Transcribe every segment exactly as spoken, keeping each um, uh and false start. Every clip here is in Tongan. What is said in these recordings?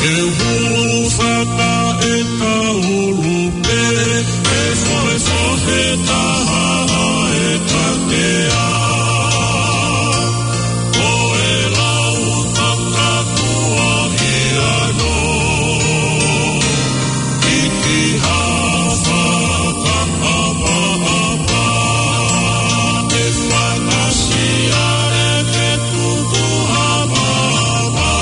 E hulu fata e kaulu pē, e fohefohe taha e katea. Ko e lau takatua ki ano, iti hafa ka apa apa, e fakasia e ke tuku hapa apa.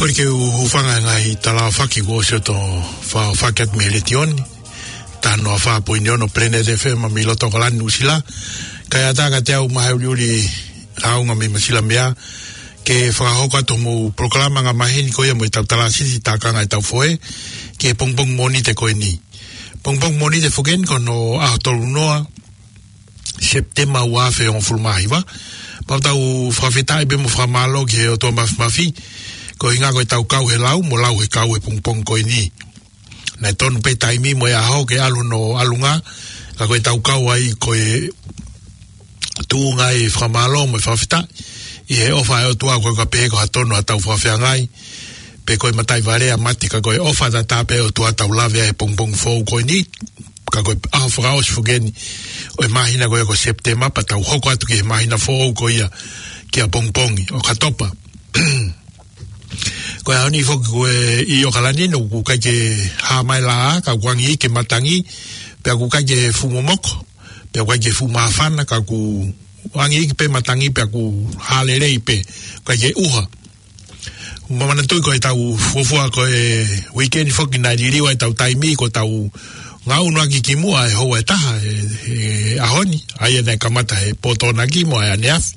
Ko e ke u hūfanga he ngaahi tala fakafeʻao kuo ʻosi ʻo fakahoko atu mei he letiō ni. Taha noa fā poini ono Planet F M mei loto ʻAokalani, Nuʻusila. Kae ʻatā kiate au Mahe ʻUliʻuli Haunga mei Masilamea, ke fakahoko atu hoʻomou polokalama angamaheni ko ia mo ʻetau tala sisi tākanga ʻetau foʻi, ki he pongipongi Mōnite ko eni. Pongipongi Mōnite foki eni ko hono ʻaho tolu noa Sepitema ua afe hongofulu mā hiva. Pea ʻoku tau fakafetaʻi pea mo fakamālō ki he ʻOtua Mafimafi, ko e ʻuhinga ko ʻetau kau he lau, mo lau he kau he pongipongi ko eni. Naʻe tonu pē taimi mo e ʻaho ke ʻalu hono ʻalunga, ka ko ʻetau kau ai ko e tuʻunga ʻi he fakamālō mo e fakafetaʻi, ʻi he ʻofa ʻa e ʻOtua, ko e ka pehē ko ha tonu ʻetau fakafeangai, pe ko e mataʻi vale ʻa mate, ka ko e ʻofa tatau pē ʻa e ʻOtua ʻoku tau lave ai he pongipongi foʻou ko eni, ka ko e ʻaho fakaʻosi foki eni ʻo e māhina ko ia ko Sepitema, pea tau hoko atu ki he māhina foʻou ko ia ki he pongipongi ʻOkatopa. Ko e ʻaho ni foki ko e ʻi ʻAokalani ʻoku ʻikai ke hā mai e laʻā, ka ʻoku angi ke matangi, pea ʻoku ʻikai ke fuʻu momoko, pea ʻoku ʻikai ke fuʻu māfana, ka ʻoku angi pē matangi, pea ʻoku hā lelei pē, ʻikai ke ʻuha. Manatuʻi ko ʻetau fuofua ko e weekend foki naʻe liliu ai ʻetau taimi, ko ʻetau ngaʻunu ʻaki kimuʻa e houa ʻe taha he, he ʻaho ni, ʻa ia naʻe kamata he pō Tokonaki mo e ʻaneafi,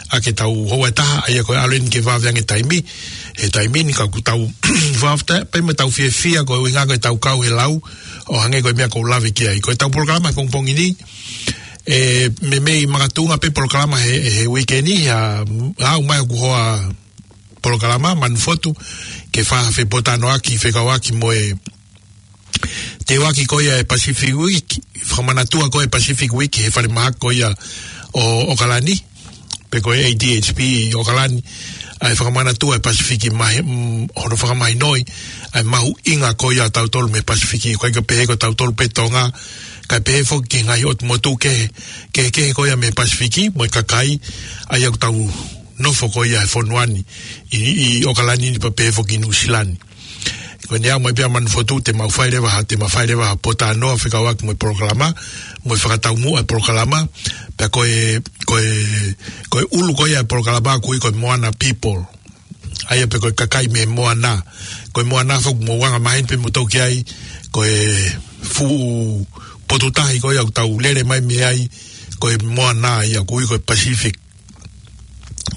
ʻa ke tau houa ʻe taha, ʻa ia ko e ʻalu eni ke vave ange taimi, he taimi ni ka ʻoku tau fakafetaʻi pē mo tau fiefia ko e ʻuhinga ko ʻetau kau he lau, ʻo hangē ko e meʻa ʻoku ou lave ki ai. Ko ʻetau polokalama he pongipongi ni, ʻe meimei makatuʻunga pē polokalama he, he weekend ni, ʻa, ʻa ʻomai ʻeku hoa polokalama, Manufotu, ke fakafepōtalanoaʻaki, fekauʻaki mo e teuaki ko ia e Pacific Week, fakamanatua ko e Pacific Week he falemahaki ko ia ʻo ʻOkalani, pe ko e A D H P ʻi ʻOkalani, ʻa e fakamanatua e Pasifiki mahi, mm, hono fakamahinoʻi ʻa e mahuʻinga ko ia ʻa tautolu mei he Pasifiki, ʻikai ke pehē ko tautolu pē Tonga, kae pehē foki ki he ngaahi ʻotu motu kehe, kehekehe ko ia mei he Pasifiki, mo e kakai, ʻa ia ʻoku tau nofo ko ia he fonua ni, ʻi, ʻi ʻOkalani ni pea pehē foki Nuʻusila ni. Ko ʻene aʻu mai pē ʻa Manufotu, te mau fai leva ha, te mau fai leva ha potanoa fekauʻaki mo e polokalama, mo e fakataumuʻa e polokalama, pea ko e, ko e, ko e ʻulu ko ia e polokalama ʻoku ui ko e Moana People. ʻA ia pē ko e kakai mei he moana. Ko e moana foki mou anga maheni pē moutolu ki ai, ko e fuʻu potu tahi ko ia ʻoku tau lele mai mei ai, ko e moana ia ʻoku ui ko e Pacific.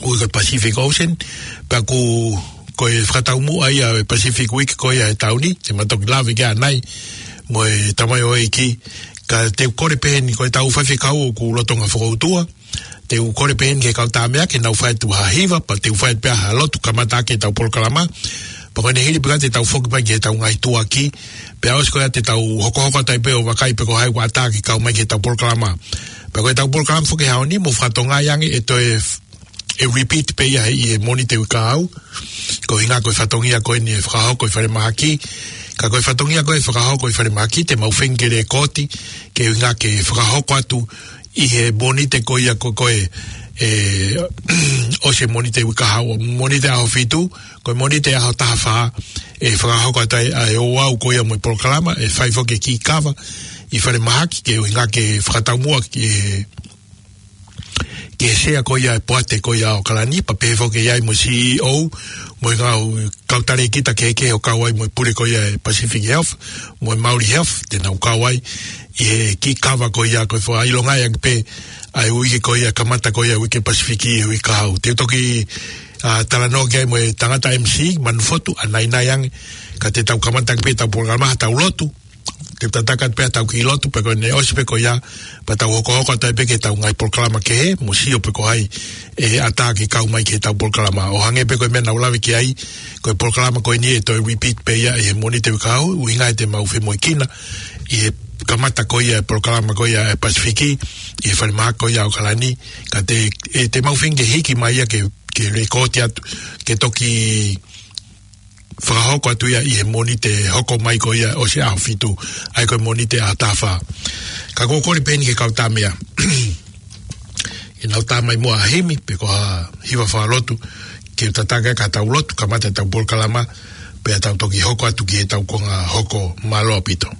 Ui ko e Pacific Ocean, pea ʻoku, ko e fakataumuʻa ia e Pacific Week ko ia he taʻu ni, te ma toki lave ki ai ʻanai, mo e tamaioʻeiki, ka te u kole pē eni ko e tau faifekau ʻoku lolotonga fokoutua, te u kole pē eni ki he kau tāmeʻa ke nau fai atu ha hiva, pea te u fai pē ha lotu kamata ʻaki e tau polokalama, pea ko ʻene hili pē ka te tau foki mai ki he tau ngaahi tuʻuaki, pea ʻosi ko ia te tau hokohoko atu ai pē ʻo vakai pe ko hai ʻoku ʻatā ke kau mai ki he tau polokalama. Pea ko e tau polokalama foki he ʻaho ni, mou fakatokangaʻi ange ʻe toe f-, ʻe repeat pē ia he, ʻi he Mōnite uike kahaʻu. Ko e ʻuhinga ko e fatongia ko eni ʻe fakahoko ʻi falemahaki. Ka ko e fatongia ko ē ʻe fakahoko ʻi falemahaki, te mau feinga ke lēkooti, ko e ʻuhinga ke fakahoko atu ʻi he Mōnite ko ia ko ē, ʻe, ʻosi e Mōnite uike kahaʻu, Mōnite ʻaho fitu, ko e Mōnite ʻaho taha fā, ʻe fakahoko atu ai ʻa e ouau ko ia mo e polokalama, ʻe fai foki e kiʻi kava ʻi falemahaki, ko e ʻuhinga ke fakataumuʻa ki he, ki he sea ko ia e poate ko ia ʻo ʻOkalani, pea pehē foki ʻe ʻi ai mo e C E O, mo e ngaahi kau talēkita kehekehe ʻo kau ai mo e pule ko ia e Pacific Health, mo e Maori Health, te nau kau ai ʻi he kiʻi kava ko ia ko e fakaʻilongaʻi ange pē ʻa e uike ko ia kamata ko ia uike Pasifiki he uike kahaʻu. Te u toki, ʻa, talanoa ki ai mo e tangata M C, Manufotu, ʻanainai ange, ka te tau kamata ange pē tau polokalama ha tau lotu, te u tataki atu pē ha tau kiʻi lotu, pea ko ʻene ʻosi pē ko ia, pea tau hokohoko atu ai pē ki he tau ngaahi polokalama kehe, mo sio pe ko hai ʻe ʻatā ke kau mai ki he tau polokalama. ʻO hangē pē ko e meʻa naʻa ku lave ki ai, ko e polokalama ko eni ʻe toe repeat pē ia ʻi he Mōnite uike kahaʻu, ʻuhinga ʻe te mau femoʻuekina ʻi he kamata ko ia e polokalama ko ia e Pasifiki, ʻi he falemahaki ko ia ʻo ʻOkalani, ka te, ʻe te mau feinga ke hiki mai ia ke, ke lēkooti atu, ke toki fakahoko atu ia ʻi he Mōnite hoko mai ko ia ʻosi e ʻaho fitu, ʻa ia ko e Mōnite ʻaho taha fā. Ka ʻoku ou kole pē eni ki he kau tāmeʻa ke nau tā mai muʻa ha himi, pe ko ha hiva fakalotu, ke tataki ʻaki ha tau lotu, kamata e tau polokalama, pea tau toki hoko atu ki he tau konga hoko. Mālō ʻaupito.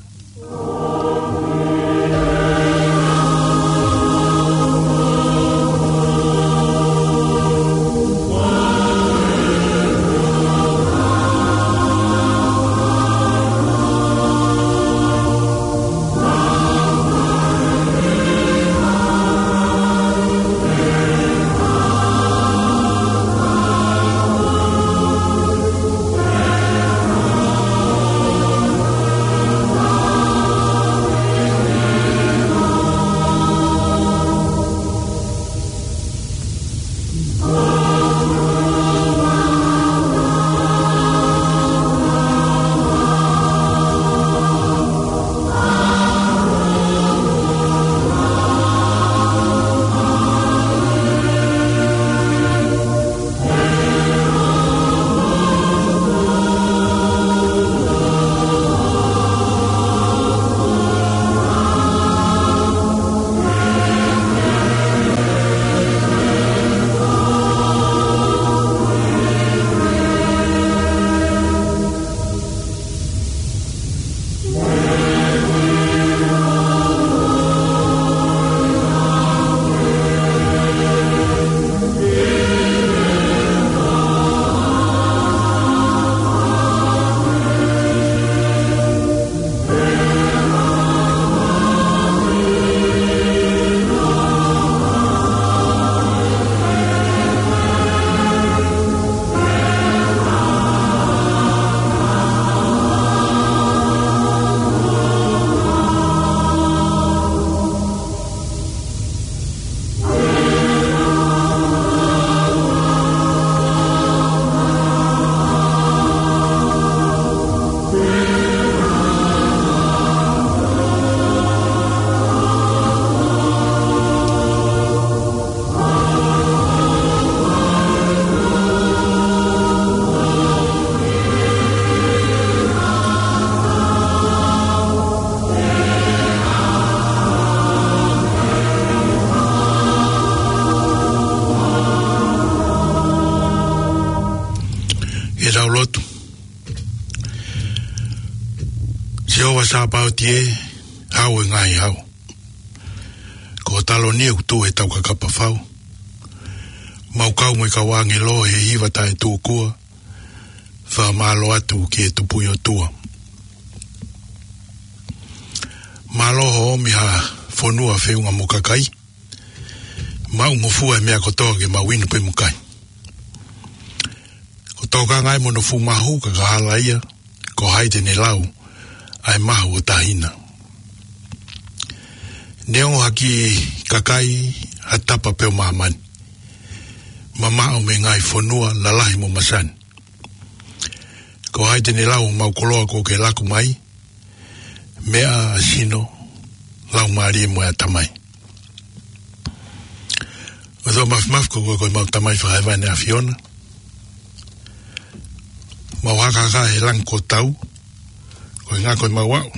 Sāpaoti ē, hau e ngaahi hau. Ko Taloni ʻoku tuʻu he taukakapa fau. Mau kau mo e kau ʻāngelo he hiva taʻetūkua. Fakamālō atu ki he Tupu ʻi ʻOtua. Mālō hoʻo ʻomi ha fonua feʻunga mo kakai. Maʻungofua e meʻa kotoa ke mau inu pē mo kai. Ko tokanga ē mo hono fuʻu mahu ka ka hala ia, ko hai te ne lau ʻa e mahu ʻo tahina. Neongo ha kiʻi kakai ha tapa pē ʻo māmani. Mamaʻo mei he ngaahi fonua lalahi mo masani. Ko hai te ne lau ʻo mau koloa ko ke laku mai, meʻa ʻa sino, laumālie mo e ʻatamai. ʻOtua Māfimafi ko koe ko e mau Tamai Fakahevae ʻa e ʻAfiona. Mau hakahaka he langi ko tau, ko e ngā ko e mau aʻu,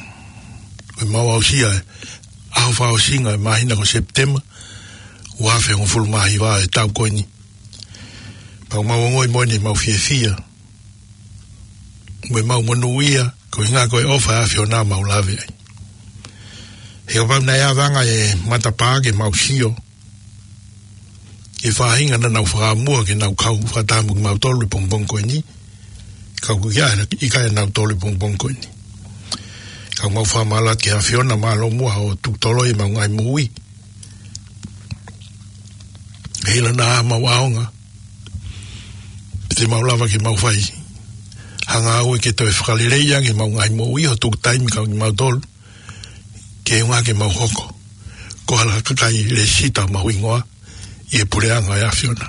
ko e mau aʻusia e ʻaho fakaʻosinga e māhina ko Sepitema, ua afe hongofulu mā hiva e taʻu ko eni. Pau mau ongoʻi mo ʻene mau fiefia, mo e mau monūʻia, ko e ngā ko e ʻofa ʻa e ʻAfiona mau lave ai. He kapau naʻe ʻave ange e matapā ke mau sio, ke faʻahinga naʻa nau fakamua ke nau kau fakataha mo kimautolu ʻi he pongipongi ko eni, ka ʻoku ʻikai, ʻikai ʻa nautolu ʻi he pongipongi ko eni. Ka mau fakamālō atu ki he ʻAfiona mālō muʻa hoʻo tuku toloi e mau ngaahi moʻui. He ʻilo naʻa mau ʻaonga. Te mau lava ke mau fai. Hanga au ke toe fakalelei ange mau ngaahi moʻui hoʻo tuku taimi kau kimautolu. Ke unga ke mau hoko. Ko hala kakai lēsisita mau hingoa. ʻI he puleʻanga ʻo e ʻAfiona.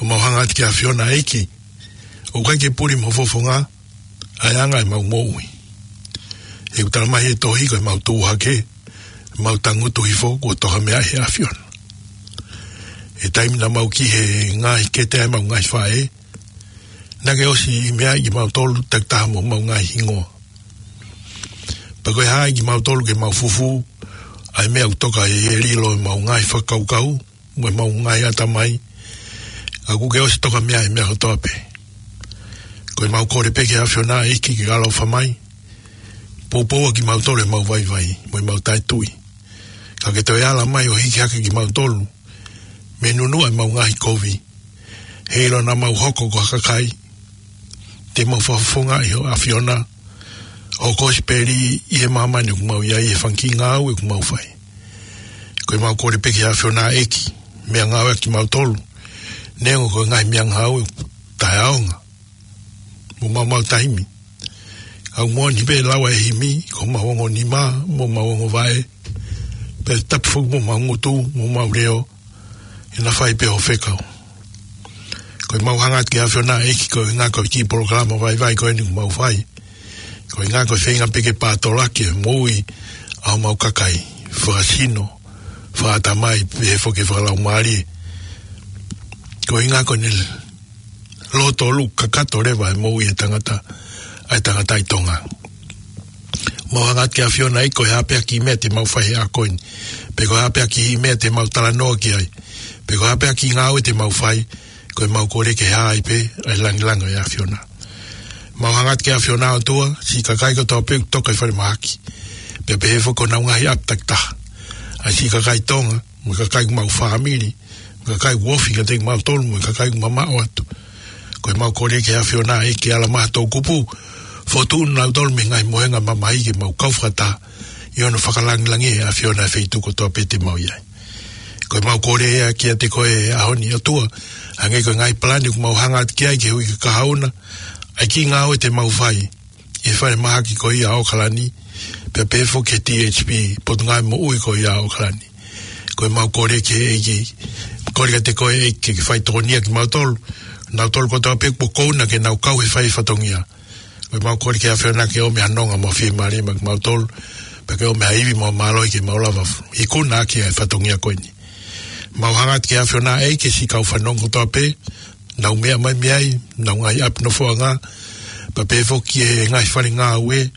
ʻO mau hanga atu ki he ʻAfiona ʻEiki. ʻOku ʻikai ke puli mo fofonga. ʻA e anga e mau moʻui. He ʻoku tala mai he tohi ko e mau tuʻu hake, mau tangutu hifo kuo toka mei he ʻAfiona. He taimi naʻa mau ki he ngaahi kete ʻa e mau ngaahi faʻē, naʻa ke ʻosi meaʻi kimautolu takitaha mo mau ngaahi hingoa. Pea ko e haʻi kimautolu ke mau fufū, ʻa e meʻa ʻoku toka ʻi he lilo ʻo e mau ngaahi fakakaukau, mo e mau ngaahi ʻatamai, ʻa ʻoku ke ʻosi toka mei ai e meʻa kotoa pē. Ko e mau kole pē ki he ʻAfiona ʻEiki ke ʻaloʻofa mai, poupou ʻa kimautolu ʻe he mau vaivai, mo e mau taʻetui. Ka ke toe ala mai ʻo hiki hake kimautolu, mei he nunuʻa e mau ngaahi kovi. He ʻilo naʻa mau hoko ko ha kakai, te mau fakafofongaʻi hoʻo ʻAfiona, hoʻo kosipeli ʻi he māmani ʻoku mau ʻi ai he fanga kiʻi ngāue ʻoku mau fai. Ko e mau kole pē ki he ʻAfiona ʻEiki, meʻangāue ʻaki kimautolu, neongo ko e ngaahi meʻangāue taʻeʻaonga, mo mau mau taimi. Kau moʻoni pē lau e himi, ko mau ongo nima, mo mau ongo vaʻe, pea tapu foki mo mau ngutu, mo mau leʻo, ʻi he naʻa fai pē hoʻo fekau. Ko e mau hanga atu ki he ʻAfiona ʻEiki ko e ngā ko e kiʻi polokalama vaivai ko eni ʻoku mau fai. Ko e ngā ko e feinga pē ke pātolaki e moʻui ʻa homau kakai. Fakasino, fakaʻatamai, pehē foki fakalaumālie. Ko e ngā ko eni loto ʻoku kakato leva e moʻui e tangata, ʻa e tangata ʻi Tonga. Mau hanga atu ki he ʻAfiona ʻEiki ko e hā pē ha kiʻi meʻa te mau fai he ʻaho ko eni. Pe ko e hā pē ha kiʻi meʻa te mau talanoa ki ai. Pe ko e hā pē ha kiʻi ngāue te mau fai. Ko e mau kole ke hā ai pē, ʻa e langilangi ʻo e ʻAfiona. Mau hanga atu ki he ʻAfiona ʻOtua, siʻi kakai kotoa pē ʻoku toka ʻi falemahaki. Pea pehē foki ko honau ngaahi ʻapi takitaha. ʻA e siʻi kakai Tonga, mo e kakai ʻoku mau fāmili, mo e kakai ʻoku ofi kiate kimautolu, mo e kakai ʻoku mamaʻo atu. Ko e mau kole ki he ʻAfiona ʻEiki ke ala mai ha toʻukupu, fokotuʻu nautolu mei he ngaahi mohenga mamahi ke mau kau fakataha, ʻi hono fakalangilangiʻi ʻe he ʻAfiona e feituʻu kotoa pē te mau ʻi ai. Ko e mau kole ia kiate koe he ʻaho ni ʻOtua, hangē ko e ngaahi palani ʻoku mau hanga atu ki ai ki he uike kahaʻu na, ʻa e kiʻi ngāue te mau fai, ʻi he falemahaki ko ia ʻo ʻAokalani, pea pehē foki ki he T H P, Potungāue Moʻui ko ia ʻo ʻAokalani. Ko e mau kole ki he ʻEiki, kole kiate koe ʻEiki ke fai tokonia kimautolu, nautolu kotoa pē kuo kouna ke nau kau he fai fatongia. Ko e mau kole ki he ʻAfiona ke ʻomi ha nonga mo e fiemālie maʻa kimautolu, pea ke ʻomi ha ivi mo e mālohi ke mau lava ikuna ʻaki e fatongia ko eni. Mau hanga atu ki he ʻAfiona ʻEiki siʻi kau fanongo kotoa pē, naʻa nau meʻa mai mei ai, honau ngaahi ʻapi nofoʻanga, pea pehē foki ki he ngaahi fale ngāue,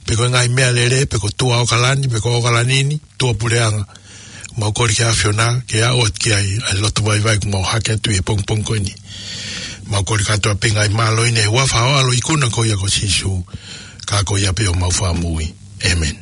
pe ko e ngaahi meʻalele, pe ko tuʻa ʻAokalani, pe ko ʻAokalani ni, tuʻapuleʻanga. Mau kole ki he ʻAfiona, ke aʻu atu ki ai, ʻa e loto vaivai ʻoku mau hake atu ʻi he pongipongi ko eni. Mau kole kātoa pē ngaahi mālohi ni he huafa ho ʻAlo ikuna ko ia ko Sīsū. Ka ko ia pē homau Fakamoʻui. ʻĒmeni.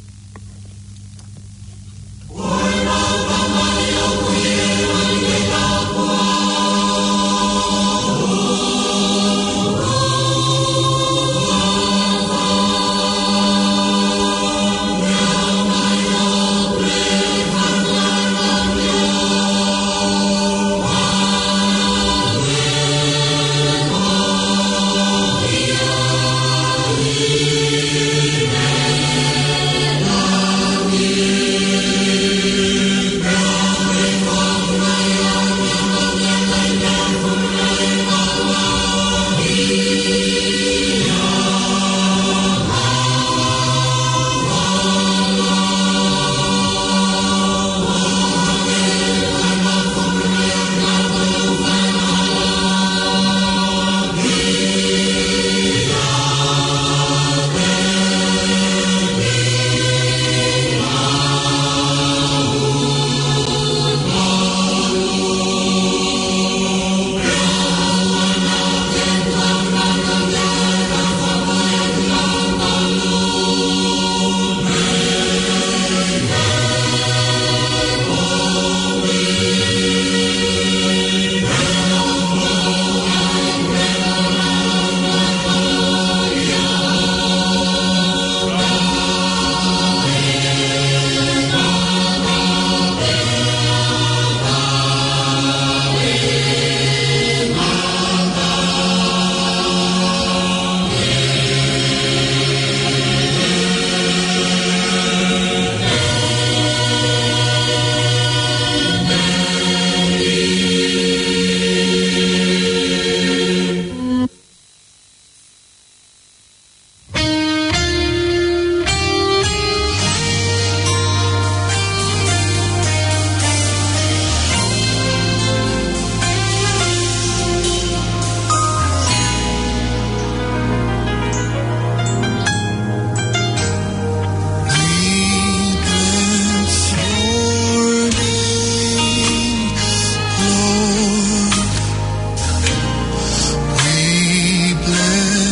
We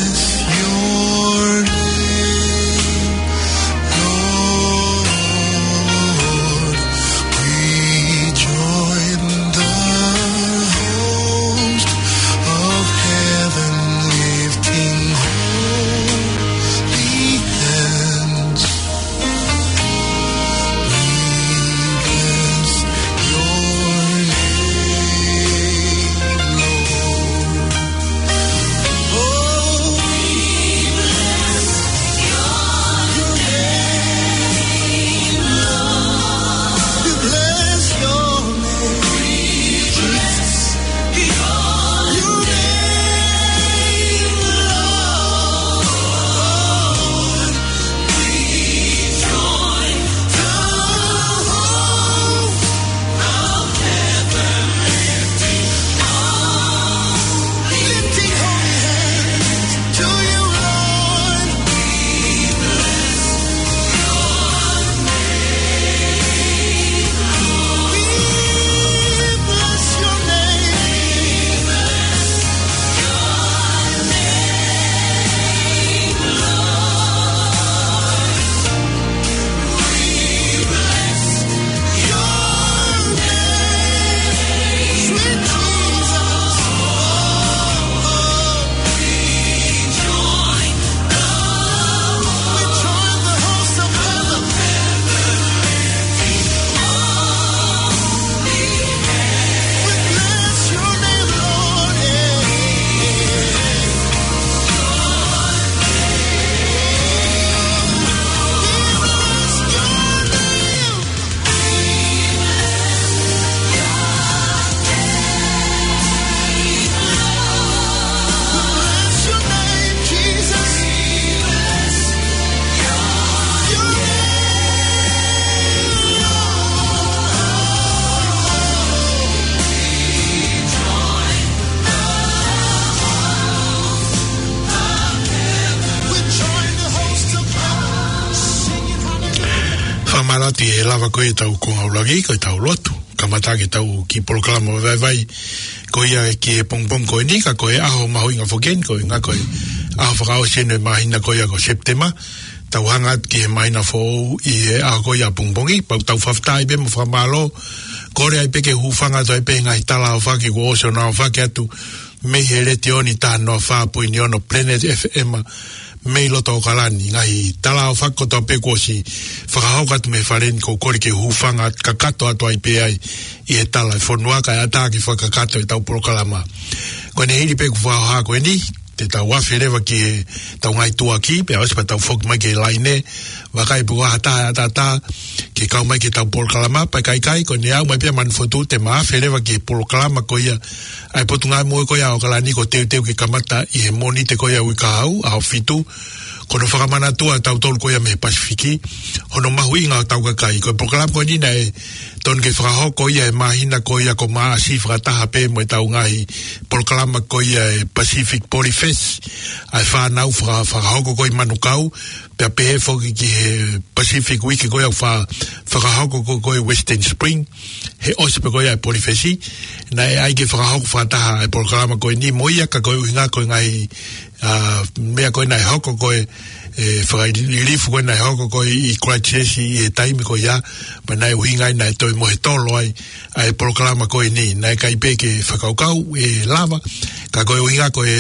bless your name, Lord. We join the host of heaven, lifting holy hands. We bless your name, Lord. Oh, we bless your name, Lord. We bless your name. We bless your name, Lord. Fakamālō atu, ʻe lava ko ʻetau konga ʻuluaki, ko ʻetau lotu. Kamata ʻetau kiʻi polokalama vaivai. ko ia ki he pongipongi ko eni, ka ko e ʻaho mahuʻinga foki eni, ko e ʻuhinga ko e ʻaho fakaʻosi eni ʻo e māhina ko ia ko Sepitema. Tau hanga atu ki he māhina foʻou ʻi he ʻaho ko ia pongipongi, pea ʻoku tau fakafetaʻi pē mo fakamālō, kole ai pē ke hūfanga atu ai pē he ngaahi tala ʻofa kuo ʻosi ʻo nau ʻofa atu, mei he Letiō ni taha noa fā poini ono Planet F M, mei loto ʻAokalani, ngaahi tala ʻofa kotoa pē kuo ʻosi fakahoko atu mei he fale ni, ʻoku ou kole ke hūfanga kakato atu ai pē ai ʻi he tala ʻa e fonua kae ʻatā ke fakakakato ʻetau polokalama. Ko ʻene hili pē ʻeku fakahoha ko eni, te tau afe leva ki heʻetau ngaahi tuʻuaki, pea ʻosi pea tau foki mai ki he laine, vakai pe ko ha taha ʻe ʻatā ke kau mai ki heʻetau polokalama, pea ʻikai, ʻikai, ko ʻene aʻu mai pē ʻa Manufotu, te ma afe leva ki he polokalama ko ia ʻa e Potungāue Moʻui ko ia ʻa ʻAokalani, kuo teuteu ke kamata ʻi he Mōnite ko ia uike kahaʻu, ʻaho fitu, ko hono fakamanatu ʻa tautolu ko ia mei he Pasifiki, hono mahuʻinga ʻo ʻetau kakai. Ko e polokalama ko eni naʻe tonu ke fakahoko ia he māhina ko ia ko Maʻasi fakataha pē mo ʻetau ngaahi polokalama ko ia ʻa e Pacific Polyfest, ʻa e fānau faka-, fakahoko ko ia ʻi Manukau, pea pehē foki ki he Pacific Week ko ia fa-, fakahoko ko, ko e Western Spring, he ʻosi pē ko ia ʻa e Polyfest, naʻe ʻai ke fakahoko fakataha ʻa e polokalama ko eni mo ia ka ko e ʻuhinga ko e ngaahi, ʻa, meʻa ko ē naʻe hoko ko ē, ʻe, fakalilifu ko ē naʻe hoko ko ē ʻi Christchurch ʻi he taimi ko ia, pea naʻe ʻuhinga ai naʻe toe mohe tolo ai ʻa e polokalama ko eni, naʻe ʻikai pē ke fakakaukau ʻe lava, ka ko e ʻuhinga ko e,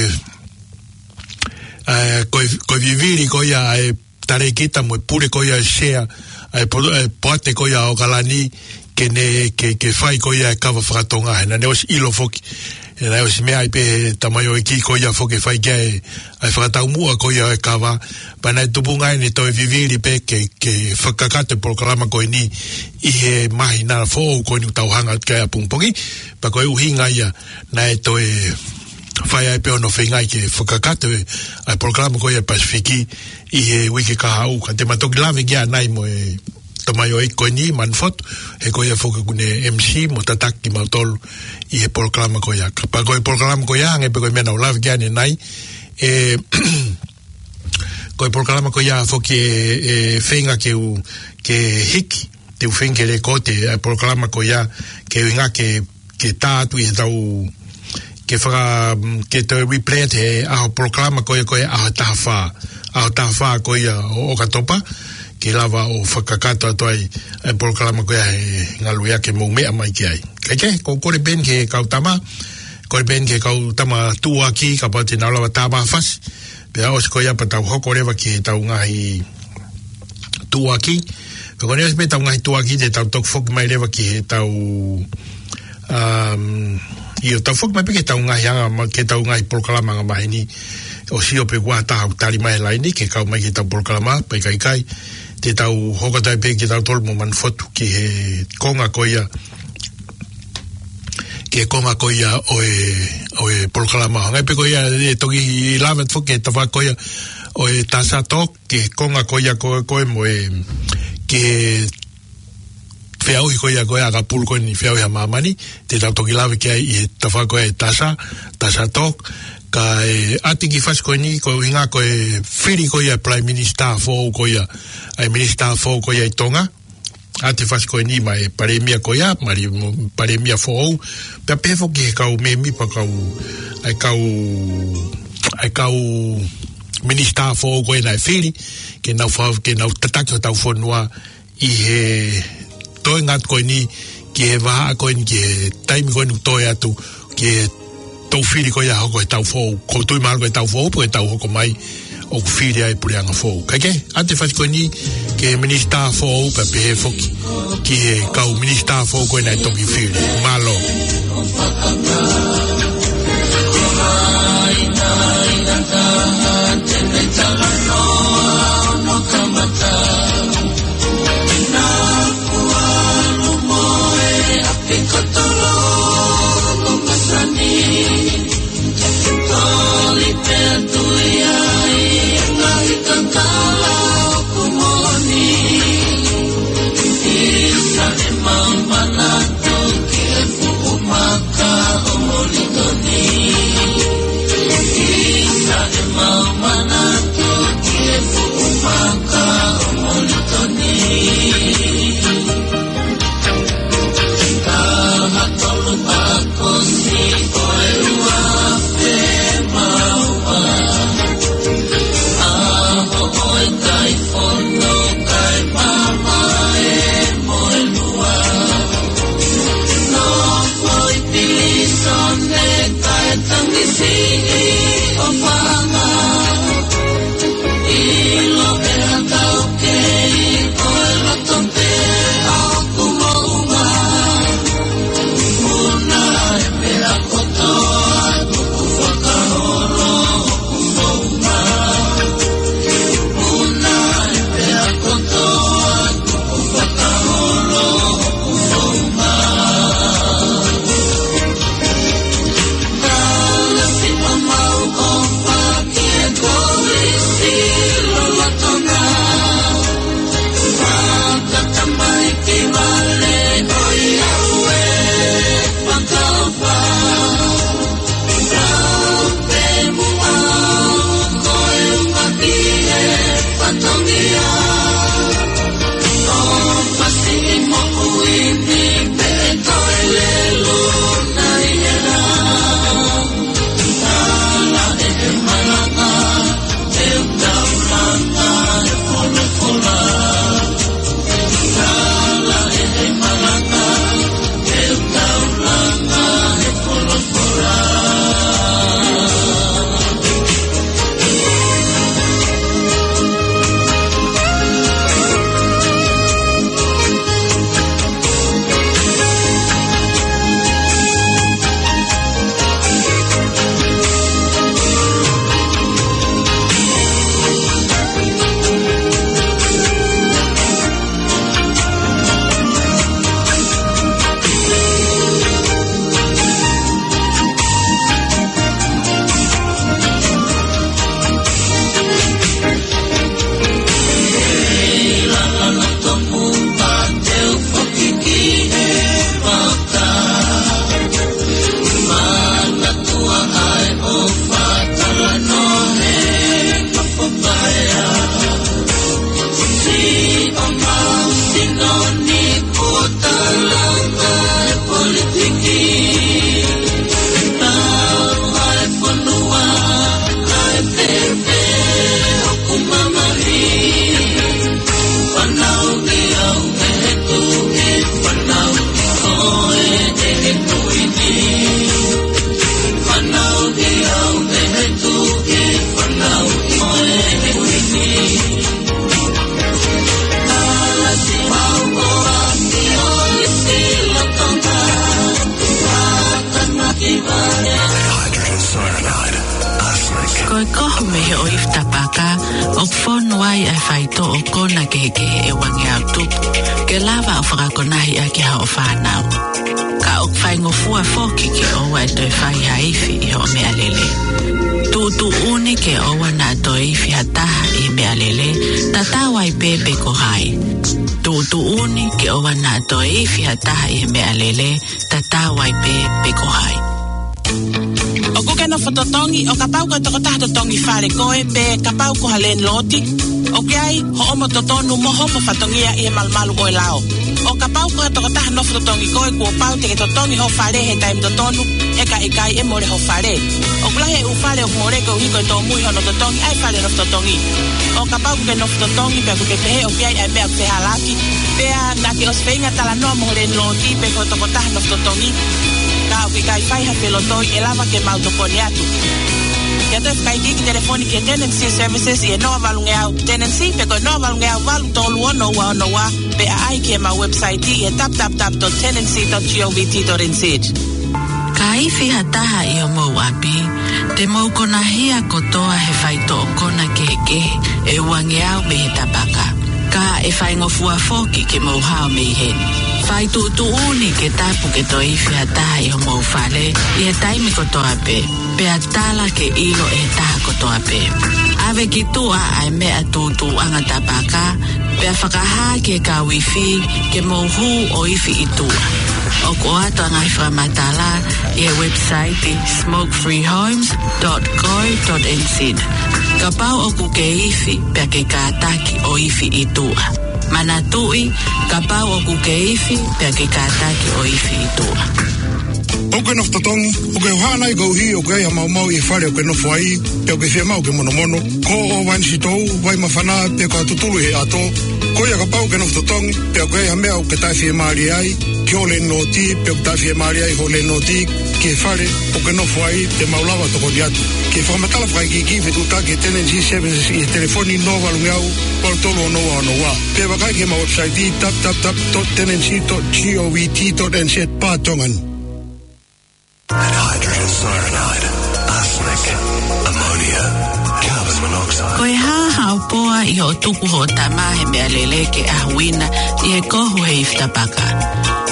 ʻa, ko e, ko e vivili ko ia ʻa e talēkita mo e pule ko ia ʻa e sea, ʻa e po-, ʻa e poate ko ia ʻa ʻAokalani, ke ne, ke, ke fai ko ia e kava fakatonga, he naʻa ne ʻosi ʻilo foki. He naʻe ʻosi meʻa ai pē he tamaioʻeiki ko ia foki ʻe fai ki ai ʻa e fakataumuʻa ko ia ʻo e kava, pea naʻe tupunga ai ʻene toe vivili pē ke, ke fakakakato e polokalama ko eni ʻi he māhina foʻou ko eni ʻoku tau hanga atu ki ai ʻapongipongi, pea ko e ʻuhinga ia naʻe toe fai ai pē hono feingaʻi ke fakakakato e, ʻa e polokalama ko ia Pasifiki ʻi he uike kahaʻu, ka te ma toki lave ki ai ʻanai mo e tamaioʻeiki ko eni, Manufotu, he ko ia foki ʻoku ne M C mo tataki kimautolu ʻi he polokalama ko ia. Ka pea ko e polokalama ko ia, hangē pē ko e meʻa naʻa ku lave ki ai ʻanenai, ʻe, ko e polokalama ko ia foki ʻe, ʻe feinga ke u, ke hiki, te u feinga ke lēkooti ʻa e polokalama ko ia, ke ʻuhinga ke ke tā atu ʻi heʻetau, ke faka-, ke toe replay he ʻaho polokalama ko ia ko e ʻaho taha fā. ʻAho taha fā ko ia ʻo ʻOkatopa, ke lava ʻo fakakakato atu ai e polokalama ko ia he ngaluʻiake mou meʻa mai ki ai. Kae kehe, ko e kole pē eni ki he kau tama, kole pē eni ki he kau tama tuʻuaki, kapau te nau lava tā mai ha fasi, pea ʻosi ko ia pea tau hoko leva ki heʻetau ngaahi tuʻuaki. Pea ko ʻene ʻosi pē ʻetau ngaahi tuʻuaki te tau toki foki mai leva ki heʻetau, um, ʻio, tau foki mai pē ki heʻetau ngaahi anga ma-, ki heʻetau ngaahi polokalama angamaheni. ʻOsi ʻo pē ʻoku ʻi ai ha taha ʻoku tali mai he laine ke kau mai ki heʻetau polokalama, pea ʻikai, ʻikai. Te tau hoko atu ai pē kitautolu mo Manufotu ki he konga ko ia, ki he konga ko ia ʻo e, ʻo e polokalama. Hangē pē ko ia, ʻe toki lave atu foki ki he tafaʻaki ko ia ʻo e TASA Talk, ki he konga ko ia ko ē, ko ē mo e, ki he feʻauhi ko ia ko ē ʻa ʻAkapulu ko eni, feʻauhi ʻa māmani, te tau toki lave ki ai ʻi he tafaʻaki ko ē ʻa e TASA, TASA Talk, kae ʻoatu e kiʻi fasi ko eni, ko e ʻuhinga ko e fili ko ia Prime Minister foʻou ko ia, ʻa e Minister foʻou ko ia ʻi Tonga, ʻoatu e fasi ko eni maʻa e Palēmia ko ia, maʻa e mo-, Palēmia foʻou, pea pehē foki ki he kau mēmipa kau, ʻa e kau, ʻa e kau Minister foʻou ko ē naʻe fili, ke nau fa-, ke nau tataki hotau fonua ʻi he toenga atu ko eni, ki he vahaʻa ko eni, ki he taimi ko eni ʻoku toe atu, ki he tau fili ko ia hoko he taʻu foʻou, ʻoku ou tui mahalo ko e taʻu foʻou, pe ko e taʻu hoko mai, ʻoku fili ai e puleʻanga foʻou. Kae kehe, ʻoatu e fasi ko eni ki he Minister foʻou, pea pehē foki ki he kau Minister foʻou ko ē naʻe toki fili. Mālō. Ko e kohu mei he ʻoifi tapaka, ʻoku fonu ai ʻa e faitoʻo kona kehekehe ʻe uangeau tupu, ke lava ʻo fakakonahi ʻaki ʻa hoʻo fānau. Ka ʻoku faingofua foki ke ʻoua ʻe toe fai ha ifi ʻi hoʻo meʻalele. Tuʻutuʻuni ke ʻoua naʻa toe ifi ha taha ʻi he meʻalele, tatau ai pē pe ko hai. Tuʻutuʻuni ke ʻoua naʻa toe ifi ha taha ʻi he meʻalele, tatau ai pē pe ko hai. ʻOku ke nofo totongi, ʻo kapau ko e tokotaha totongi fale koe, pe kapau ko ha lēniloti, ʻoku ʻi ai hoʻomo totonu mo hoʻomo fatongia ʻi he malumalu ʻo e lao. ʻO kapau ko ha tokotaha nofo totongi koe, kuo pau te ke totongi ho fale he taimi totonu, he ka ʻikai ʻe mole ho fale. ʻOku lahi e ʻū fale ʻoku mole koeʻuhi ko e tōmui hono totongi ʻa e fale nofo totongi. ʻO kapau ʻoku ke nofo totongi, pea ʻoku ke pehē ʻoku ʻi ai ʻa e meʻa ʻoku fehālaaki, pea naʻa ke ʻosi feinga talanoa mo ho lēniloti pe ko e tokotaha nofo totongi, ka ʻoku ʻikai fai ha felotoi, ʻe lava ke mau tokoni atu. Ke ʻoatu e fakaikiiki telefoni ki he Tenancy Services ʻi he noa valungeau Tenancy, pe ko e noa valungeau valu tolu ono ua ono ua, pe ʻaʻahi ki heʻemau website ʻi he www dot tenancy dot govt dot nz. Ka ifi ha taha ʻi homou ʻapi, te mou konahia kotoa he faitoʻo kona kehekehe ʻe uangeau mei he tapaka. Ka ʻe faingofua foki ke mou hao mei heni. Fai tuʻutuʻuni ke tapu ke toe ifi ha taha ʻi homou fale ʻi he taimi kotoa pē, pea tala ke ʻilo ʻe he taha kotoa pē. ʻAve ki tuʻa ʻa e meʻa tuʻutuʻuʻanga tapaka, pea fakahā ki he kau ifi ke mou hū ʻo ifi ʻi tuʻa. ʻOku ʻoatu ʻa e ngaahi fakamatala ʻi he website smoke free homes dot co dot nz. Kapau ʻoku ke ifi, pea ke kātaki ʻo ifi ʻi tuʻa. Manatuʻi, kapau ʻoku ke ifi, pea ke kātaki ʻo ifi ʻi tuʻa. ʻOku ke nofo totongi, ʻoku ke ʻohana ai koeʻuhi ʻoku ʻi ai ha maumau ʻi he fale ʻoku ke nofo ai, pea ʻoku ke fiemaʻu ke monomono, ko hoʻo vai sitou, vai māfana, pe ko ha tutulu ʻi he ʻato. Ko ia kapau ʻoku ke nofo totongi, pea ʻoku ʻi ai ha meʻa ʻoku ke taʻefiemālie ai ki hoʻo lēniloti, pe ʻoku taʻefiemālie ai hoʻo lēniloti ki he fale ʻoku ke nofo ai, te mau lava ʻo tokoni atu. Ke fakamatala fakaikiiki, fetuʻutaki he Tenancy Services ʻi he telefoni noa valungeau valu tolu ono ua ono ua. Pe vakai ki heʻemau website www dot tenancy dot govt dot nz barra tongan. Hydrogen cyanide, arsenic, ammonia, carbon monoxide. Ko e hā haʻo poa ʻi hoʻo tuku hoʻo tama he meʻalele ke ʻahuina ʻi he kohu he ifi tapaka?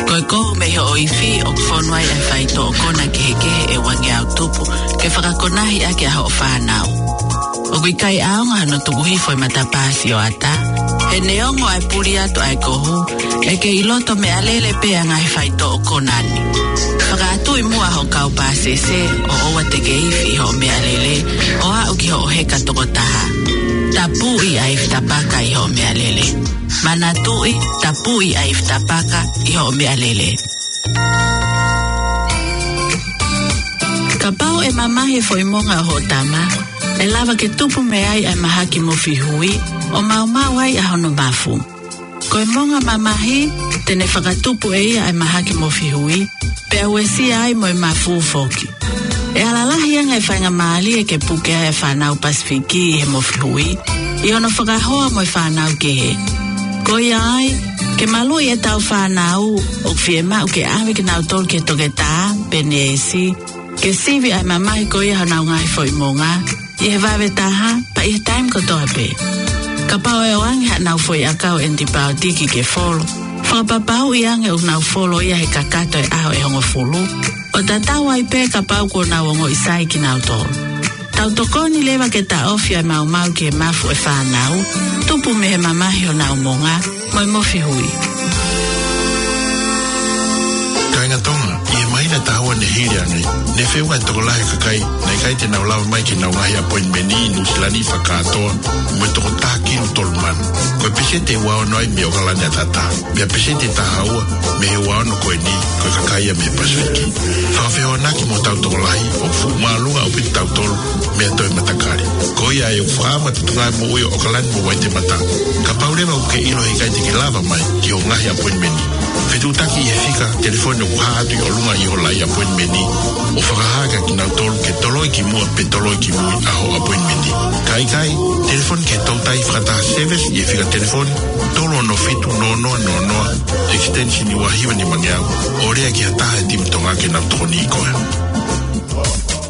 Ko e kohu mei hoʻo ifi ʻoku fonu ai ʻa e faitoʻo kona kehekehe ʻe uangeau tupu ke fakakonahi ʻaki ʻa hoʻo fānau. ʻOku ʻikai ʻaonga hono tuku hifo ʻi he matapā sioʻata. He neongo ʻa e puli atu ʻa e kohu, ʻe kei loto meʻalele pē ʻa e ngaahi faitoʻo kona ni. Fakaʻatuʻi muʻa hoʻo kau pāsese ʻo ʻoua te ke ifi ʻi hoʻo meʻalele ʻo aʻu ki hoʻo heka toko taha. Tapuʻi ʻa e ifi tapaka ʻi hoʻo meʻalele. Manatuʻi, tapuʻi ʻa e ifi tapaka ʻi hoʻo meʻalele. Kapau ʻe mamahi e foʻi monga ʻo hoʻo tama, ʻe lava ke tupu mei ai ʻa e mahaki mofi hui, ʻo maumau ai ʻa hono mafu. Ko e monga mamahi, te ne fakatupu ʻe ia ʻa e mahaki mofi hui, pea uesia ai mo e mafu foki. ʻE ala lahi ange e faingamālie ke puke ai e fānau Pasifiki ʻi he mofi hui, ʻi hono fakahoa mo e fānau kehe. Ko ia ai, ke maluʻi ʻetau fānau, ʻoku fiemaʻu ke ʻave kinautolu ki he toketā pe neesi, ke sivi ʻa e mamahi ko ia honau ngaahi foʻi monga, ʻi he vave taha, pea ʻi he taimi kotoa pē. Kapau ʻe ʻoange haʻanau foʻi ʻakau ʻenitipaotiki ke folo, fakapapauʻi ange ʻoku nau folo ia he kakato e ʻaho ʻe hongofulu, ʻo tatau ai pē kapau kuo nau ongoʻi sai kinautolu. Tau tokoni leva ke taʻofi ʻa e maumau ki he mafu ʻo e fānau, tupu mei he mamahi honau monga, mo e mofi hui. Kāinga Tonga, ʻi he māhina taha ua Ne hili ange, ne feʻunga e tokolahi e kakai naʻe ʻikai te nau lava mai ki heʻenau ngaahi appointment ʻi Nuʻusila ni fakakātoa mo e toko taha kilu tolu mano. Ko e peseti ʻe ua ono ai mei ʻOkalani ʻa Tata. Pea peseti ʻe taha ua mei he ua ono ko eni, ko e kakai ia mei he Pasifiki. Fakafehoanaki mo hotau tokolahi, ʻoku fuʻu māʻolunga ʻaupito kitautolu mei ha toe matakali. Ko ia ai ʻoku fakaʻamu atu e tuʻunga moʻui ʻo ʻOkalani mo Waitemata. Kapau leva ʻoku ke ʻilo he ʻikai te ke lava mai ki hoʻo ngaahi appointment, fetuʻutaki ʻi he fika telefoni ʻoku hā atu ʻi ʻolunga ʻi hoʻo laʻi appointment, ʻo fakahā kia kinautolu ke toloi ki muʻa pe toloi ki mui ʻa hoʻo appointment. Ka ʻikai, telefoni ki he toutai fakataha service ʻi he fika telefoni tolu ono fitu noa noa noa noa, extension ua hiva nimangeau, ʻo lea ki ha taha e timi Tonga ke nau tokoniʻi koe.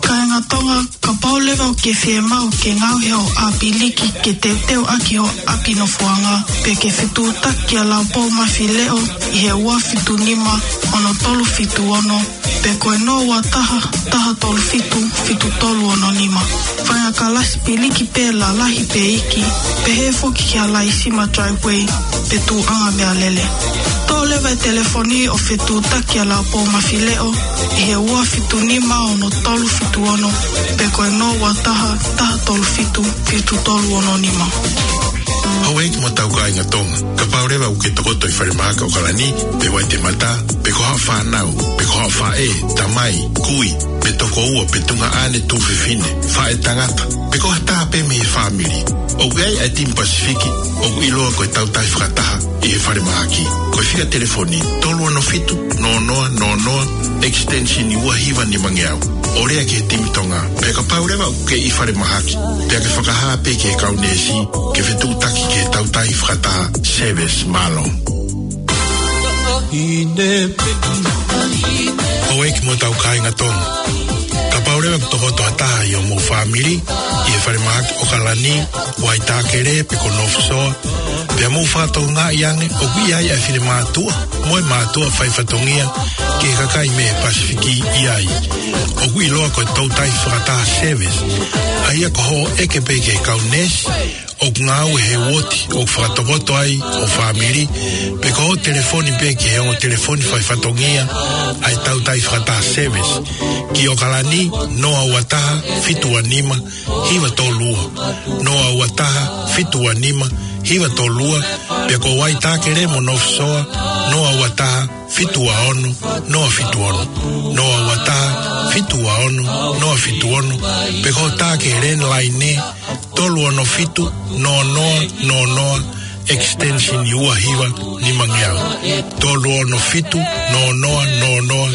Kāinga Tonga, kapau leva ʻoku ke fiemaʻu ke ngaohi hoʻo ʻāpiliki ke teuteu ʻaki hoʻo ʻapi nofoʻanga, pe ke fetuʻutaki kia Laupou Mafileʻo ʻi he ua fitu nima ono tolu fitu ono, pe ko e noa ua taha, taha tolu fitu, fitu tolu ono nima. Fai ha kalasi piliki pē lalahi pe iiki, pehē foki ki ha laisima driveway pe tuʻunga meʻalele. Toʻo leva e telefoni ʻo fetuʻutaki kia Laupou Mafileʻo ʻi he ua fitu nima ono tolu fitu ono, pe ko e noa ua taha, taha tolu fitu, fitu tolu ono nima. Houʻeiki mo hotau kāinga Tonga, kapau leva ʻoku ke tokoto ʻi falemahaki ʻOkalani pe Waitemata, pe ko haʻo fānau, pe ko haʻo faʻē, tamai, kui, pe tokoua, pe tuongaʻane, tuofefine, faʻētangata, pe ko ha taha pē mei he fāmili, ʻoku ʻi ai ʻa e timi Pasifiki ʻoku ʻiloa ko e Tautai Fakataha ʻi he falemahaki. Ko e fika telefoni tolu ono fitu noa noa noa noa, extension ua hiva nimangeau, ʻo lea ki he timi Tonga. Pea kapau leva ʻoku ke ʻi falemahaki, pea ke fakahā pē ki he kau neesi ke fetuʻutaki ki he Tautai Fakataha service. Mālō. Houʻeiki mo hotau kāinga Tonga, kapau leva ʻoku tokoto ha taha ʻi hoʻomou fāmili ʻi he falemahaki ʻOkalani, Waitākele pe ko North Shore, pea mou fakatokangaʻi ange ʻoku ʻi ai ʻa e finemātuʻa mo e mātuʻa faifatongia ki he kakai mei he Pasifiki ʻi ai, ʻoku ʻiloa ko e Tautai Fakataha service, ʻa ia ko hoʻo ʻeke pē ki he kau neesi ʻoku ngāue he uooti ʻoku fakatokoto ai hoʻo fāmili, pe ko hoʻo telefoni pē ki he ongo telefoni faifatongia ʻa e Tautai Fakataha service, ki ʻOkalani, noa ua taha, fitu ua nima, hiva tolu ua, noa ua taha, fitu ua nima, hiva tolu ua, pe ko Waitākele mo North Shore, noa ua taha, fitu ua ono, noa fitu ono, noa ua taha, fitu ua ono, noa fitu ono, pe ko e tā ki he landline, tolu ono fitu noa noa noa noa, extension ua hiva nimangeau. Tolu ono fitu noa noa noa noa,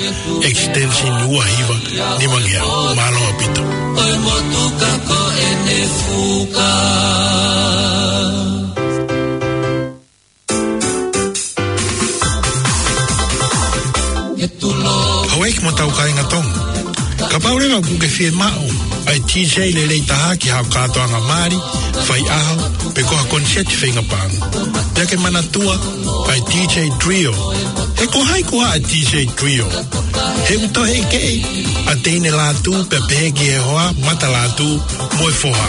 extension ua hiva nimangeau. Mālō ʻaupito. ʻOi motuka ko ʻene fuka. Houʻeiki mo hotau kāinga Tonga, kapau leva ʻoku ke fiemaʻu ʻa e DJ lelei taha ki haʻo kātoanga mali, faiʻaho, pe ko ha koniseti feinga paʻanga, pea ke manatua ʻa e DJ Trio. He ko hai koā ʻa e DJ Trio? He ʻoku toe ʻekeʻi ʻa Teine Lātū pea pehē ki he hoa, Mata Lātū mo e foha.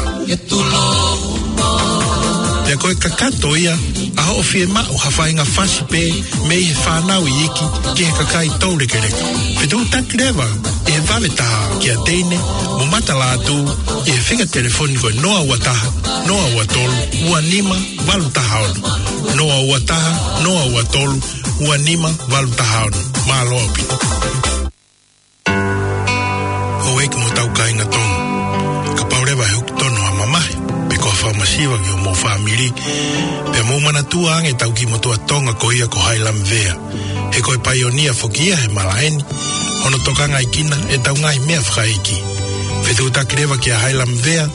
Pea ko e kakato ia ʻa hoʻo fiemaʻu ha faʻahinga fasi pē mei he fānau iiki ki he kakai toulekeleka. Fetuʻutaki leva ʻi he vave taha kia Teine mo Mata Lātū ʻi he fika telefoni ko e noa ua taha, noa ua tolu, ua nima valu taha ono. Noa ua taha, noa ua tolu, ua nima valu taha ono. Mālō ʻaupito. Houʻeiki mo hotau kāinga Tonga, kapau leva ʻe hoko tonu ha mamahi pe ko ha fakamasiva ki hoʻomou fāmili, pea mou manatua ange ʻetau kiʻi motuʻa Tonga ko ia ko Hailam Vea. He ko e paionia foki ia he malaʻe ni, hono tokangaʻi kinautolu ʻetau ngaahi meʻa fakaʻeiki. Fetuʻutaki leva kia Hailam Vea,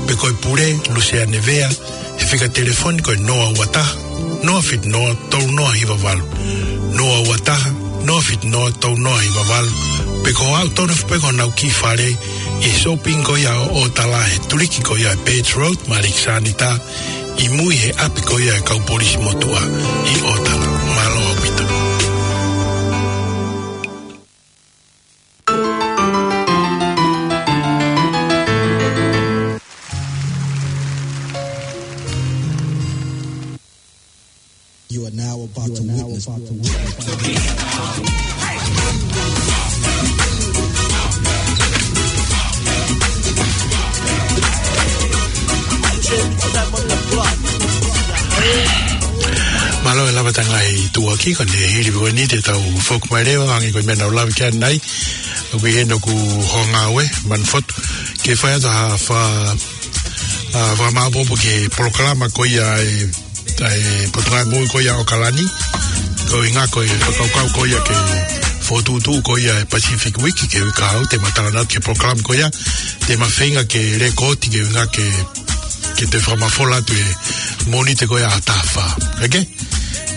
pe ko e pule, Luseane Vea, he fika telefoni ko e noa ua taha, noa fitu noa, tolu noa hiva valu. Noa ua taha, noa fitu noa, tolu noa hiva valu. Pe ko e aʻu tonu foki pē ki honau kiʻi fale ʻi he shopping ko ia ʻo ʻOtala he tuliki ko ia ʻa e Birch Road mo Alexanita, ʻi mui he ʻapi ko ia ʻa e kau polisi motuʻa ʻi ʻOtala. Mālō ʻaupito. You are now about to witness. Mālō e lava atu e ngaahi tuʻuaki, ko ʻene hili pē ko eni te tau foki mai leva, hangē ko e meʻa naʻa ku lave ki ai ʻanenai, ʻoku ʻi heni ʻoku ou ngāue, manu fotu, ke fai atu ha fa-, ha fakamāʻopoʻopo ki he polokalama ko ia ʻa e, ʻa e Potungāue Moʻui ko ia ʻo ʻAokalani, ko e ʻuhinga ko e fakakaukau ko ia ke fokotuʻutuʻu ko ia e Pacific Week, ki he uike kahaʻu, te ma talanoa ki he polokalama ko ia, te ma feinga ke lēkooti ki he ʻuhinga ke ke te fakamafola atu e Mōnite ko ia ʻa Tafa. ʻOkei?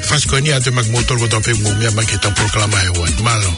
Fasi ko eni atu e maʻa kimoutolu kotoa pē mou meʻa mai ki heʻetau polokalama he ʻaho ni. Mālō.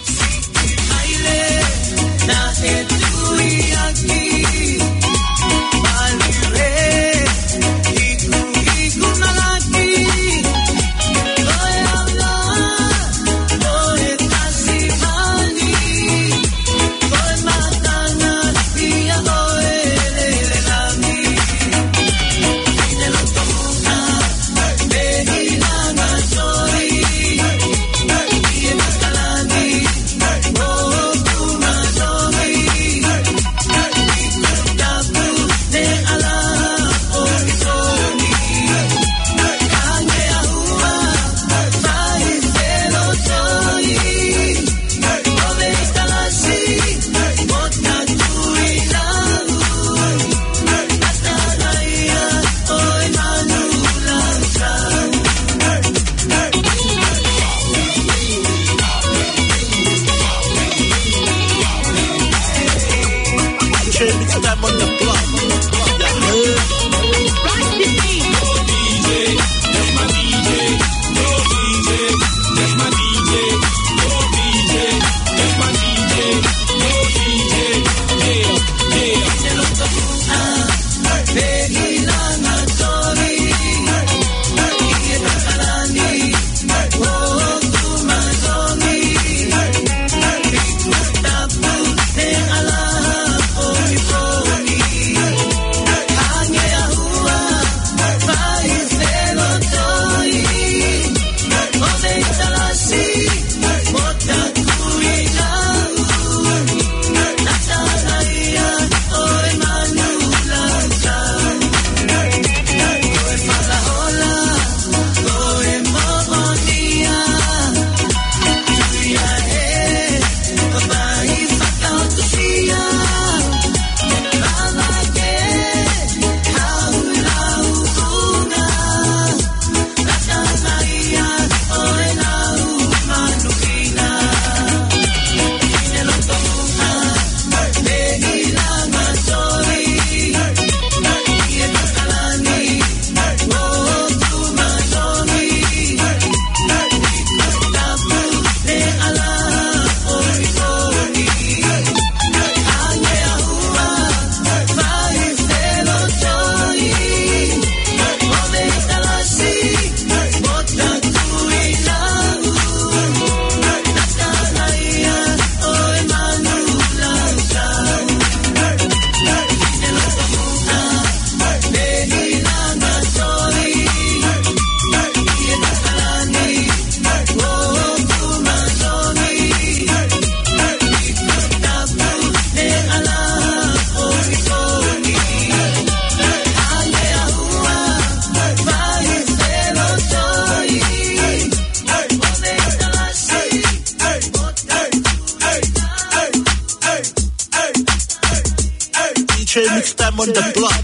D J Mix Time on the block.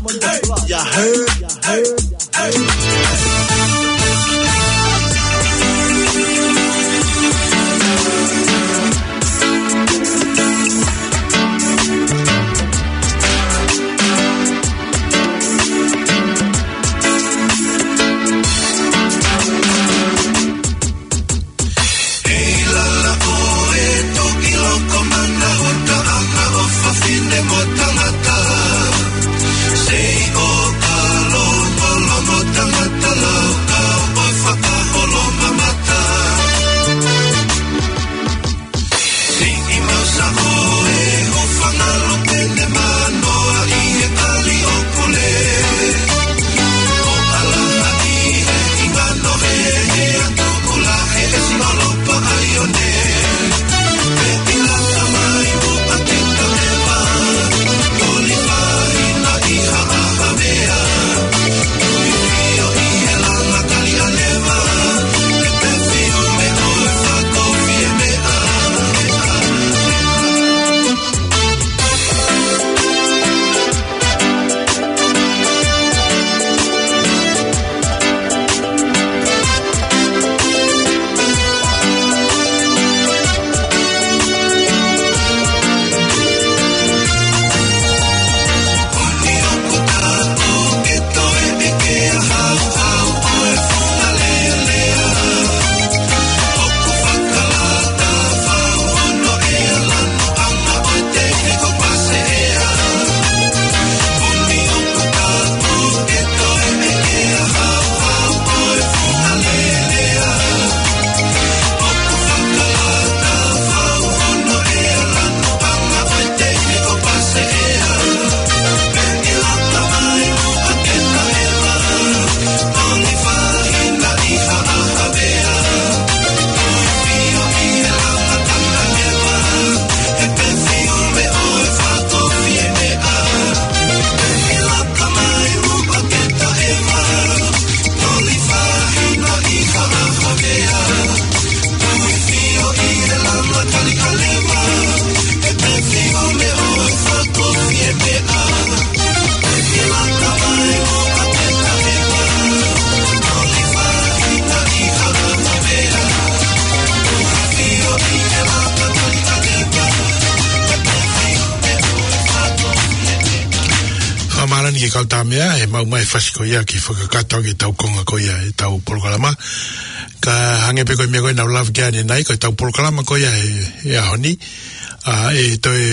You heard? ʻI lalo ʻo e toki loko mana ʻo taʻanga ʻo fafine mo tangata. Sei ʻo kalo polo mo tangata. Kau tā meʻa, ʻe maʻu mai e fasi ko ia ke fakakakato ʻaki ʻetau konga ko ia ʻetau polokalama. Ka hangē pē ko e meʻa ko ē naʻa ku lave ki ai ʻanenai, ko ʻetau polokalama ko ia he, he ʻaho ni. ʻA, ʻe toe,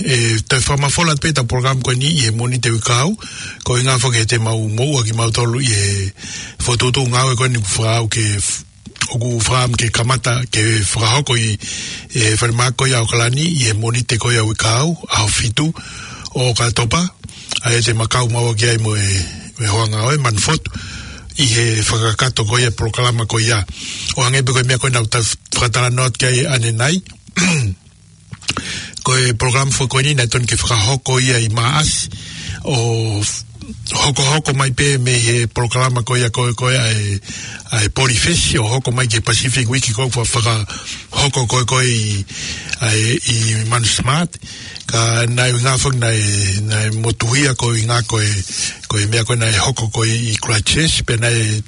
ʻe toe fakamafola pē ʻetau polokalama ko eni ʻi he Mōnite uike kahaʻu. Ko e ʻuhinga foki he te mau moʻua kimautolu ʻi he fokotuʻutuʻu ngāue ko eni ʻoku fakaʻau ke f-, ʻoku fakaʻamu ke kamata ke fakahoko ʻi he falemahaki ko ia ʻAokalani ʻi he Mōnite ko ia uike kahaʻu, ʻaho fitu ʻo ʻOkatopa. ʻA ia te ma kau maua ki ai mo e, mo e hoa ngāue Manufotu ʻi he fakakakato ko ia e polokalama ko ia. ʻO hangē pē ko e meʻa ko ē naʻa ku ta-, fakatalanoa atu ki ai ʻanenai. Ko e polokalama foki ko eni naʻe totonu ke fakahoko ia ʻi Maʻasi, ʻo f-, hokohoko mai pē mei he polokalama ko ia ko ē, ko ē ʻa e, ʻa e Polyfest, ʻo hoko mai ki he Pacific Week ko ē ʻoku fakahoko ko ē, ko ē ʻi, ʻa e, ʻi Manus Smart. Ka naʻe ʻuhinga foki naʻe, naʻe motuhia ko e ʻuhinga ko e, ko e meʻa ko ē naʻe hoko ko ē ʻi Christchurch, pea naʻe,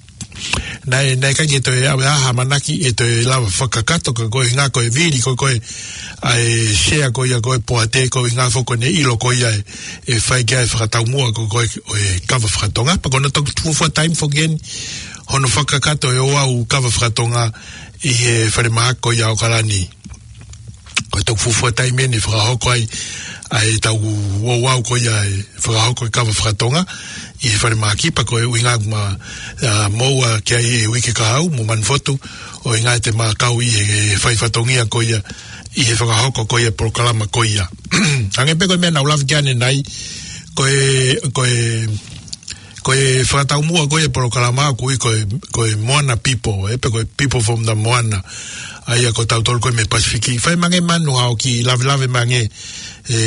naʻe, naʻe ʻikai ke toe ʻave ha ʻamanaki ʻe toe lava fakakakato ka ko e ʻuhinga ko e vili ko ē, ko ē ʻa e sea ko ia ko ē poate ko e ʻuhinga foki ko ʻene ʻilo ko ia ʻe, ʻe fai ki ai e fakataumuʻa ko ē, ko ē ʻo e kava fakatonga. Pea ko hono toki fuofua taimi foki eni hono fakakakato e ouau kava fakatonga ʻi he falemahaki ko ia ʻAokalani. Ko e toki fuofua taimi eni ʻe fakahoko ai ʻa ʻetau ouau ko ia e fakahoko e kava fakatonga ʻi he falemahaki, pea ko e ʻuhinga ʻoku ma, ʻa, moʻua ki ai he uike kahaʻu mo Manufotu, ʻo ʻuhinga ʻe te ma kau ʻi he fai fatongia ko ia ʻi he fakahoko ko ia e polokalama ko ia. Hangē pē ko e meʻa naʻa ku lave ki ai ʻanenai, ko e, ko e, ko e fakataumuʻa ko ia e polokalama ʻoku ui ko e, ko e Moana People, ē, pe ko e People from the Moana. ʻA ia ko tautolu ko ē mei he Pasifiki. Fai mai ange Manu haʻo kiʻi lavelave mai ange, ē,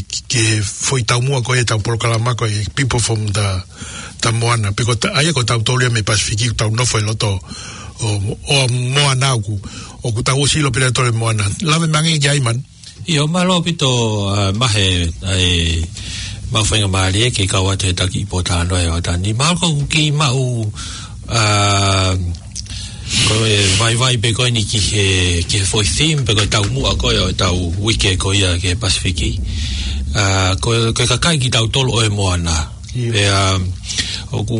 ki, ki he foʻi taumuʻa ko ia ʻetau polokalama ko e People from the, the Moana. Pe ko ta-, ʻa ia ko tautolu ia mei he Pasifiki, ʻoku tau nofo ʻi loto ʻo, ʻo Moana ʻoku, ʻoku tau ʻosi ʻilo pē ʻe tautolu e moana. Lave mai ange ki ai Manu. ʻIo, mālō ʻaupito, ʻa, Mahe, ʻa e, maʻu faingamālie ke kau atu he taki ʻi Pōtalanoa ʻi ʻAokalani. Mahalo ko ʻeku kiʻi maʻu, ʻa, ko e vaivai pē ko eni ki he, ki he foʻi theme pe ko e taumuʻa ko ē ʻo ʻetau uike ko ia ki he Pasifiki. ʻA, ko, ko e kakai kitautolu ʻo e moana. ʻIo. Pea, ʻoku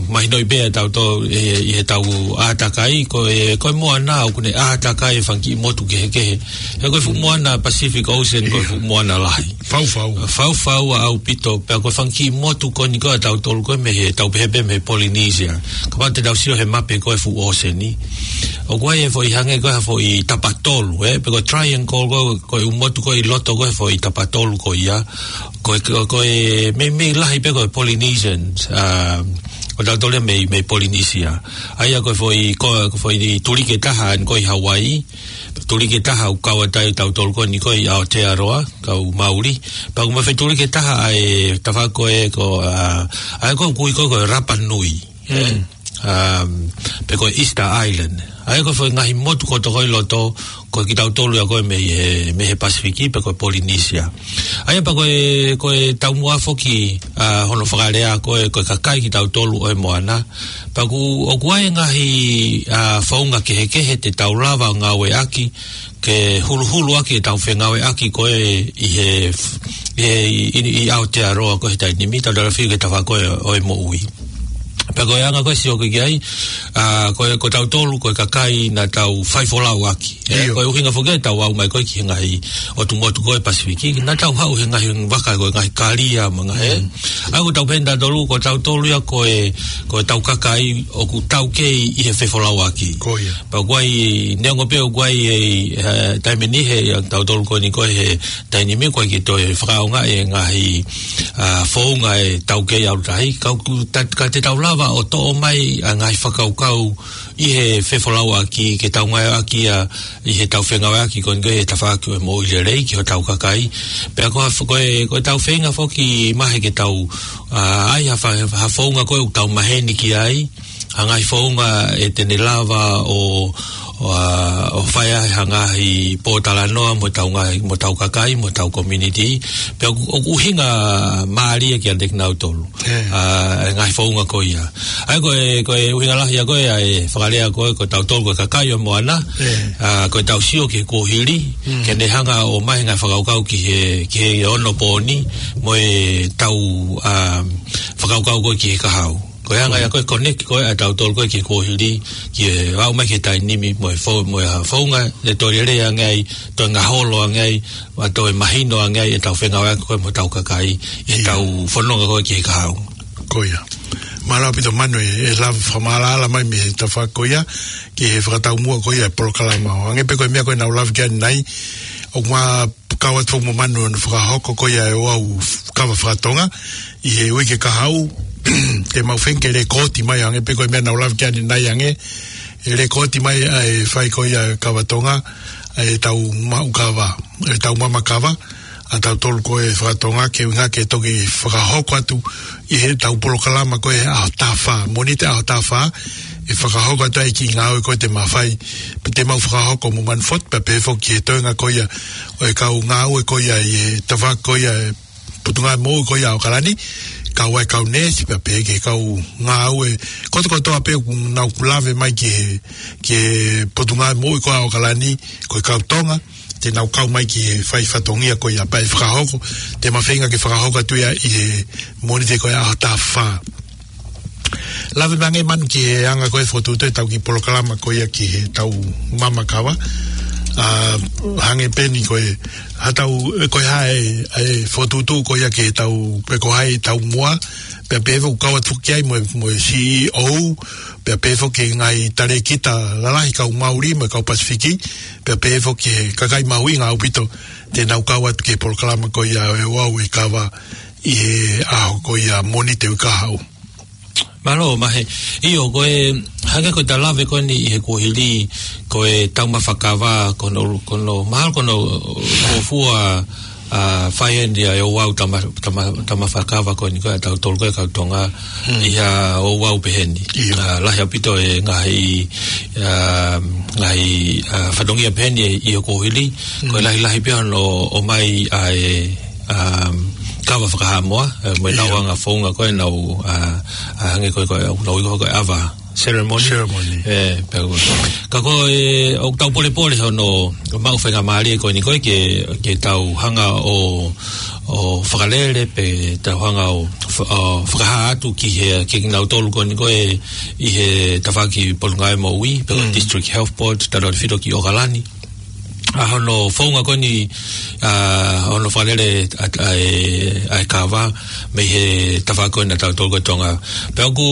mahinoʻi pē ʻe tautolu ʻi, ʻi heʻetau ʻātakai, ko e, ko e moana ʻoku ne ʻātakai e fanga kiʻi motu kehekehe. He ko e fuʻu moana Pacific Ocean, ko e fuʻu moana lahi. Faufau. Faufau ʻaupito, pea ko e fanga kiʻi motu ko eni ko ē ʻa tautolu ko ē mei he, tau pehē pē mei he Polynesia. Kapau te tau sio he mape ko ē fuʻu ʻōseni. ʻOku ʻi ai e foʻi hangē ko ē ha foʻi tapatolu, ē? Pe ko e triangle ko ē, ko e ʻū motu ko ē ʻi loto ko ē he foʻi tapatolu ko ia. Ko e, ko e, ko e meimei lahi pē ko e Polynesians, ʻa, ʻo tautolu ia mei, mei Polynesia. ʻA ia ko e foʻi, ko, ko e foʻi tuliki ʻe taha eni ko ē ʻi Hawaii, tuliki ʻe taha ʻoku kau atu ai ʻa tautolu ko eni ko ē ʻi Aotearoa, kau Mauli. Pea ʻoku ma fai tuliki ʻe taha ʻa e tafaʻaki ko ē ko, ʻa, ʻa ia ko ē ʻoku ui ko ē ko e Rapa Nui. Mm. Um, pe ko e Easter Island. ʻA ia ko e foʻi ngaahi motu kotoa ko ē ʻi loto, ko kitautolu ia ko ē mei he, mei he Pasifiki, pe ko e Polynesia. ʻA ia pea ko e, ko e taumuʻa foki, ʻa, hono fakalea ko ē, ko e kakai kitautolu ʻo e moana. Pea ʻoku, ʻoku ʻi ai e ngaahi, ʻa, founga kehekehe te tau lava ʻo ngāueʻaki, ke huluhulu ʻaki ʻetau fengāueʻaki ko ē ʻi he, ʻi he, ʻi, ʻi, ʻi Aotearoa ko ē he taimi ni, tau lava fiu ki he tafaʻaki ko ē ʻo e moʻui. Pea ko e anga ko ē sio ko ē ki ai, ʻa, ko e, ko tautolu, ko e kakai naʻa tau faifolau ʻaki. ʻIo. Ko e ʻuhinga foki ʻetau aʻu mai ko ē ki he ngaahi ʻotu motu ko ē Pasifiki, naʻa tau haʻu he ngaahi vaka ko e ngaahi kalia mo e ngaahi, ē? Mm. ʻA ia ko tautolu pē ʻa tautolu ia ko e, ko ʻetau kakai ʻoku taukei ʻi he fefolauʻaki. Ko ia. Pea ʻoku ʻi ai, neongo pē ʻoku ʻi ai e, e, taimi ni he, ʻa tautolu ko eni ko ē he taimi ni ʻoku ʻikai ke toe fakaʻaongaʻi e ngaahi, ʻa, founga ʻe taukei ʻalu tahi. Ka ʻoku ta-, ka te tau lava ʻo toʻo mai ʻa e ngaahi fakakaukau ʻi he fefolauʻaki ke tau ngāueʻaki ia ʻi heʻetau fengāueʻaki ko eni ko ē he tafaʻaki ʻo e moʻui lelei ki hotau kakai. Pea ko ha f-, ko e, ko ʻetau feinga foki Mahe ke tau, ʻa, ʻai ha fa-, ha founga ko ē ʻoku tau maheni ki ai, ha ngaahi founga ʻe te ne lava ʻo, ʻo, ʻo fai ai ha ngaahi pōtalanoa mo ʻetau ngaahi, mo ʻetau kakai, mo ʻetau community. Pea ʻoku, ʻoku ʻuhinga mālie kiate kinautolu. ʻE. ʻA, e ngaahi founga ko ia. ʻA ia ko e, ko e ʻuhinga lahi ia ko ē, ʻa e fakalea ko ē, ko tautolu ko e kakai ʻo e moana. ʻE. ʻA, ko ʻetau sio ki he kuohili, Mm. ke ne hanga ʻo ʻomai e ngaahi fakakaukau ki he, ki he onopōni, mo ʻetau, ʻa, fakakaukau ko ē ki he kahaʻu. Ko e anga ia ko e connect ko ē ʻa tautolu ko ē ki he kuohili, ki he aʻu mai ki he taimi ni mo e fo-, mo e hā founga, ʻe toe lelei ange ai, toe ngaholo ange ai, ʻa toe mahino ange ai, ʻetau fengāueʻaki ko ē mo ʻetau kakai, ʻi heʻetau fononga ko ē ki he kahaʻu. Ko ia. Mālō ʻaupito Manu e, e lave fakamaʻalaʻala mai mei he tafaʻaki ko ia, ki he fakataumuʻa ko ia e polokalama. Hangē pē ko e meʻa ko ē naʻa ku lave ki ai ʻanenai, ʻoku ma kau atu mo Manu ʻo fakahoko ko ia e ouau kava fakatonga ʻi he uike kahaʻu, te mau feinga ke lēkooti mai hangē pē ko e meʻa naʻa ku lave ki ai ʻanenai ange, ʻe lēkooti mai ʻa e fai ko ia e kava Tonga, ʻa ʻetau maʻu kava, ʻetau mama kava, ʻa tautolu ko ē fakatonga ke ʻuhinga ke toki fakahoko atu ʻi heʻetau polokalama ko ē ʻaho taha fā, Mōnite ʻaho taha fā, ʻe fakahoko atu ai e kiʻi ngāue ko ē te ma fai, pea te mau fakahoko mo Manu Foti, pea pehē foki ki he toenga ko ia ʻo e kau ngāue ko ia ʻi he tafaʻaki ko ia e Potungāue Moʻui ko ia ʻo ʻAokalani, kau ai e kau neesi, pea pehē ki he kau ngāue kotokotoa pē ʻoku nau lave mai ki he, ki he Potungāue Moʻui ko ia ʻo ʻAokalani, ko e kau Tonga, te nau kau mai ki he fai fatongia ko ia pea ʻe fakahoko, te ma feinga ke fakahoko atu ia ʻi he Mōnite ko ia ʻaho taha fā. Lave mai ange Manu ki he anga ko ē fokotuʻutuʻu ʻetau kiʻi polokalama ko ia ki heʻetau mama kava. ʻA, hangē pē eni ko e, haʻatau, ko e hā e, e fokotuʻutuʻu ko ia ki heʻetau, pe ko hai ʻetau moa, pea pehē foki kau atu ki ai mo e, mo e C E O, pea pehē foki ki he ngaahi talēkita lalahi kau Mauli mo e kau Pasifiki, pea pehē foki ki he kakai mahuʻinga ʻaupito te nau kau atu ki he polokalama ko ia e ouau e kava ʻi he ʻaho ko ia Mōnite ʻo e kahaʻu. Mālō, Mahe. ʻIo, ko e, hangē ko ʻeta lave ko eni ʻi he kuohili, ko e taumafa kava, ko hono, ko hono, mahalo ko hono fuofua, ʻa, fai eni ʻa e ouau tauma-, tauma-, taumafa kava ko eni ko ē ʻa tautolu ko ē kau Tonga, Mm. ʻi ha ouau pehē ni. ʻIo. ʻA, lahi ʻaupito e ngaahi, ʻa, ngaahi, ʻa, fatongia pehē ni ʻi he kuohili, ko e Mm. lahilahi pē hono ʻomai ʻa e, um, kava fakahaʻamoa, ʻe, mo ʻenau ʻIo. anga founga ko ē ʻenau, ʻa, ʻa, hangē ko ē, ko ʻenau ui ko ē ko e ava ceremony. Ceremony. ʻE, pea ko. Ka ko e, ʻoku tau polepole hono maʻu faingamālie ko eni ko ē ke, ke tau hanga ʻo, ʻo fakalele pe tau hanga ʻo fa-, ʻo fakahā atu ki he, ki kinautolu ko eni ko ē ʻi he tafaʻaki Potungāue Moʻui, pe ko Mm. District Health Board, tautefito ki ʻAokalani. ʻA hono founga ko eni, ʻa hono fakalele ʻa, ʻa e, ʻa e kava, mei he tafaʻaki ko ena ʻa tautolu ko ē Tonga. Pea ʻoku,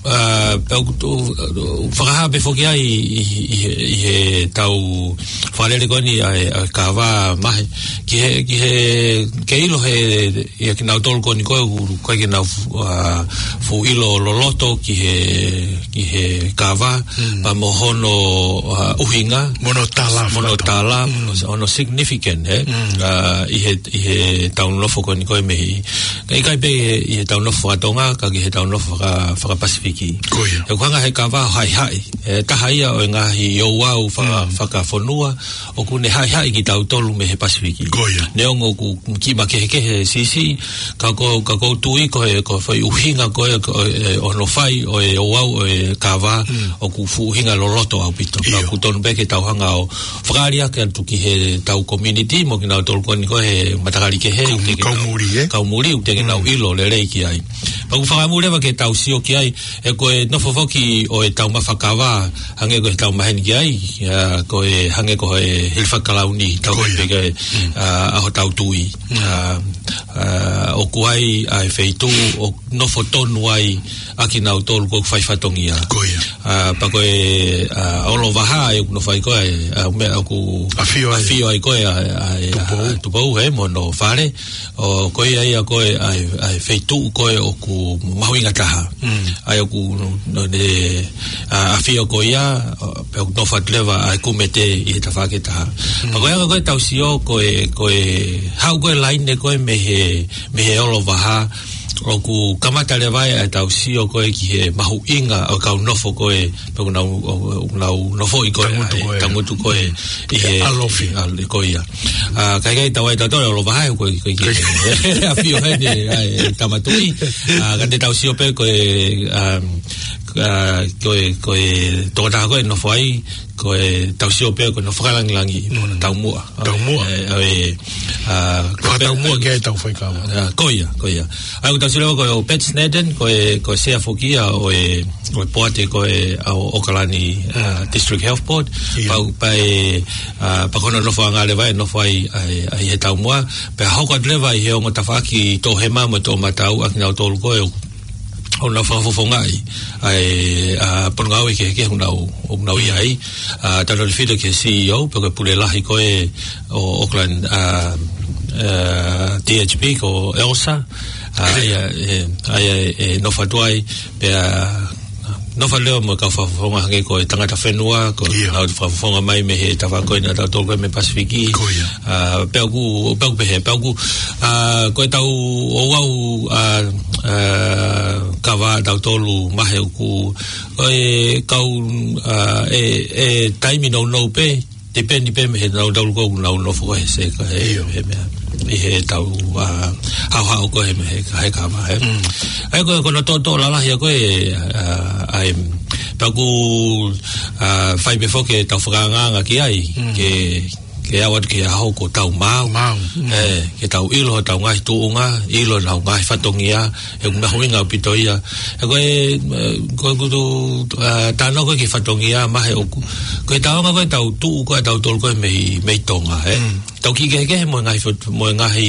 ʻa, pea ʻoku, ʻo, ʻo, fakahā pē foki ai ʻi, ʻi, ʻi he, ʻi heʻetau fakalele ko eni ʻa e, ʻa e kava Mahe. Ki he, ki he, ke ʻilo he, ʻia kinautolu ko eni ko ē, ʻoku ʻikai ke nau fu-, ʻa, fuʻu ʻilo loloto ki he, ki he kava, Mm. pea mo hono, ʻa, ʻuhinga. Mo hono tala, mo hono fakatonga. tala, Mm. mo hono significant, ē? Mm. ʻA, ʻi he, ʻi heʻetau nofo ko eni ko ē mei. ʻIkai pē ʻi heʻetau nofo fakatonga, ka ki heʻetau nofo faka-, fakapasifiki. Ko ia. ʻOku hanga he kava ʻo haʻihaʻi. ʻE taha ia ʻo e ngaahi ouau faka-, Mm. fakafonua, ʻoku ne haʻihaʻi kitautolu mei he Pasifiki. Ko ia. Neongo ʻoku kiʻi makehekehe siʻisiʻi, ka ko, ka ʻoku ou tui ko e, ko e foʻi ʻuhinga ko ē, ko e, ʻo hono fai ʻo e ouau ʻo e kava, Mm. ʻoku fuʻu ʻuhinga loloto ʻaupito. Ka ʻIo. ʻoku tonu pē ke tau hanga ʻo fakaali ake atu ki heʻetau community, mo kinautolu ko eni ko ē he matakali kehe, Kau, ʻoku teʻeki ke kau nau, muli, ē? kau muli, ʻoku teʻeki ke nau Mm. ʻilo lelei ki ai. Pea ʻoku fakamuli leva ke tau sio ki ai, ʻe ko e nofo foki ʻo e taumafa kava, hangē ko ʻetau maheni ki ai, ʻa, ko e hangē ko e hilifaki kalauni, tau Ko ia. pehē ki ai, Mm. ʻa, ʻa hotau tui. Mm. ʻA, ʻa, ʻoku ʻi ai ʻa e feituʻu ʻoku nofo tonu ai ʻa kinautolu ʻoku fai fatongia. Ko ia. ʻA, pea ko e, ʻa, Olovahā ʻoku nofo ai ko ē, ʻa, meʻa ʻoku ʻAfio ai. ʻafio ai ko ē, ʻa, ʻa, ʻa, Tupou. ʻa, Tupou, ē, mo hono fale. ʻO ko ia ia ko ē ʻa e, ʻa e feituʻu ko ē ʻoku mahuʻinga taha. Mm. ʻA ia ʻoku ne, ʻa, ʻafio ko ia, ʻo, pea ʻoku nofo atu leva ʻa e kumete ʻi he tafaʻaki ʻe taha. Mm. Pea ko e anga ko ē ʻetau sio ko e, ko e haʻu ko ē laine ko ē mei he, mei he Olovahā, ʻoku kamata leva ʻetau sio ko ē ki he mahuʻinga ʻo e kau nofo ko ē, pe ʻoku nau, ʻo, ʻo nau nofoʻi ko ē, Tangutu ʻa e, ko ē. Tangutu ko ē, ʻi he, ʻAlofi. ʻi he ʻAlofi ko ia. ʻA, ka ʻikai tau ai tautolu ʻa Lovahae, ko e, ko e, ko e, ʻafio heni, ʻa e, Tama Tuʻi. ʻA, ka te tau sio pē ko e, um, ʻa, ko e, ko e tokotaha ko ē nofo ai, ko e tau sio pē ko e nofo fakalangilangi, Mm. taumuʻa. Taumuʻa. ʻE, ʻe, ʻa, ko e Fakataumuʻa pē ki ai ʻetau faikava. ʻA, ko ia, ko ia. ʻA, ʻoku tau sio leva ko e ʻo Pat Snedden, ko e, ko e sea foki ia ʻo e, ʻo e poate ko ē ʻa ʻo ʻOkalani, ʻa, District Health Board. Ia. Pau, pea, ʻa, pea ko hono nofoʻanga leva ʻe nofo ai, ʻa e, ʻa e he taumuʻa. Pea hoko atu leva ʻi he ongo tafaʻaki toʻohema mo e toʻomataʻu ʻa kinautolu ko ē ʻoku ʻoku nau fakafofongaʻi ʻa e, ʻa, potungāue kehekehe ʻoku nau, ʻoku nau ʻi ai. ʻA, tautefito ki he C E O, pe ko e pule lahi ko ē ʻo Auckland, ʻa, ʻa, D H B ko Elsa. ʻA, ʻa ia, ʻe, ʻa ia, ʻe, nofo atu ai, pea nofo leva mo e kau fakafofonga hangē ko e Tangata Fenua, ko Ia. ʻenau fakafofonga mai mei he tafaʻaki ko ē ʻa tautolu ko ē mei Pasifiki. Ko ia. ʻA, pea ʻoku, pea ʻoku pehē, pea ʻoku, ʻa, ko ʻetau ouau, ʻa, ʻa, kava ʻatautolu Mahe ʻoku, ʻo e kau, ʻa, ʻe, ʻe taimi nounou pē, depend pē mei he nautolu ko ē ʻoku nau nofo ko ē he seka, he, Ia. he meʻa, ʻi heʻetau, ʻa, haohaoa ko ē he meʻa, he, he kava, he. Mm. ʻA ia ko, ko hono tōtō lalahi ʻa ko ē, ʻa, ʻa e, pea ʻoku, ʻa, fai pē foki ʻetau fakaangaanga ki ai, Mm. ke ke aʻu atu ki he ʻaho kuo tau maau. Maau, mm. ʻE, ke tau ʻilo hotau ngaahi tuʻunga, ʻilo hotau ngaahi fatongia, he ʻoku mahuʻinga ʻaupito ia. ʻE ko e, ʻe, ko e kutu, ʻa, tānaki ko ē ki he fatongia Mahe ʻoku. Ko e taonga ko ē ʻetau tuʻu ko ē ʻatautolu ko ē mei, mei Tonga, ʻe. Mm. Tau kiʻi kehekehe mo e ngaahi fot-, mo e ngaahi,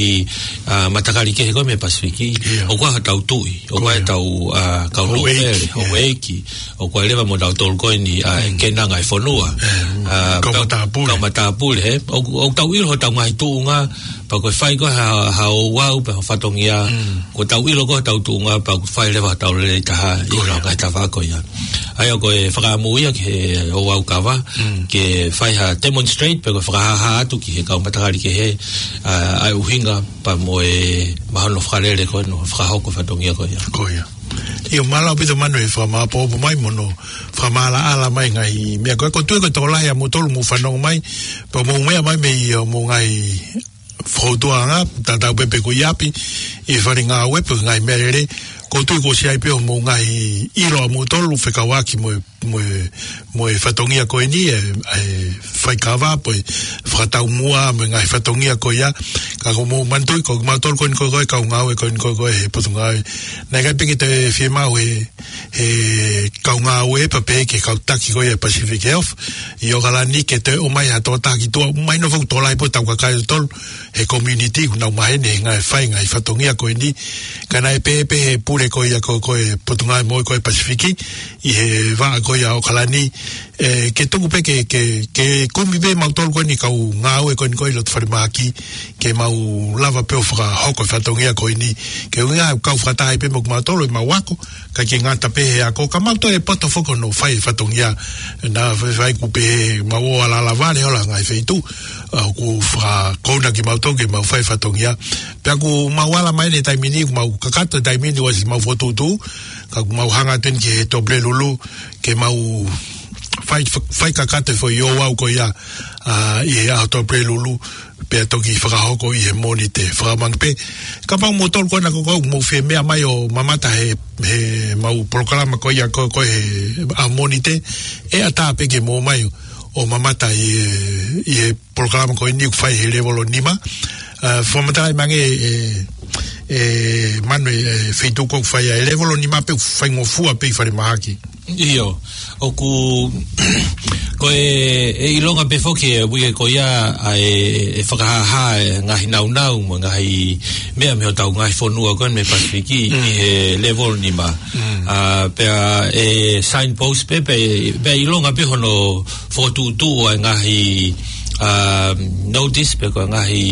ʻa, matakali kehe ko ē mei Pasifiki. Ia. ʻOku ʻi ai hotau tuʻi, ʻoku ʻi ai Ko ia. hotau, ʻa, kau Houʻeiki, nōpele, ia. houʻeiki. ʻOku ʻi ai leva mo tautolu ko eni, ʻa, Mm. ke nanga e fonua. Mm. ʻA, Kau pe-, matāpule. kau matāpule, he. ʻOku, ʻoku tau ʻilo hotau ngaahi tuʻunga, pea ko e fai ko ē ha, ha ouau, pe ha fatongia, Mm. ko ʻetau ʻilo ko ē hotau tuʻunga, pea ʻoku fai leva hotau lelei taha, ʻi Ko ia. he ngaahi tafaʻaki ko ia. ʻA ia ko e fakaʻamu ia ki he ouau kava, Mm. ke fai ha demonstrate, pe ko e fakahāhā atu ki he kau matakali kehe, ʻa, ʻa e ʻuhinga, pea mo e mahino fakalele ko ē ʻoku fakahoko e fatongia ko ia. Ko ia. ʻIo, mālō ʻaupito Manu e fakamāʻopoʻopo mai mo hono fakamaʻalaʻala mai ngaahi meʻa ko ē. ʻOku ou tui ko e tokolahi ʻa moutolu mou fanongo mai, pea mou meʻa mai mei he, ʻa, mou ngaahi fōtuʻanga, tatau pē pe ko e ʻi ʻapi, ʻi he fale ngāue pe ngaahi meʻalele. ʻOku ou tui kuo ʻosi ʻi ai pē hoʻomou ngaahi ʻilo ʻa moutolu fekauʻaki mo e mo e, mo e fatongia ko eni, ʻe, ʻe faikava, pe ko e fakataumuʻa, mo e ngaahi fatongia ko ia. Ka ʻoku mou manatuʻi, ko kimautolu ko eni ko ē, ko e kau ngāue ko eni ko ē, ko e he potungāue. Naʻe ʻikai pē ke toe fiemaʻu ʻe he, he kau ngāue, pea pehē ki he kau taki ko ia Pacific Health, ʻi ʻOkalani ke toe ʻomai ha tokotaha ki tuʻa, mahino foki tokolahi pē ʻetau kakai ʻatautolu, he community, ʻoku nau maheni he ngaahi fai, ngaahi fatongia ko eni. Ka naʻe pehē pē he pule ko ia ko, ko e potungāue moʻui ko ē Pasifiki, ʻi he vaʻa ko ia ʻo ʻOkalani, ʻe, ke tuku pē ke, ke, ke kumi pē mautolu ko eni kau ngāue ko eni ko ē ʻi loto falemahaki, ke mau lava pē ʻo fakahoko e fatongia ko eni, ke ʻuhinga ʻoku kau fakataha ai pē mo kimautolu ʻi heʻemau ako, kae ʻikai ke ngata pē he ako, ka mau toe poto foki hono fai e fatongia, naʻa faifai ʻoku pehē mau ō ʻo alala vale hola ngaahi feituʻu, ʻa, ʻoku fakakouna kimautolu ke mau fai e fatongia. Pea ʻoku mau ala mai eni he taimi ni, ʻoku mau kakato he taimi ni, ʻosi mau fokotuʻutuʻu, ka ʻoku mau hanga atu eni ki he Tuʻapulelulu, ke mau fai, fai kakato e foʻi ouau ko ia, ʻa, ʻi he ʻaho Tuʻapulelulu, pea toki fakahoko ʻi he Mōnite. Fakamanatu pē, kapau moutolu ko ena ko ē ʻoku mou fie meʻa mai ʻo mamata he, heʻemau polokalama ko ia ko, ko ē he ʻaho Mōnite, ʻe ʻatā pē ke mou ō mai ʻo mamata ʻi he, ʻi he polokalama ko eni ʻoku fai he lēvolo nima. ʻA, fakamatalaʻi mai ange ʻe, ʻe Manu e, e feituʻu ʻoku fai ai e lēvolo nima pe ʻoku faingofua pē ʻi falemahaki. ʻIo, ʻoku, ko e, ʻe ʻilonga pē foki e uike ko ia ʻa e, ʻe fakahāhā e ngaahi nāunau mo e ngaahi meʻa mei hotau ngaahi fonua ko eni mei Pasifiki Mm. ʻi he lēvolo nima. Mm. ʻA, pea ʻe signpost pē, pea, pea ʻilonga pē hono fokotuʻutuʻu ʻa e ngaahi, ʻa, notice pe ko e ngaahi,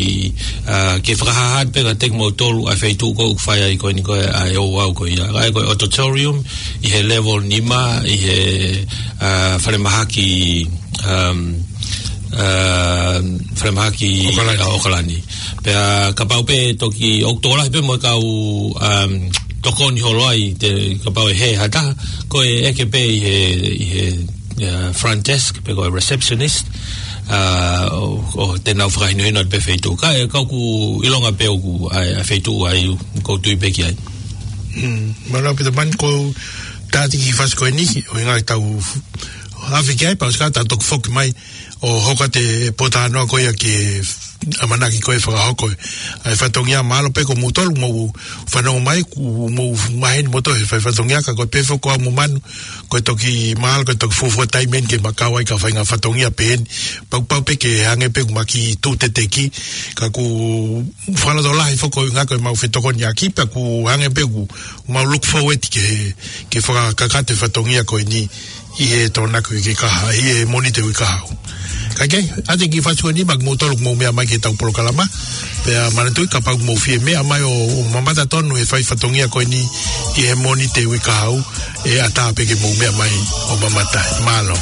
ʻa, ke fakahāhā pē kiate kimoutolu ʻa e feituʻu ko ē ʻoku fai ai ko eni ko ē ʻa e ouau ko ia. ʻA ia ko e auditorium ʻi he lēvolo nima ʻi he, ʻa, falemahaki, um, ā, falemahaki ʻAokalani. ʻAokalani. Pea kapau pē toki ʻoku tokolahi pē mo e kau, um, tokoni holo ai te kapau ʻe hē ha taha, ko e ʻeke pē ʻi he, ʻi he, ā, front desk, pe ko e receptionist, ā, ʻo, ʻo te nau fakahinohino pē feituʻu. Ka, ē, ka ʻoku ʻilonga pē ʻoku ʻa e, ʻa e feituʻu ʻa ia ʻoku ou tui pē ki ai. Mm, mālō Pita Mani, ko e tātiki fasi ko eni, ʻo inga tau f-, afi ki ai, pea ʻosi ka tau toki foki mai, ʻo hoko atu e pōtalanoa ko ia ki he ʻamanaki ko e fakahoko ʻa e fatongia. Mālō pē ko moutolu mou fanongo mai, kuo mou maheni moutolu he fai fatongia, ka ko e pehē foki ko au mo Manu, ko e toki mālō, ko e toki fuofua taimi eni ke ma kau ai ki ha faʻahinga fatongia pehē ni. Pau, pau pē ke hangē pē ʻoku ma kiʻi tuʻu teteki, ka ʻoku fakalotolahi foki ʻa e ngaahi ko e mau fetokoniʻaki, pea ʻoku hangē pē ʻoku mau look forward ke, ke fakakakato e fatongia ko eni ʻi he Tokonaki uike kahaʻu, ʻi he Mōnite uike kahaʻu. Ka ke, ʻa e kiʻi fasi ko eni, maʻa kimoutolu ʻoku mou meʻa mai ki heʻetau polokalama, pea manatuʻi kapau ʻoku mou fie meʻa mai ʻo, ʻo mamata tonu he fai fatongia ko eni ʻi he Mōnite uike kahaʻu, ʻe ʻatā pē ke mou meʻa mai ʻo mamata. Mālō.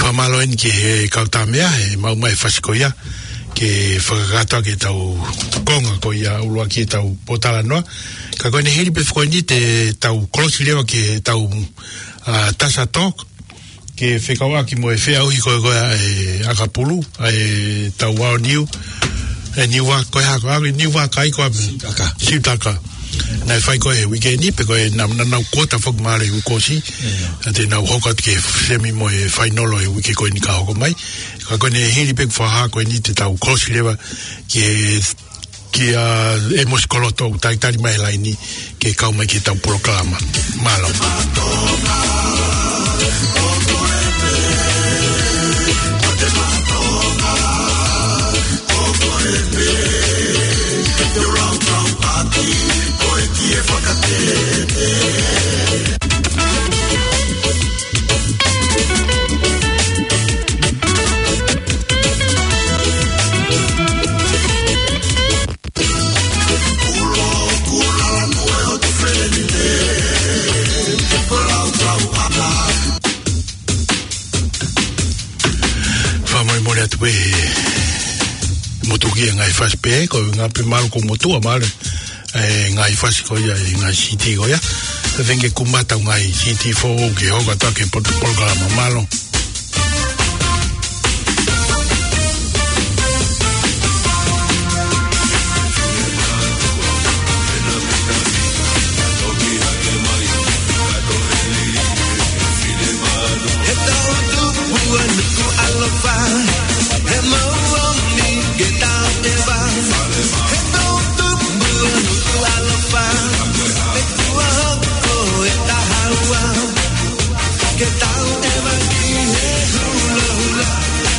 Fakamālō eni ki he kau tāmeʻa, he maʻu mai e fasi ko ia, ke fakakakato ʻaki ʻetau konga ko ia ʻuluaki ʻetau pōtalanoa. Ka ko ʻene hili pē foki eni te tau kolosi leva ki heʻetau, ā, Tasa Talk, ke fekauʻaki mo e feʻauhi ko ē ko ē ʻa e ʻakapulu, ʻa e tau ao niu, ʻe Niua, ko e hā, ko e niu vakai ko ā. Sitaka. Sitaka. Naʻe fai ko ē he uike ni, pea ko e na-, na-, nau kuota foki mālie he uike kuo ʻosi. ʻIo. Pea te nau hoko atu ki he semi mo e fainolo he uike ko eni ka hoko mai. Ka ko ʻene hili pē fakahā ko eni te tau kolosi leva ki he kia ʻEmosi Koloto ʻoku talitali mai he laini ke kau mai ki heʻetau polokalama. Mālō. Tuki e ngaahi fasi pē, ko e ngaahi pē malu ko motua male. E ngaahi fasi ko ia, e ngaahi CD ko ia. Te vengi ku mata ngaahi CD foʻou ke hoko atu ki he pot-, polokalama mālō. He tau tupu ʻa Nukuʻalofa, he mau ʻomi ke tau ʻeva. He tau tupu ʻa Nukuʻalofa, he kuo hoko e taha ua, ke tau ʻeva ki he hulohula,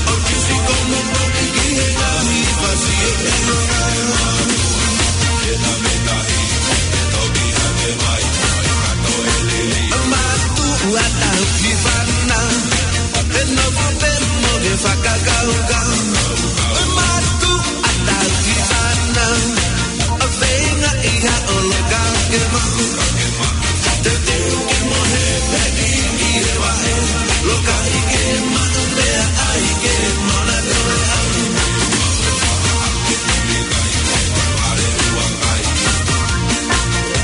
ʻo kisi komo poki ki he ngaahi fasi ʻo e loka. Mātuʻa tau ki fana, he nofo pē mo ke fakakaukau. Mātuʻa tau ki fana, ʻo feinga ʻi ha ʻoloka ke maku. Te teu ke mohe pē ki he vaʻe, loka ʻi ke maku pea ʻai ke mona toe au.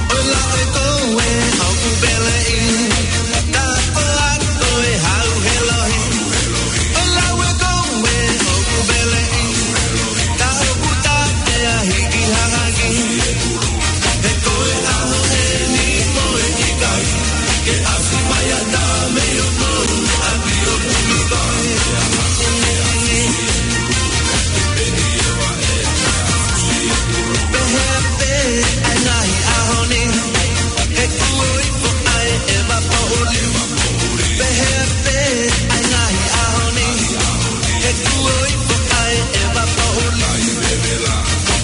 ʻO lau ʻe koe ʻoku peleʻi, ta ko a koe hau he lohi. ʻO lau ʻe koe ʻoku peleʻi, ta ʻoku ta pea hiki hangaki. He ko e ʻaho ʻeni mo e ʻikai ke ʻasi mai ʻa ta mei o kou ʻapi ʻo kumi koe. Pehē pē ʻa e ngaahi ʻaho ni, he kuo ifo ʻa e ʻeva poʻuli. Pehē pē ʻa e ngaahi ʻaho ni, he kuo ifo ʻa e ʻeva poʻuli.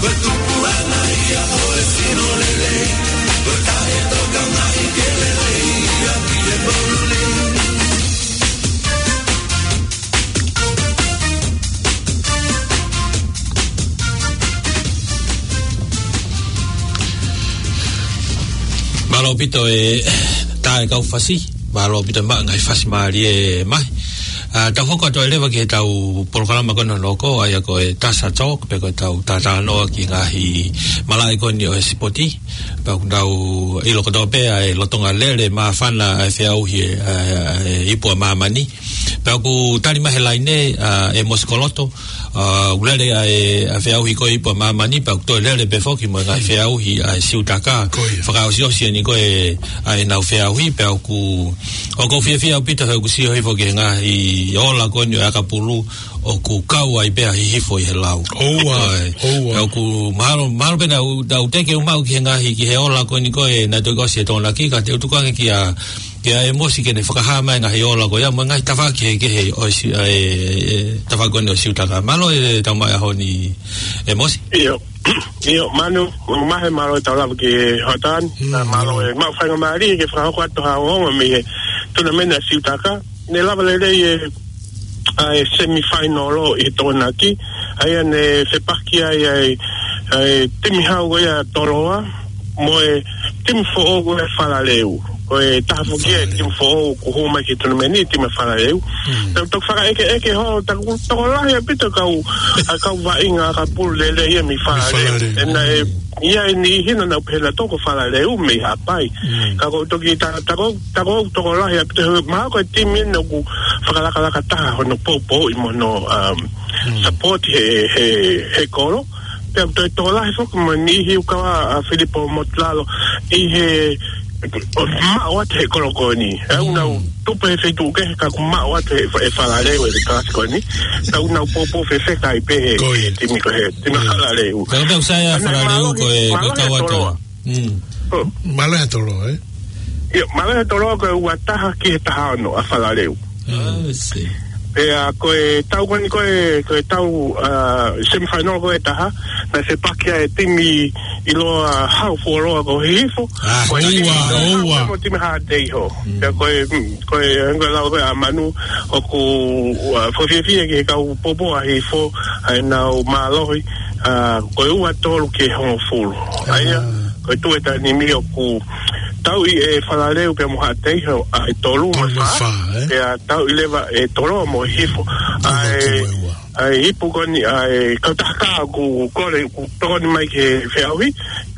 Ko e tupuʻanga ia ʻo e sino lelei, ko e taʻetokangaʻi ke lelei ia ki he poʻuli. Mālō ʻaupito e tā e kau fasi, mālō ʻaupito e maʻu ngaahi fasi mālie mai. ʻA, tau hoko atu ai leva ki he tau polokalama ko ena ʻoku hoko, ʻa ia ko e Tasa Talk, pe ko e tau talanoa ki he ngaahi malaʻe ko eni ʻo e sipoti. Pea ʻoku tau ʻilo kotoa pē ʻa e lolotonga lele māfana ʻa e feʻauhi e, ʻa e, ʻa e ipu ʻa māmani. Pea ʻoku tali mai he laine, ʻa, ʻe Mosi Koloto, ʻa, ʻoku lele ʻa e, ʻa e feʻauhi ko e ipu ʻa māmani, pea ʻoku toe lele pē foki mo e ngaahi feʻauhi ʻa e siutaka. Ko ia. Fakaʻosiʻosi eni ko e, ʻa ʻenau feʻauhi, pea ʻoku, ʻoku ou fiefia ʻaupito he ʻoku sio hifo ki he ngaahi ola ko eni ʻo e ʻakapulu, ʻoku kau ai pē ʻa Hihifo ʻi he lau. ʻOua, ʻOua. Pea ʻoku mahalo, mahalo pē naʻa, naʻa ku teʻeki ke u maʻu ki he ngaahi, ki he ola ko eni ko ē naʻe toki ʻosi ʻe Tokonaki, ka te u tuku ange kia, kia ʻEmosi ke ne fakahā mai e ngaahi ola ko ia, mo e ngaahi tafaʻaki kehekehe ʻo e si-, ʻa e, e, tafaʻaki ko eni ʻo e siutaka. Mālō e tau mai ʻaho ni ʻEmosi. ʻIo, ʻio, Manu, Mahe, mālō e tau lava ki he hoʻatā ni. Mm, ʻA, mālō mālō. E maʻu faingamālie ke fakahoko atu ha ongoongo mei he tunameni ʻa e siutaka. Ne lava lelei e, ʻa e semifinal ʻi he Tokonaki, ʻa ia ne fepaki ai ʻa e, ʻa e timi hau ko ia Toloa, mo e timi foʻou ko ia Falaleu. Ko e taha foki ia e Falaleu. Timi foʻou kuo hū mai ki he tunameni, timi Falaleu. Mm. Tau toki fakaʻekeʻeke holo, ta ko e tokolahi ʻaupito kau, ʻa e kau vaʻinga ʻakapulu lelei ia mei Falaleu. Falaleu. ʻE naʻe, mm. ʻI ai e niʻihi naʻa nau pehē naʻa toko Falaleu mei Haʻapai. Mm. Ka ko e toki ta, ta ko, ta ko e tokolahi ʻaupito he mahalo ko e timi eni ʻoku fakalakalaka taha hono poupouʻi mo hono, um, mm. support he, he, he kolo. Pea toe tokolahi foki mo e niʻihi ʻoku kau ai ʻa Filipo Motulalo ʻi he ʻo maʻu atu he kolo ko eni. ʻE ʻoku nau tupu he feituʻu kehe ka ʻoku maʻu atu he, he Falaleu e kalasi ko eni. Ka ʻoku nau poupou fefeka ai pē he, ko ia. He timi ko ē, timi Falaleu. Ka ko e meʻa ʻoku sai ʻa Falaleu ko e, ko e kau atu. Mm. Mālō e Toloa, ē? ʻIo, mālō e Toloa ko e ua taha ki he taha ono ʻa Falaleu. Mm. I see. Pea ko e tau ko eni ko e, ko e tau, ʻa, semifinal ko e taha, naʻe fepaki ai e timi ʻiloa hau fuoloa ko Hihifo. ʻA, ko e ʻoua, timi ʻoua. Mo timi Haʻateiho. Mm. Pea ko e, mm, ko e, ko e lau ko ē ʻa Manu, ʻoku, ʻa, fakafiefia ki he kau poupou ʻa Hihifo, ʻa ʻenau mālohi, ʻa, ko e ua tolu ki he hongofulu. ʻA ia, ʻa, ko e tuʻu ʻi he taimi ni ʻoku tauʻi ʻe Falaleu pea mo Haʻateiho ʻa e tolu mo e fā. Tolu mo e fā, ē? Pea tauʻi leva ʻe Toloa mo Hihifo ʻa e, tolu mo e ua. ʻa e ipu ko eni, ʻa e kautaha kā ʻoku kole, ʻoku tokoni mai ki he feʻauhi,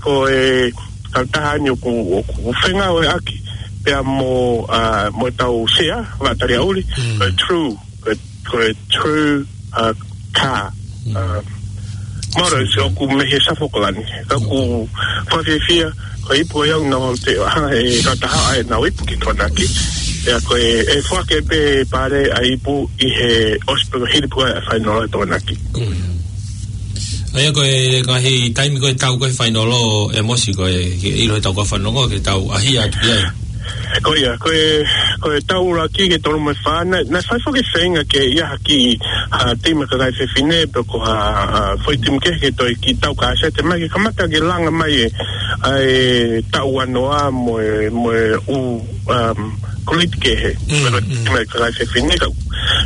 ko e kautaha ni ʻoku, ʻoku fengāueʻaki pea mo, ʻa, mo ʻetau sea, Vaʻa Taliaʻuli, Mm. ko e True, ko e, ko e True, ʻa, kā. Mm. ʻA, moro True. ʻoku mei he South Auckland. Ka ʻoku fakafiefia, ko e ipu ia ʻoku nau te, ha, e kautaha ʻa ʻenau ipu ki Tokonaki. Pea ko e, ʻe foaki pē Pale ʻa e ipu ʻi he ʻosi pē hili pē ʻa e fainolo ʻa Tokonaki. Mm. ʻA ia ko e ngaahi taimi ko e tau ko e fainolo ʻe Mosi ko e, ke ʻilo he tau ko e fanongo ke tau ʻaʻahi atu ki ai. Ko ia, ko e, ko e tau ʻuluaki ki he tolu mo e fā, naʻe, naʻe fai foki feinga ke ʻi ai ha kiʻi, ha timi kakai fefine, pe ko ha, ha foʻi timi kehe ke toe kiʻi tau kasete mai, ke kamata ke langa mai e, ʻa e tau ua noa mo e, mo e ʻū, um, kuliti kehe. Mm, Ko e mm. timi kakai fefine, ka,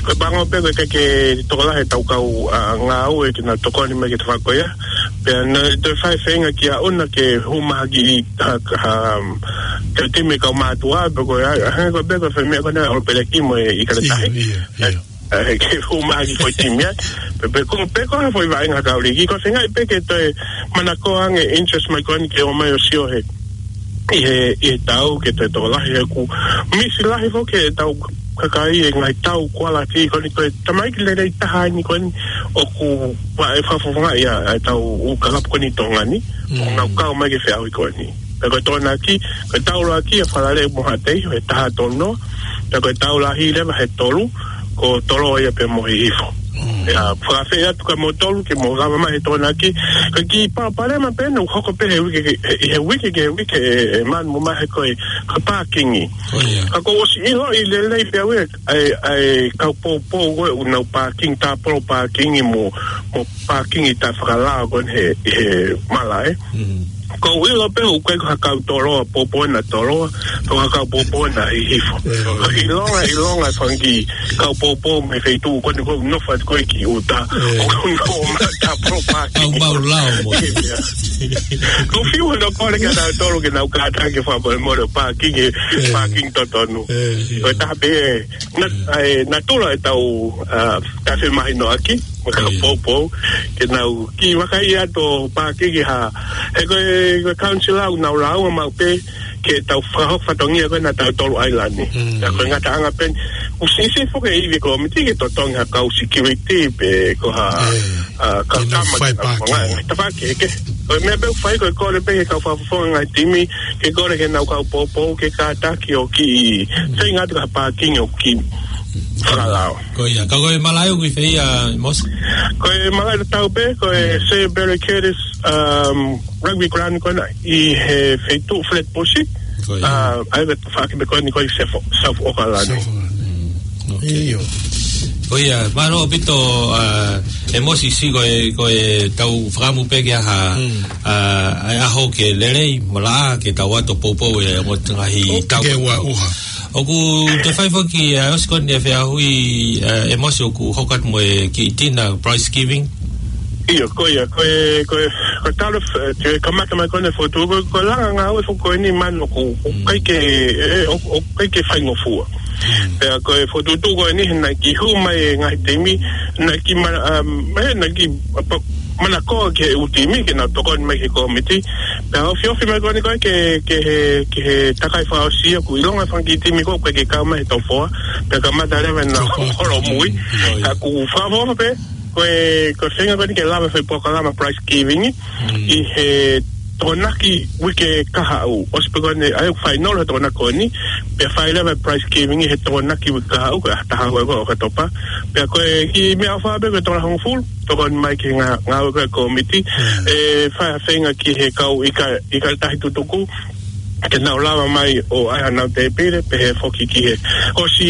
ko e pango pē ko e ke, ke tokolahi e tau kau, ʻa, ngāue ke nau tokoni mai ki he tafaʻaki ko ia. Pea naʻe toe fai feinga kia ʻUna ke hū mai ha kiʻi ha, ha, um, ke timi kau mātuʻa, pe ko e, ʻa, hangē ko e pē ko e foʻi meʻa ko ena ʻOlopeleki mo e ʻIkale Tahi. Ia, ia, ia. ʻA, ke hū mai ha kiʻi foʻi timi ai. Pe, pe ko, pe ko ha foʻi vaʻinga kau liki. Ko e feinga pē ke toe manako ange interest mai ko eni ke ō mai ʻo sio he, ʻi he, ʻi he tau ke toe tokolahi he ʻoku misi lahi foki e tau kakai e ngaahi tau kualiti ko eni ko e tamaiki lelei taha eni ko eni ʻoku ʻa e fakafofongaʻi ʻa e tau ʻū kalapu ko eni Tonga ni, Mm. ʻoku nau kau mai ki he feʻauhi ko eni. Pea ko e Tokonaki, ko e tau ʻuluaki ʻa Falaleu mo Haʻateiho, he taha tolu noa. Pea ko e tau lahi leva he tolu, ko Toloa ia pea mo Hihifo. Mm. Pea fakaafeʻi atu kia moutolu, ke mou lava mai he Tokonaki. Ko e kiʻi palopalema pē ʻoku hoko pē he uike ke, he, he uike ke uike ʻe, ʻe manu mo mahe ko e, ko e pākingi. Oh, yeah. Ka ʻoku ou ʻosi ʻiloʻi lelei pē au ʻa e, ʻa e kau poupou ko ē ʻoku nau pākingi, tāpolo pākingi mo, mo pākingi taʻefakalao ko eni he, he malaʻe. Mm. ʻOku ou ʻilo pē ʻoku ʻikai ko ha kau Toloa, poupou ʻena Toloa, ko ha kau poupou ʻena Hihifo. Eh. ʻIlonga, ʻilonga e fanga kiʻi kau poupou mei he feituʻu ko eni ʻoku nofo atu ko ē ki ʻuta. Eh. ʻOku nau ō mai tāpolo pākingi. Mau, mau lao mo. Ia. ʻOku ou fiu hono kole kia nautolu ke nau kātaki fakamolemole pākingi, Eh. pākingi totonu. Eh, ia. Ko e taha pē, na, Mm. ʻa e, natula e tau, ʻa, taʻefemahinoʻaki, mo e kau Oh, yeah. poupou, ke nau kiʻi vakai atu ʻo pākingi ha, he ko e, ko e council ʻoku nau lāunga maʻu pē, ke tau fakahoko fatongia ko ē naʻa tautolu ʻailani. Mm. Ka ko e ngataʻanga pē, ʻoku siʻisiʻi foki e ivi e kōmiti ke totongi ha kau security pe ko ha, Yeah. ʻa, kau Ke nau tama fai ke nau pākingi. fanga, tafaʻaki ke. Ko e meʻa pē ʻoku fai ko e kole pē ke kau fakafofonga ngaahi timi, ke kole ke nau kau poupou, ke kātaki ʻo kiʻi, Mm. feinga atu ki ha pākingi ʻoku kiʻi fakalao. Ko ia, ka ko e malaʻe ʻoku ʻi fē ia, Mosi? Ko e malaʻe tatau pē, ko e Mm. Sir Barry Curtis, um, Rugby Ground ko ena, ʻi he feituʻu Flatbush. Ko ia. Uh, ʻa ia ko e tafaʻaki pē ko eni ko e South, South Auckland. South Auckland. Mm, ok. ʻIo. Ko ia, mālō ʻaupito, uh, ʻe Mosi, siʻi ko e, ko e tau fakaʻamu pē ke ʻaha, Mm. uh, ʻa e ʻaho ke lelei, mo e laʻā, ke tau ō atu ʻo poupou e mo ngaahi ʻOku tau ke ua uha. ʻOku toe fai foki, ʻa, ʻosi ko eni e feʻauhi, ʻa, ʻe Mosi ʻoku hoko atu mo e kiʻi dinner, prize giving. ʻIo, ko ia, ko e, ko e, ko e talo, ʻe, te kamata mai ko eni fotu, ko, ko e langa ngāue foki ko eni manu ʻoku, ʻoku Mm. ʻikai ke, ʻe, ʻoku, ʻoku ʻikai ke faingofua. Mm. Pea ko e fokotuʻutuʻu ko eni, naʻe kiʻi hū mai e ngaahi timi, naʻe kiʻi ma-, um, ʻe, naʻe kiʻi, ʻa, pa-, manakoa ki he ʻū timi, ke nau tokoni mai ki he kōmiti. Pea ofiofi mai ko eni ko ē ke, ke he, ke he takai fakaʻosi ʻoku ʻilonga e fanga kiʻi timi ko ē ʻoku ʻikai ke kau mai he top four. Pea kamata leva ʻena Top four. holomui. Mm. Ka ʻoku fakaʻofoʻofa pē, ko e, ko e feinga ko eni ke lava e foʻi polokalama prize giving Mm. ʻi he Tokonaki uike kahaʻu. ʻOsi pē ko eni, ʻa ia ʻoku fainolo he Tokonaki ko eni, pea fai leva e prize giving ʻi he Tokonaki uike kahaʻu, ko e taha ua ko ē ʻo ʻOkatopa. Pea ko e kiʻi meʻaʻofa pē ko e tola hongofulu, tokoni mai ki he ngā-, ngāue ko ē ʻa e kōmiti. Mm. ʻE fai ha feinga ki he kau ʻIka-, ʻIkale Tahi tutuku, ke nau lava mai ʻo ʻai hanau tēpile, pehē foki ki he ʻosi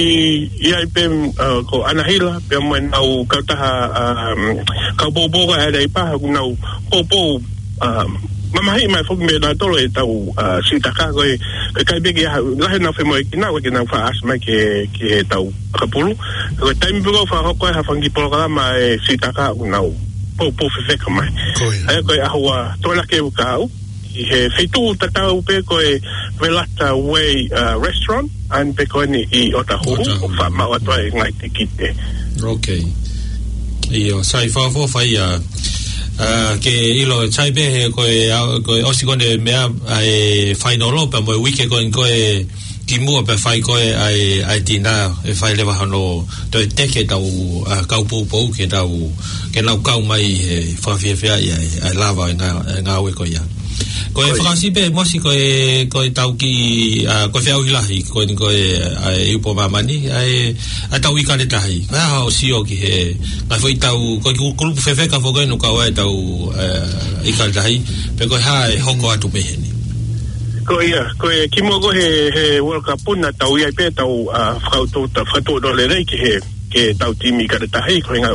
ʻi ai pē, uh, ko ʻAnahila, pea mo ʻenau kautaha, um, kau poupou ʻa e Leipa, ʻoku nau poupou, um, mamahiʻi mai foki mei nautolu e tau, uh, sitaka ko ē, ko e ʻikai pē ke ʻaha, lahi ʻenau femoʻuekina, ko e ke nau faʻa ʻasi mai ki he, ki he tau ʻakapulu. Ko e taimi pē ko ē ʻoku fakahoko ai ha fanga kiʻi polokalama e sitaka ʻoku nau poupou fefeka mai. Ko ia. ʻA ia ko e ʻaho ua Tokonaki uike kahaʻu, ʻi he feituʻu tatau pē ko e Velata Way, uh, Restaurant, ʻa eni pē ko eni ʻi ʻOtahuhu, ʻOtahuhu. ʻOku faʻa maʻu atu ai e ngaahi tikite. Ok. ʻIo, sai fafo fai a, a, ke ʻilo sai pē he ko e, a, ko e ʻosi ko eni meʻa, ʻa e fainolo pea mo e uike ko eni ko e kimuʻa pea fai ko e ʻa e, ʻa e tina, ʻe fai leva hono, toe teke ʻetau, a, kau poupou ke tau, ke nau kau mai he fakafiefia ʻa e, ʻa e lava ʻa e ngā-, ʻa e ngāue ko ia. Ko e fakaʻosi pē, Mosi, ko e, ko e tau ki, a, ko e feʻauhi lahi, ko eni ko e, ʻa e ipu ʻa māmani, ʻa e, ʻa e tau ʻIkale Tahi. Ko e hā hoʻo sio ki he, ngaahi foʻi tau, ko e ku-, kulupu fefeka foki ʻoku kau ai ʻetau, e, ʻIkale Tahi, pe ko e hā ʻe hoko atu mei heni. Ko ia, ko e kimuʻa ko he, he World Cup naʻa tau ʻi ai pē tau, a, fakatu-, ta-, fakatuʻutāmaki lelei ki he, ki he tau timi ʻIkale Tahi, ko e ʻuhinga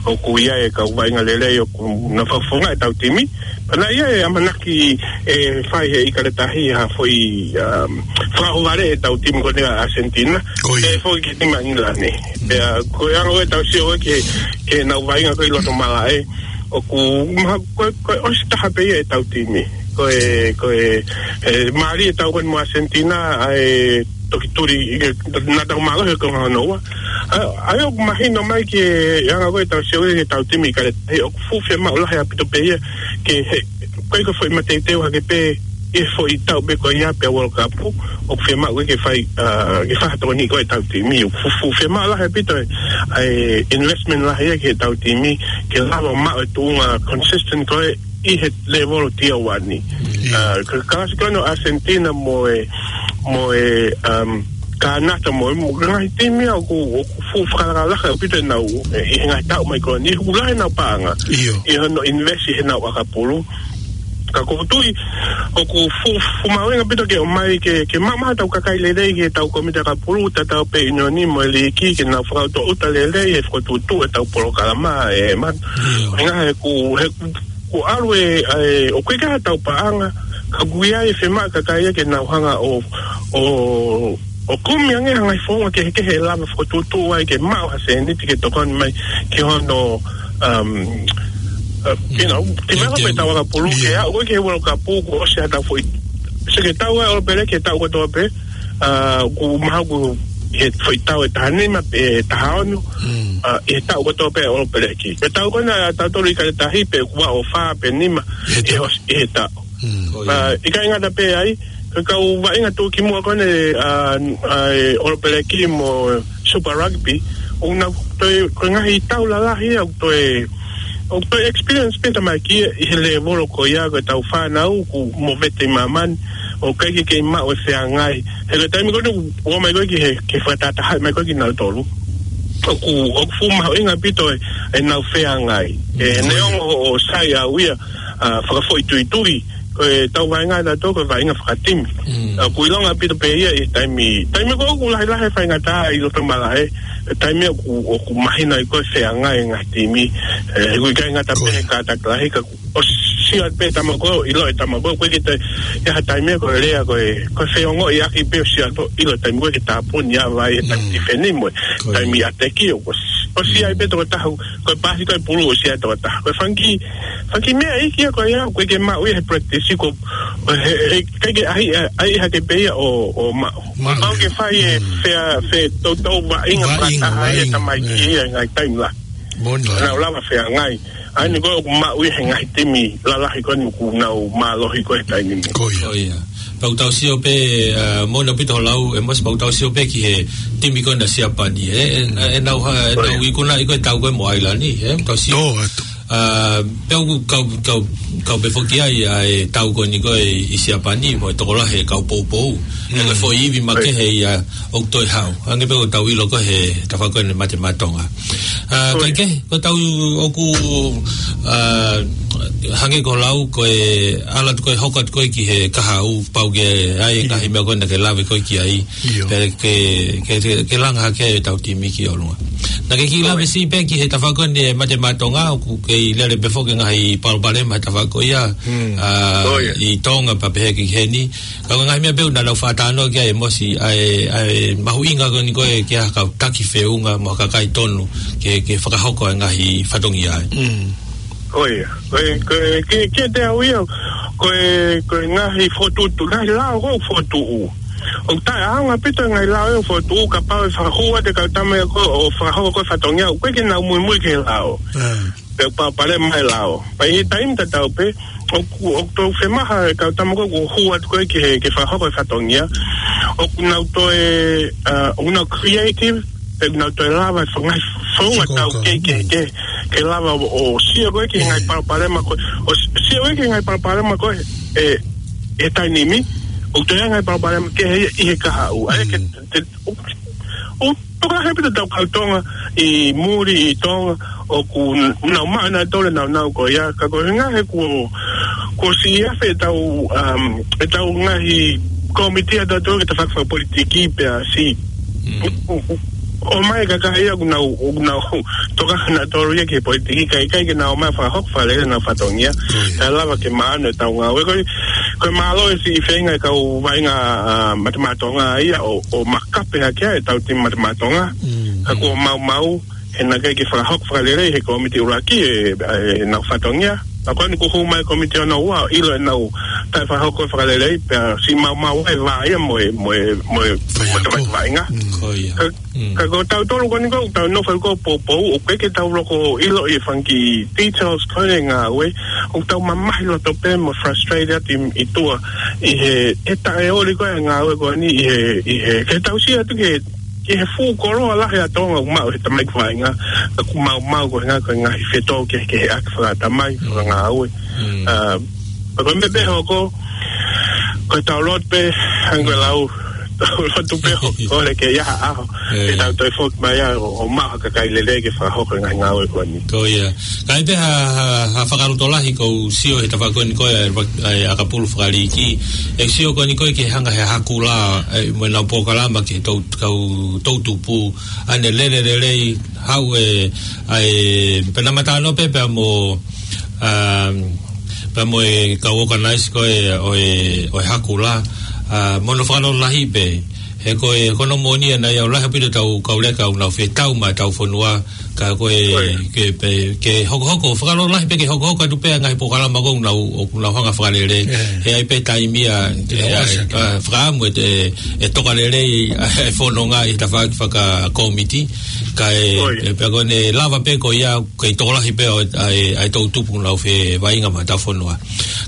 ʻoku ʻi ai e kau vaʻinga lelei ʻoku nau fakafofonga ʻetau timi. Pea naʻe ʻi ai e ʻamanaki ʻe fai he ʻIkale Tahi ha foʻi, um, fakaʻohovale ʻetau timi ko eni ʻa ʻAsentina. Ko ia. ʻE foki ki he timi ʻa ʻIngilani. Pea ko e anga ʻo ʻetau sio ki he, ki heʻenau vaʻinga ko ē ʻi loto malaʻe. ʻOku maha-, ko e, ko e ʻosi taha pē ia ʻetau timi. Ko e, ko e, e, mālie ʻetau ko eni mo ʻAsentina, ʻa e toki tuli, ʻi he, naʻa tau mālohi ko hono ua. ʻA, ʻa ia ʻoku mahino mai ki he anga ko ē ʻetau sio ki heʻetau timi ʻIkale Tahi, ʻoku fuʻu fiemaʻu lahi ʻaupito pē ia ke he, ko e ko e foʻi mateuteu hake pē ʻi he foʻi tau pē ko ia pea World Cup, ʻoku fiemaʻu ke fai, a, ke fai ha tokoni ko ē ʻetau timi. ʻOku fuʻu, fuʻu fiemaʻu lahi ʻaupito e, ʻa e investment lahi ia ki heʻetau timi, ke lava maʻu e tuʻunga consistent ko ē ʻi he lēvolo tier one. ʻIo. A, ka, ka ʻosi ko eni ʻAsentina mo e, mo e, um, Kānata mo e, mo e ngaahi timi ia ʻoku, ʻoku fuʻu fakalakalaka ʻaupito ʻenau, e, ʻi he ngaahi taʻu mai ko eni, ʻoku lahi ʻenau paʻanga. ʻIo. ʻI hono invest ʻi heʻenau ʻakapulu. Ka ʻoku ou tui, ʻoku fuʻu, fuʻu mahuʻinga ʻaupito ke ʻomai ke, ke maʻu mai ʻetau kakai lelei ki heʻetau kōmiti ʻakapulu, tatau pē ʻunioni mo e liiki, ke nau fakautuutu lelei, he fakatuʻutuʻu ʻetau polokalama, e, ma-, ʻIo. ʻuhinga he ʻoku, he ʻoku ʻalu e, e, ʻoku ʻikai ke ʻi ai haʻatau paʻanga, ka ʻoku ʻi ai e fiemaʻu ʻa e kakai ia ke nau hanga ʻo, ʻo, ʻo kumi ange ha ngaahi founga kehekehe ʻe lava fakatuʻutuʻu ai ke maʻu ha sēniti ke tokoni mai ki hono, um, uh, you know, Mm. develop Ke, ke, ʻetau ʻakapulu ke ʻIo. aʻu ko ē ki he World Cup kuo ʻosi haʻatau foʻi. Sio ki he tau ʻa e ʻOlopeleki he taʻu kotoa pē, a, ʻoku mahalo ʻoku ʻi he foʻi tau ʻe taha nima, ʻe taha ono, Mm. a, ʻi he taʻu kotoa pē ʻa e ʻOlopeleki. Ko e tau ko ena ʻa tautolu ʻIkale Tahi pē ʻoku ua ʻo fā pe nima, ʻI he ʻi he taʻu. ʻos-, ʻi he taʻu. Mm. Ko ia. A, ʻikai ngata pē ai, ko e kau vaʻinga tuʻukimuʻa ko eni, a, ʻa e ʻOlopeleki mo Super Rugby, ʻoku nau toe, ko e ngaahi tau lalahi ia, ʻoku toe, ʻoku toe experience pē tamaiki ʻi he lēvolo ko ia, ko ʻetau fānau, ʻoku movete ʻi māmani, ʻoku ʻikai ke kei maʻu e feangai. He ko e taimi ko eni, ʻoku ō mai ko ē ki he, ke fakatahatahaʻi mai ko ē kinautolu. ʻOku, ʻoku fuʻu mahuʻinga ʻaupito e, ʻenau feangai. E, Mm, neongo ʻoku sai au ia, a, fakafoʻituitui, ko ʻetau vaʻinga ʻatautolu, ko e vaʻinga fakatimi. Mm. A, ʻoku ʻilonga ʻaupito pē ia ʻi he taimi, taimi ko ē ʻoku lahilahi e faingataʻa ʻi loto malaʻe, e taimi ʻoku, ʻoku mahino ai ko ē feangai e ngaahi timi, e, ʻoku ʻikai ngata pē Ko ia. he kātaki lahi ka ʻoku ʻosi sio pē tama ko ē, ʻilo e tama ko ē, ko ē ke te, ʻi ha taimi ko e lea ko ē, ko e feongoʻiʻaki pē ʻosi sio pē, ʻilo e taimi ko ē ke tāpuni ʻa vai, e taimi Mm. tifeni mo e, Ko ia. taimi ʻateki ʻoku ʻosi, ʻosi ʻi ai pē tokotaha, ko e pasi ko e pulu ʻosi ʻi ai tokotaha. Ko e fanga kiʻi, fanga kiʻi meʻa ʻi he ko ia, ko ē ke maʻu ia he practice ko, he, he, ʻikai ke ʻai, ʻai hake pē ia ʻo, ʻo maʻu. Maʻu. Pau ke fai e Mm. fea, fe, toutou vaʻinga Vaʻinga, fakataha ia vaʻinga, tamaiki e. ia ngaahi taimi lahi. Moʻoni lahi. Nau lava feangai. ʻA eni ko ē ʻoku maʻu ia he ngaahi timi lalahi ko eni ʻoku nau mālohi ko ē he taimi ni. Ko ia. Ko ia. Pau tau sio pē, a, moʻoni ʻaupito hoʻo lau, ʻe Mosi, pau tau sio pē ki he timi ko ena Siapani, e, e, e nau ha, e Ko ia. nau ikunaʻi ko ē tau ko ē mo ʻAilani, e, tau sio. Tō atu. A, pea ʻoku kau, kau, kau pē foki ai, ʻa e tau ko eni ko ē ʻi Siapani, mo e tokolahi e kau poupou. E ko e Mm. foʻi ivi Ko ia. makehe ia ʻoku toe haʻu. Hangē pē ko ʻetau ʻilo ko ē he tafaʻaki ko eni Mate Maʻa Tonga. A, Ko ia. kaikehe, ko ʻetau ʻoku, a, hangē ko hoʻo lau, ko e ʻalu atu ko ē hoko atu ko ē ki he kahaʻu pau ke ʻi ai e ngaahi meʻa ko ē naʻa ke lave ko ē ki ai. ʻIo. Pea ke, ke, ke, ke langa hake ʻetau timi ki ʻolunga. Naʻa ke kiʻi Ko lave ia. siʻi pē ki he tafaʻaki ko eni e Mate Maʻa Tonga, ʻoku kei lele pē foki e ngaahi palopalema he tafaʻaki ko ia, Mm. a, Ko ia. ʻi Tonga pea pehē ki heni. Ka ko e ngaahi meʻa pē ʻoku nau faʻa talanoa ki ai ʻe Mosi, ʻa e, ʻa e mahuʻinga ko eni ko ē ke ʻi ai ha kau taki feʻunga mo ha kakai tonu ke, ke fakahoko e ngaahi fatongia ai. Mm. Ko ia. Ko e, ko e, ke, ke te au ia, ko e, ko e ngaahi fokotuʻutuʻu, ngaahi lao ko ē fokotuʻu. ʻOku taʻeʻaonga ʻaupito e ngaahi lao ʻoku fokotuʻu kapau ʻe fakahū atu e kau tama ko ē ʻo fakahoko ko ē fatongia, ʻoku ʻikai ke nau muimui ki he lao. Pea palopalema e lao. Pea ʻi he taimi tatau pē, ʻoku, ʻoku toe fiemaʻu e kau tama ko ē ʻoku hū atu ko ē ki he, ke fakahoko e fatongia, ʻoku nau toe, ʻa, ʻoku nau creative, pea ʻoku nau toe lava e ngaahi founga tau ke, ke, ke, ke lava ʻo, ʻo sio ko ē ki he ngaahi palopalema ko ē, ʻo s-, sio ko ē ki he ngaahi palopalema ko ē, ʻe, ʻi he taimi ni, ʻoku toe ngaahi palopalema kehe ʻi he kahaʻu. ʻA ia ke, te, ʻo, ʻo toka he pita tau kau Tonga, ʻi muli ʻi Tonga, ʻoku n-, nau maʻu nautolu e nāunau ko ia, ka ko e ngaahi kuo, kuo siʻi afe ʻetau, um, ʻetau ngaahi kōmiti ʻatautolu ke tafaʻaki fakapolitiki pea siʻi. ʻO, ʻo, ʻomai e kakai ia ʻoku nau, ʻoku nau toka nautolu ia ki he politiki, ʻikai, ʻikai ke nau ō mai fakahoko fakalelei ʻenau fatongia. Kae lava ke maʻu ʻetau ngāue. Ko e, ko e mālō e siʻi feinga e kau vaʻinga, ʻa, Mate Maʻa Tonga ia ʻo, ʻo makape hake ai ʻetau timi Mate Maʻa Tonga. Ka kuo maumau, he naʻe ʻikai ke fakahoko fakalelei he kōmiti ʻuluaki e, e, ʻenau fatongia. Ka ko eni kuo hū mai e kōmiti hono ua, ʻilo ʻenau taʻe fakahoko fakalelei, pea siʻi maumau e vā ia mo e, mo e, mo e, mo e tamasiʻi vaʻinga. Ko ia. Ka, ka ko tautolu ko eni ko, tau nofo ko poupou, ʻoku ʻikai ke tau loko ʻilo ʻi he fanga kiʻi details ko ē ngāue, ʻoku tau mamahi loto pē mo frustrated atu ʻi, ʻi tuʻa, ʻi he, he taʻeoli ko ē ngāue ko eni, ʻi he, ʻi he, ke tau sio atu ki he, ki he fuʻu koloa lahi ʻa Tonga ʻoku maʻu he tamaiki vaʻinga, ka kuo maumau ko e ngaahi, ko e ngaahi fetōkehekeheʻaki fakatamai, fakangāue. ʻA, ka ko e meʻa pē hoko, ko e tau lotu pē, hangē ko e lau, tau lotu pē ʻo, ʻo lele ke ʻi ai ha ʻaho, ke tau toe foki mai ʻo, ʻo maʻu ha kakai lelei ke fakahoko e ngaahi ngāue ko eni. Ko ia. Ka ʻi ai pē ha, ha, ha fakalotolahi ʻoku ou sio he tafaʻaki ko eni ko ē, ʻa e, ʻa e ʻakapulu fakaliiki. ʻE sio ko eni ko ē ke hanga he Haku Lā, ʻa e, mo ʻenau polokalama ki he tou, kau toʻutupu, ʻa ʻene lele lelei, haʻu e, ʻa e, pea naʻa ma talanoa pē pea mo, um, pea mo e kau organize ko ē ʻo e, ʻo e Haku Lā, ʻa, mo hono fakalotolahi pē, he ko e, ko hono moʻoni ʻa ia ʻoku lahi ʻaupito ʻetau kau leka ʻoku nau fetau maʻa ʻetau fonua, ka ko e, ke, pē, ke hokohoko, fakalotolahi pē ke hokohoko atu pē ʻa e ngaahi polokalama ko ē ʻoku nau, ʻoku nau hanga fakalele, he ʻi ai pē taimi ia, ʻa, ʻa, fakaʻamu e, e, e toka lelei, ʻa e fononga ʻi he tafaʻaki fakakōmiti, ka e, e pea ko ʻene lava pē ko ia, kei tokolahi pē ʻa e, ʻa e, ʻa e toʻutupu ʻoku nau fevaʻinga maʻa ʻetau fonua.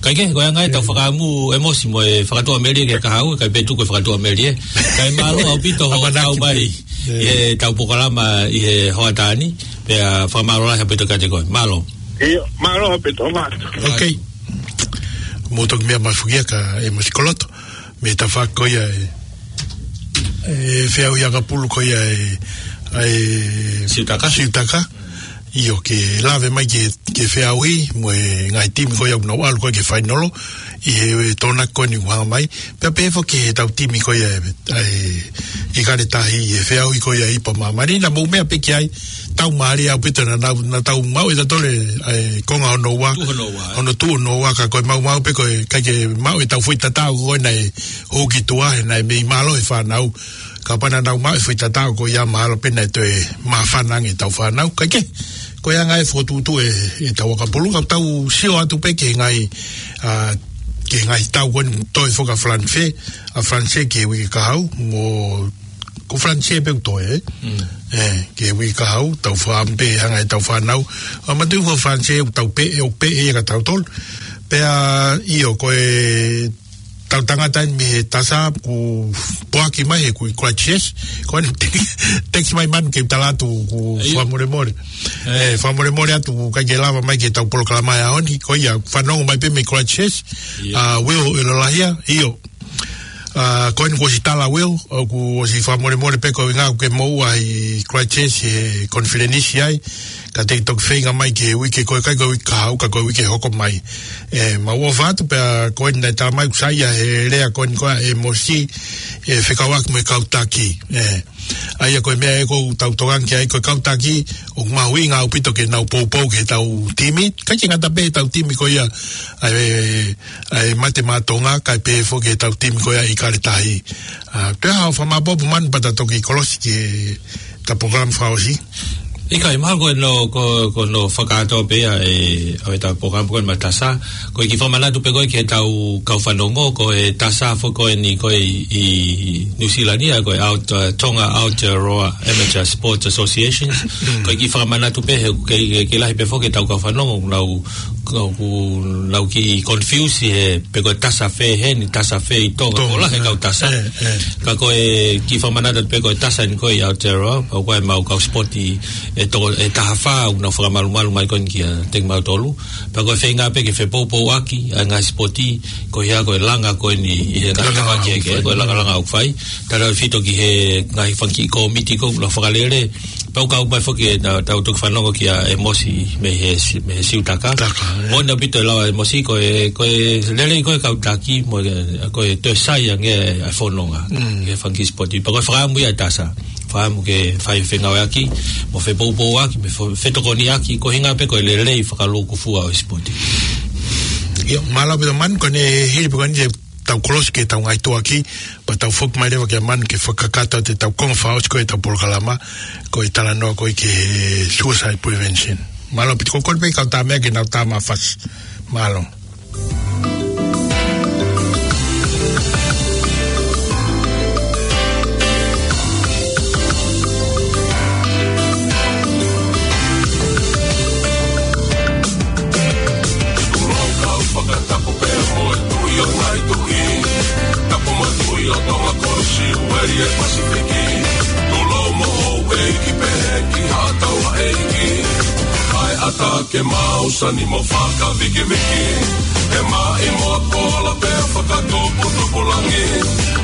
Kae kehe, ko e anga ia ʻetau fakaʻamu ʻe Mosi mo e fakatuʻamelie ki he kahaʻu, kae pē tuku e fakatuʻamelie. Kae mālō ʻaupito hoʻo kau mai ʻi heʻetau polokalama ʻi he hoʻatā ni, pea fakamālō lahi ʻaupito kiate koe. Mālō. ʻIo, mālō ʻaupito, mālō. Ok. Mou toki meʻa mai foki ia ka ʻe Mosi Koloto. Mei he tafaʻaki ko ia e, e feʻauhi ʻakapulu ko ia e, e Siutaka. Siutaka. ʻIo, ke lave mai ke, ke feʻauhi, mo e ngaahi timi ko ia ʻoku nau ʻalu ko ē ki he fainolo, ʻi he, e Tokonaki ko eni ʻoku hanga mai, pea pehē foki ki heʻetau timi ko ia e, e ʻIkale Tahi, ʻi he feʻauhi ko ia e Ipu ʻa Māmani, naʻa mou meʻa pē ki ai, tau mālie ʻaupito naʻa, naʻa, naʻa tau maʻu ʻe tautolu e, e konga hono ua, tuʻu hono ua, ē? Hono tuʻu hono ua, ka ko e maumau pē ko e ʻikai ke maʻu ʻetau foʻi tatau ko ē naʻe hū ki tuʻa, he naʻe mei mālohi e fānau. Kapau naʻa nau maʻu e foʻi tatau ko ia mahalo pē naʻe toe māfana ange ʻetau fānau. Kae kehe, ko e anga e fokotuʻutuʻu e, ʻetau ʻakapulu, ka tau sio atu pē ki he ngaahi, ʻa, ki he ngaahi tau ko eni toe foki ʻa Falanisē, ʻa Falanisē ki he uike kahaʻu, mo ko Falanisē pē ʻoku toe, ē? Mm. Ē, ki he uike kahaʻu, tau fakaʻamu pē hanga ʻe heʻetau fānau. ʻA, manatuʻi ko Falanisē ʻoku tau pē, ʻoku pē ia kia tautolu. Pea, ʻio, ko ʻetau tangata eni mei he Tasa, kuo poaki mai he kui Christchurch. Ko eni text, text mai manu ke u tala atu, kuo fakamolemole. Ē, fakamolemole atu, ʻikai ke lava mai ki heʻetau polokalama he ʻaho ni. Ko ia, fanongo mai pē mei Christchurch. ʻIo. ʻA, Will ʻIlolahia, ʻio. ʻA, ko eni kuo ʻosi tala Will, ʻoku ʻosi fakamolemole pē ko e ʻuhinga ʻoku ke moʻua ʻi Christchurch he konifelenisi ai, ka te ke toki feinga mai ki he uike ko ē, ʻikai ko e uike kahaʻu ka ko e uike hoko mai. Ē, mau ʻofa atu pea ko eni naʻe tala mai ʻoku saiʻia he lea ko eni ko ē ʻa Emosi, ʻe fekauʻaki mo e kau taki. Ē, ʻa ia ko e meʻa ē ʻoku tau tokanga ki ai ko e kau taki, ʻoku mahuʻinga ʻaupito ke nau poupou ki heʻetau timi, ʻikai ke ngata pē heʻetau timi ko ia ʻa e, ʻa e Mate Maʻa Tonga, kae pehē foki ki heʻetau timi ko ia ʻIkale Tahi. ʻA, toe ʻai haʻo fakamāʻopoʻopo manu pea ta toki kolosi ki heʻeta polokalama fakaʻosi. ʻIkai, mahalo ko hono, ko, ko hono fakakātoa pē ia ʻa e, ʻo ʻetau polokalama ko eni maʻa Tasa. Ko e kiʻi fakamanatu pē ko ē ki heʻetau kau fanongo, ko e Tasa foki ko eni ko ē ʻi, ʻi Nuʻusila ni, ko e Aot-, uh, Tonga Aotearoa Amateur Sports Associations. Ko e kiʻi fakamanatu pē he ʻoku kei, kei, kei lahi pē foki ʻetau kau fanongo, nau, nau, nau kiʻi confuse he pe ko e Tasa fē heni, Tasa fē ʻi Tonga, Tonga, ko e lahi e kau Tasa. Ka ko e kiʻi fakamanatu pē ko e Tasa ni ko ē ʻi Aotearoa, pea ko e mau kau sipoti ʻe to-, ʻe taha fā, ʻoku nau fakamalumalu mai ko eni kiate kimautolu. Pea ko e feinga pē ke fepoupouaki ʻa e ngaahi sipoti, ko ia ko e langa ko eni ʻi he ngaahi Langa tafaʻaki ʻoku ke, fai. Ko e langalanga ʻoku fai. Tautautefito ki he ngaahi fanga kiʻi kōmiti ko ē ʻoku nau fakalele. Pea ʻoku kau mai foki ʻetau, ʻetau toki fanongo kia ʻEmosi mei he si-, mei he Siutaka. Taka, ē. Moʻoni ʻaupito e lau ʻa ʻEmosi, ko e, ko e lelei ko ē kau taki, mo e, ko e toe sai ange ʻa e fononga. He fanga kiʻi sipoti. Pea ko e fakaʻamu ia ʻa e Tasa. Fakaʻamu ke fai fengāueʻaki, mo fepoupouaki, mo fe-, fetokoniʻaki, ko e ʻuhinga pē ko e lelei fakalūkufua ʻo e sipoti. ʻIo, mālō ʻaupito Manu, ko eni hili pē ko eni ʻetau kolosi ki heʻetau ngaahi tuʻuaki, pea tau foki mai leva kia Manu ke fakakakato atu ʻetau konga fakaʻosi ko ē ʻetau polokalama, ko e talanoa ko ē ki he suicide prevention. Mālō ʻaupito, ko e kole pē kau tā meʻa ke nau tā mafasi. Mālō. Tuʻu loa kau fakatapu pē mo e Tuʻi ʻo e ngaahi tuʻi. Tapu mo e Tuʻi ʻo Tonga, Kolosiueli ʻo e Pasifiki. Tulou mo houʻeiki pehē ki haʻa taulaʻeiki. Kae ʻatā ke mau sani mo fakavikiviki. He maʻimoa kola pea fakatuputupulangi.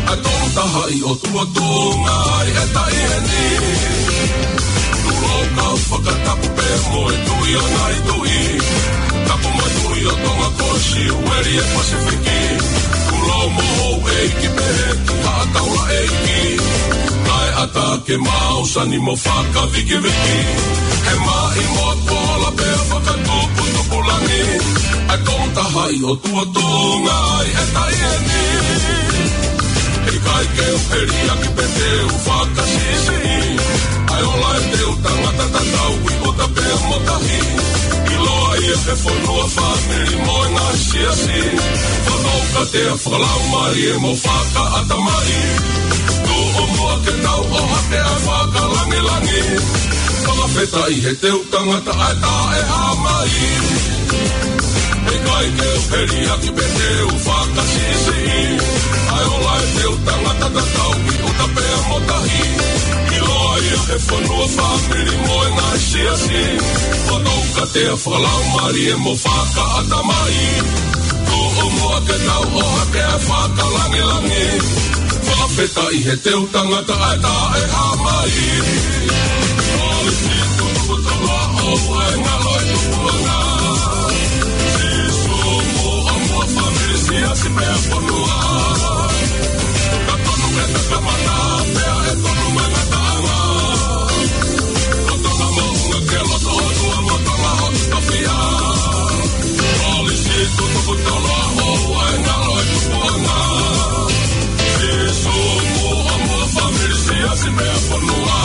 ʻA e Tonga taha ʻi ʻOtua tuʻunga ai e taʻi eni. Tulou kau fakatapu pē mo e Tuʻi ʻo e ngaahi tuʻi. Tapu mo e Tuʻi ʻo Tonga, Kolosiueli ʻo e Pasifiki. Tulou mo houʻeiki pehē ki haʻa taulaʻeiki. Kae ʻatā ke mau sani mo fakavikiviki. He maʻimoa kola pea fakatuputupulangi. ʻA e Tonga taha ʻi ʻOtua tuʻunga ai e taʻi eni. ʻIkai ke u heliaki pe te u fakasiʻisiʻi. ʻA e ola ʻetau tangata tatau ʻi ʻuta pea mo tahi. ʻIloa ia he fonua, fāmili mo e ngaahi siasi. Fakakaukau, tea, fakalaumālie mo fakaʻatamai. Tuʻu muʻa ke tau ʻohake ʻa e fakalāngilangi. Fakafetaʻi he teu tangata ʻa e taʻehāmai. ʻIkai ke u heliaki pe te u fakasiʻisiʻi. ʻA e ola ʻetau tangata tatau ʻi ʻuta pea mo tahi. ʻIloa ia he fonua, fāmili mo e ngaahi siasi. Fakakaukau, tea, fakalaumālie mo fakaʻatamai. Tuʻu muʻa ke tau ʻohake ʻa e fakalāngilangi. Fakafetaʻi he teu tangata ʻa e taʻehāmai. Kolisi tutuku tolo ʻo e ngalo e tupuʻanga. Sīsū muʻa mo e fāmili, siasi pea fonua. Ka tonu e takamana pea ʻe tonu mai ngataʻanga. Ko Tonga moʻunga ke loto ʻOtua mo Tonga hoku tofiʻa. Kolisi tutuku tolo ʻo e ngalo e tupuʻanga. Sīsū muʻa mo e fāmili, siasi pea fonua.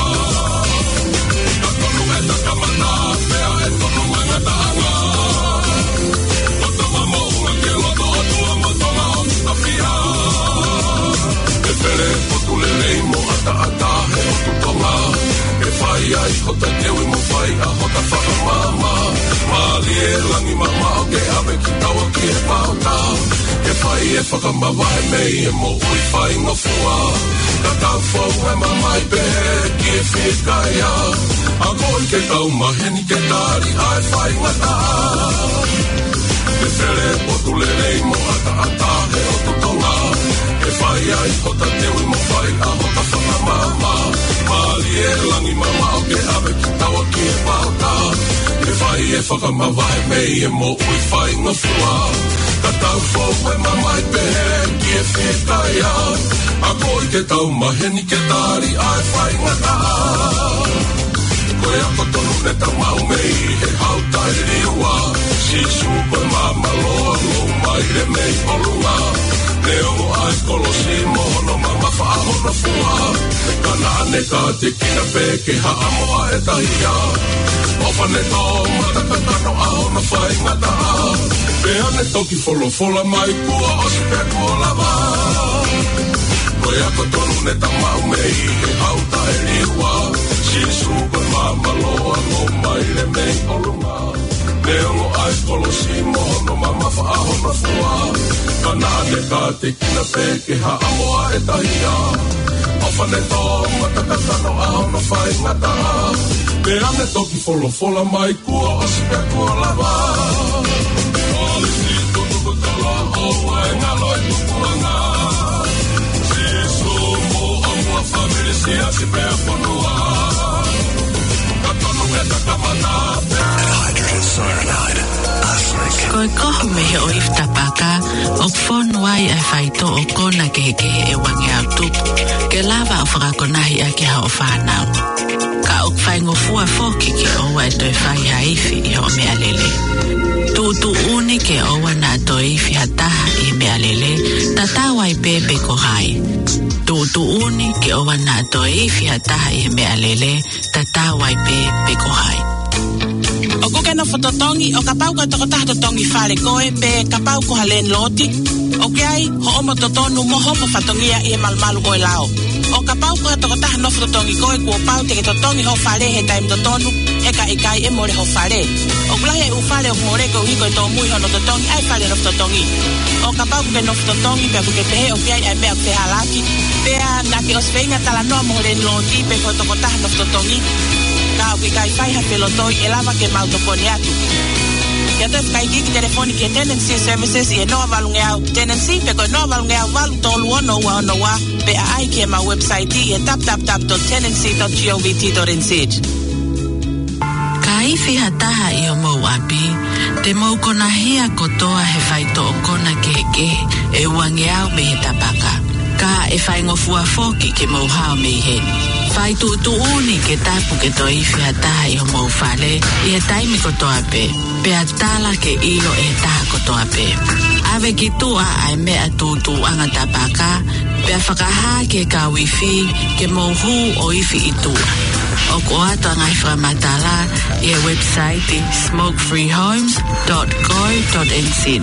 Ka tonu e takamana pea ʻe tonu mai ngataʻanga. Ko Tonga moʻunga ke loto ʻOtua mo Tonga hoku tofiʻa. ʻE Fele, potu lelei mo ʻataʻatā he ʻotu Tonga. ʻE fai ai hota teuʻi mo fai ʻa hota fakamaama. Mālie langi mamaʻo ke ʻave kitaua ki he pauta. Ke fai e fakamavahe mei he moʻui faingofua. Ka tau fou e mamahi pehē ki he fikaia. Akoʻi ke tau maheni ke tali ʻa e faingataʻa. ʻE Fele, potu lelei mo ʻataʻatā he ʻotu Tonga. ʻE fai ai hota teuʻi mo fai ʻa hota fakamaama. Mālie langi mamaʻo ke ʻave kitaua ki he pauta. ʻE fai e fakamavahe mei he moʻui faingofua. Ka tau fou e mamahi pehē ki he fikaia. Akoʻi ke tau maheni ke tali ʻa e faingataʻa. Ko e ako tonu ne tau maʻu mei he Hau Taʻeliua. Sīsū ko e māmāloa, ʻo maile mei ʻolunga. Neongo ʻa e kolosi mo hono mamafa ʻa hono Fua, ka naʻa ne kātekina pē ke haʻamo ʻa e tahi ia. ʻOfa ne tō mata kakano ʻa hono faingataʻa. Pea ne toki folofola mai kuo ʻosi pea kuo lava. Ko e ako tonu ne ta maʻu mei he hau taʻeliua. Sīsū ko e māmā loa, ʻomai le mei ʻolunga. Neongo ʻa e kolosi mo hono mamafa ʻa hono fua. Ka naʻa ne kātekina pē ke haʻamo ʻa e tahi ia. ʻOfa ne tō mata kakano ʻa hono faingataʻa. Pea ne toki folofola mai kuo ʻosi pea kuo lava. Oli si tuku kutala o wae ngalo e tukuanga. Sīsū mo ʻamua fāmili siasi pea fonua. Ka tonu e takamana. Hydrogen cyanide, arsenic. Ko e kohu mei he ʻoifi tapaka, ʻoku fonu ai ʻa e faitoʻo kona kehekehe ʻe uangeau tupu, ke lava ʻo fakakonahi ʻaki hoʻo fānau. Ka ʻoku faingofua foki ke ʻoua ʻe toe fai ha ifi ʻi hoʻo meʻalele. Tuʻutuʻuni ke ʻoua naʻa toe ifi ha taha ʻi he meʻalele, tatau ai pē pe ko hai. Tuʻutuʻuni ke ʻoua naʻa toe ifi ha taha ʻi he meʻalele, tatau ai pē pe ko hai. ʻOku ke nofo totongi, ʻo kapau ko e tokotaha totongi fale koe, pe kapau ko ha landlord, ʻoku ʻi ai hoʻomo totonu mo hoʻomo fatongia ʻi he malumalu ʻo e lao. ʻO kapau ko ha tokotaha nofo totongi koe, kuo pau te ke totongi hoʻo fale he taimi totonu, he ka ʻikai ʻe mole hoʻo fale. ʻOku lahi e ʻū fale ʻoku mole koeʻuhi ko e tōmui hono totongi ʻa e fale nofo totongi. ʻO kapau ʻoku ke nofo totongi, pea ʻoku ke pehē ʻoku ʻi ai ʻa e meʻa ʻoku fehālaaki, pea naʻa ke ʻosi feinga talanoa mo ho landlord pe ko e tokotaha nofo totongi, ka ʻoku ʻikai fai ha felotoi, ʻe lava ke mau tokoni atu. Ke ʻoatu e fakaikiiki telefoni ki he Tenancy Services ʻi he noa valungeau Tenancy, pe ko e noa valungeau valu tolu ono ua ono ua, pe ʻaʻahi ki heʻemau website ʻi he w w w dot tenancy dot govt dot n z. Ka ifi ha taha ʻi homou ʻapi, te mou konahia kotoa he faitoʻo kona kehekehe ʻe uangeau mei he tapaka. Ka ʻe faingofua foki ke mou hao mei heni. Fai tuʻutuʻuni ke tapu ke toe ifi ha taha ʻi homou fale ʻi he taimi kotoa pē. Pea tala ke ʻilo ʻe he taha kotoa pē. ʻAve ki tuʻa ʻa e meʻa tūtūʻanga tapaka, pea fakahā ki he kau ifi ke mou hū ʻo ifi ʻi tuʻa. ʻOku ʻoatu ʻa e ngaahi fakamatala ʻi he website smoke free homes dot co dot n z.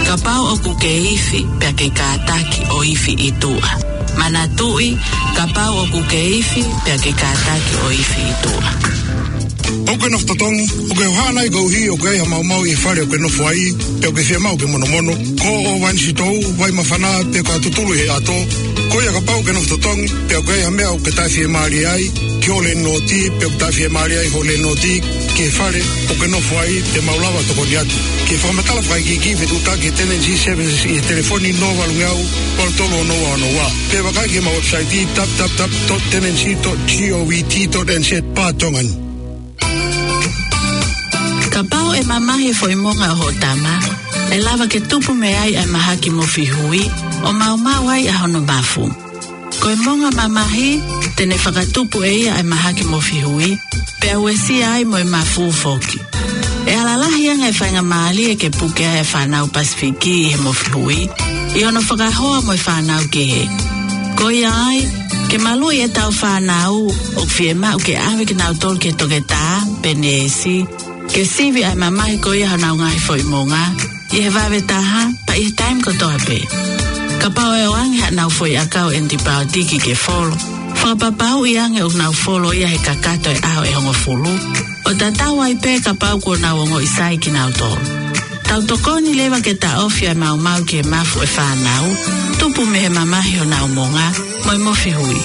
Kapau ʻoku ke ifi, pea ke kātaki ʻo ifi ʻi tuʻa. Manatuʻi, kapau ʻoku ke ifi, pea ke kātaki ʻo ifi ʻi tuʻa. ʻOku ke nofo totongi, ʻoku ke hohaʻa nai koeʻuhi ʻoku ʻi ai ha maumau ʻi he fale ʻoku ke nofo ai, pe ʻoku ke fiemaʻu ke monomono, ko ʻo vainisitou, vai mafana, pe ko ha tutulu ʻi he ʻato. Ko ia kapau ʻoku ke nofo totongi, pe ʻoku ʻi ai ha meʻa ʻoku ke taʻefiemālie ai ki ho landlord, pe ʻoku taʻefiemālie ai ho landlord ki he fale ʻoku ke nofo ai, te mau lava tokoni atu. Ke fakamatala fakaikiiki, fetuʻutaki ki he Tenancy Services ʻi he telefoni noa valungeau valu tolu ono ua ono ua. Pe vakai ki heʻemau website w w w dot tenancy dot govt dot n z barra Tongan. Kapau ʻe mamahi e foʻi monga ʻo hoʻo tama, ʻe lava ke tupu mei ai ʻa e mahaki mofihui, ʻo maumau ai ʻa hono mafu. Ko e monga mamahi, te ne fakatupu ʻe ia ʻa e mahaki mofihui, pea uesia ai mo e mafu foki. ʻE ala lahi ange e faingamālie ke puke ai e fānau Pasifiki ʻi he mofihui, ʻi hono fakahoa mo e fānau kehe. Ko ia ai, ke maluʻi ʻetau fānau, ʻoku fiemaʻu ke ʻave kinautolu ki he toketā pe neesi, ke sivi ʻa e mamahi ko ia honau ngaahi foʻi monga, ʻi he vave taha, pea ʻi he taimi kotoa pē. Kapau ʻe ʻoange haʻanau foʻi ʻakau ʻenitipaiotiki ke folo, fakapapauʻi ange ʻoku nau folo ia he kakato e ʻaho ʻe hongofulu, ʻo tatau ai pē kapau kuo nau ongoʻi sai kinautolu. Tau tokoni leva ke taʻofi ʻa e maumau ki he mafu ʻo e fānau, tupu mei he mamahi honau monga, mo e mofihui.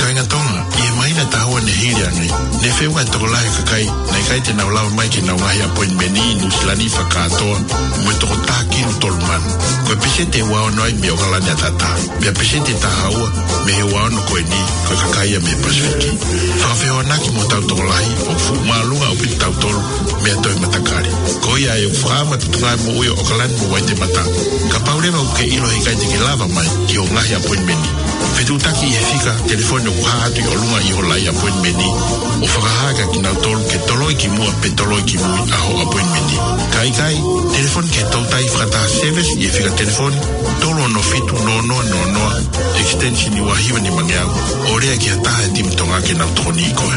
Kāinga Tonga, ʻi he māhina ʻe taha ua ne hili ange, ne feʻunga e tokolahi e kakai naʻe ʻikai te nau lava mai ki heʻenau ngaahi appointment ʻi Nuʻusila ni fakakātoa, mo e toko taha kilu tolu mano. Ko e peseti ʻe ua ono ai mei ʻOkalani ʻAtatā. Pea peseti ʻe taha ua mei he ua ono ko eni, ko e kakai ia mei Pasifiki. Fakafehoanaki mo hotau tokolahi, ʻoku fuʻu māʻolunga ʻaupito kitautolu mei ha toe matakali. Ko ia ai ʻoku fakaʻamu ʻa e Potungāue Moʻui ʻo ʻOkalani mo Waitemata. Kapau leva ʻoku ke ʻilo he ʻikai te ke lava mai ki hoʻo ngaahi appointment, Fetuʻutaki ʻi he fika telefoni ʻoku hā atu ʻi ʻolunga ʻi ho laʻi ʻapoinimeni, ʻo fakahā kia kinautolu ke toloi ki muʻa pe toloi ki mui ʻa hoʻo ʻapoinimeni. Ka ʻikai, telefoni ki he Toutai Fakataha Service ʻi he fika telefoni tolu ono fitu noa noa noa noa, extension ua hiva nimangeau, ʻo lea ki ha taha he timi Tonga ke nau tokoniʻi koe.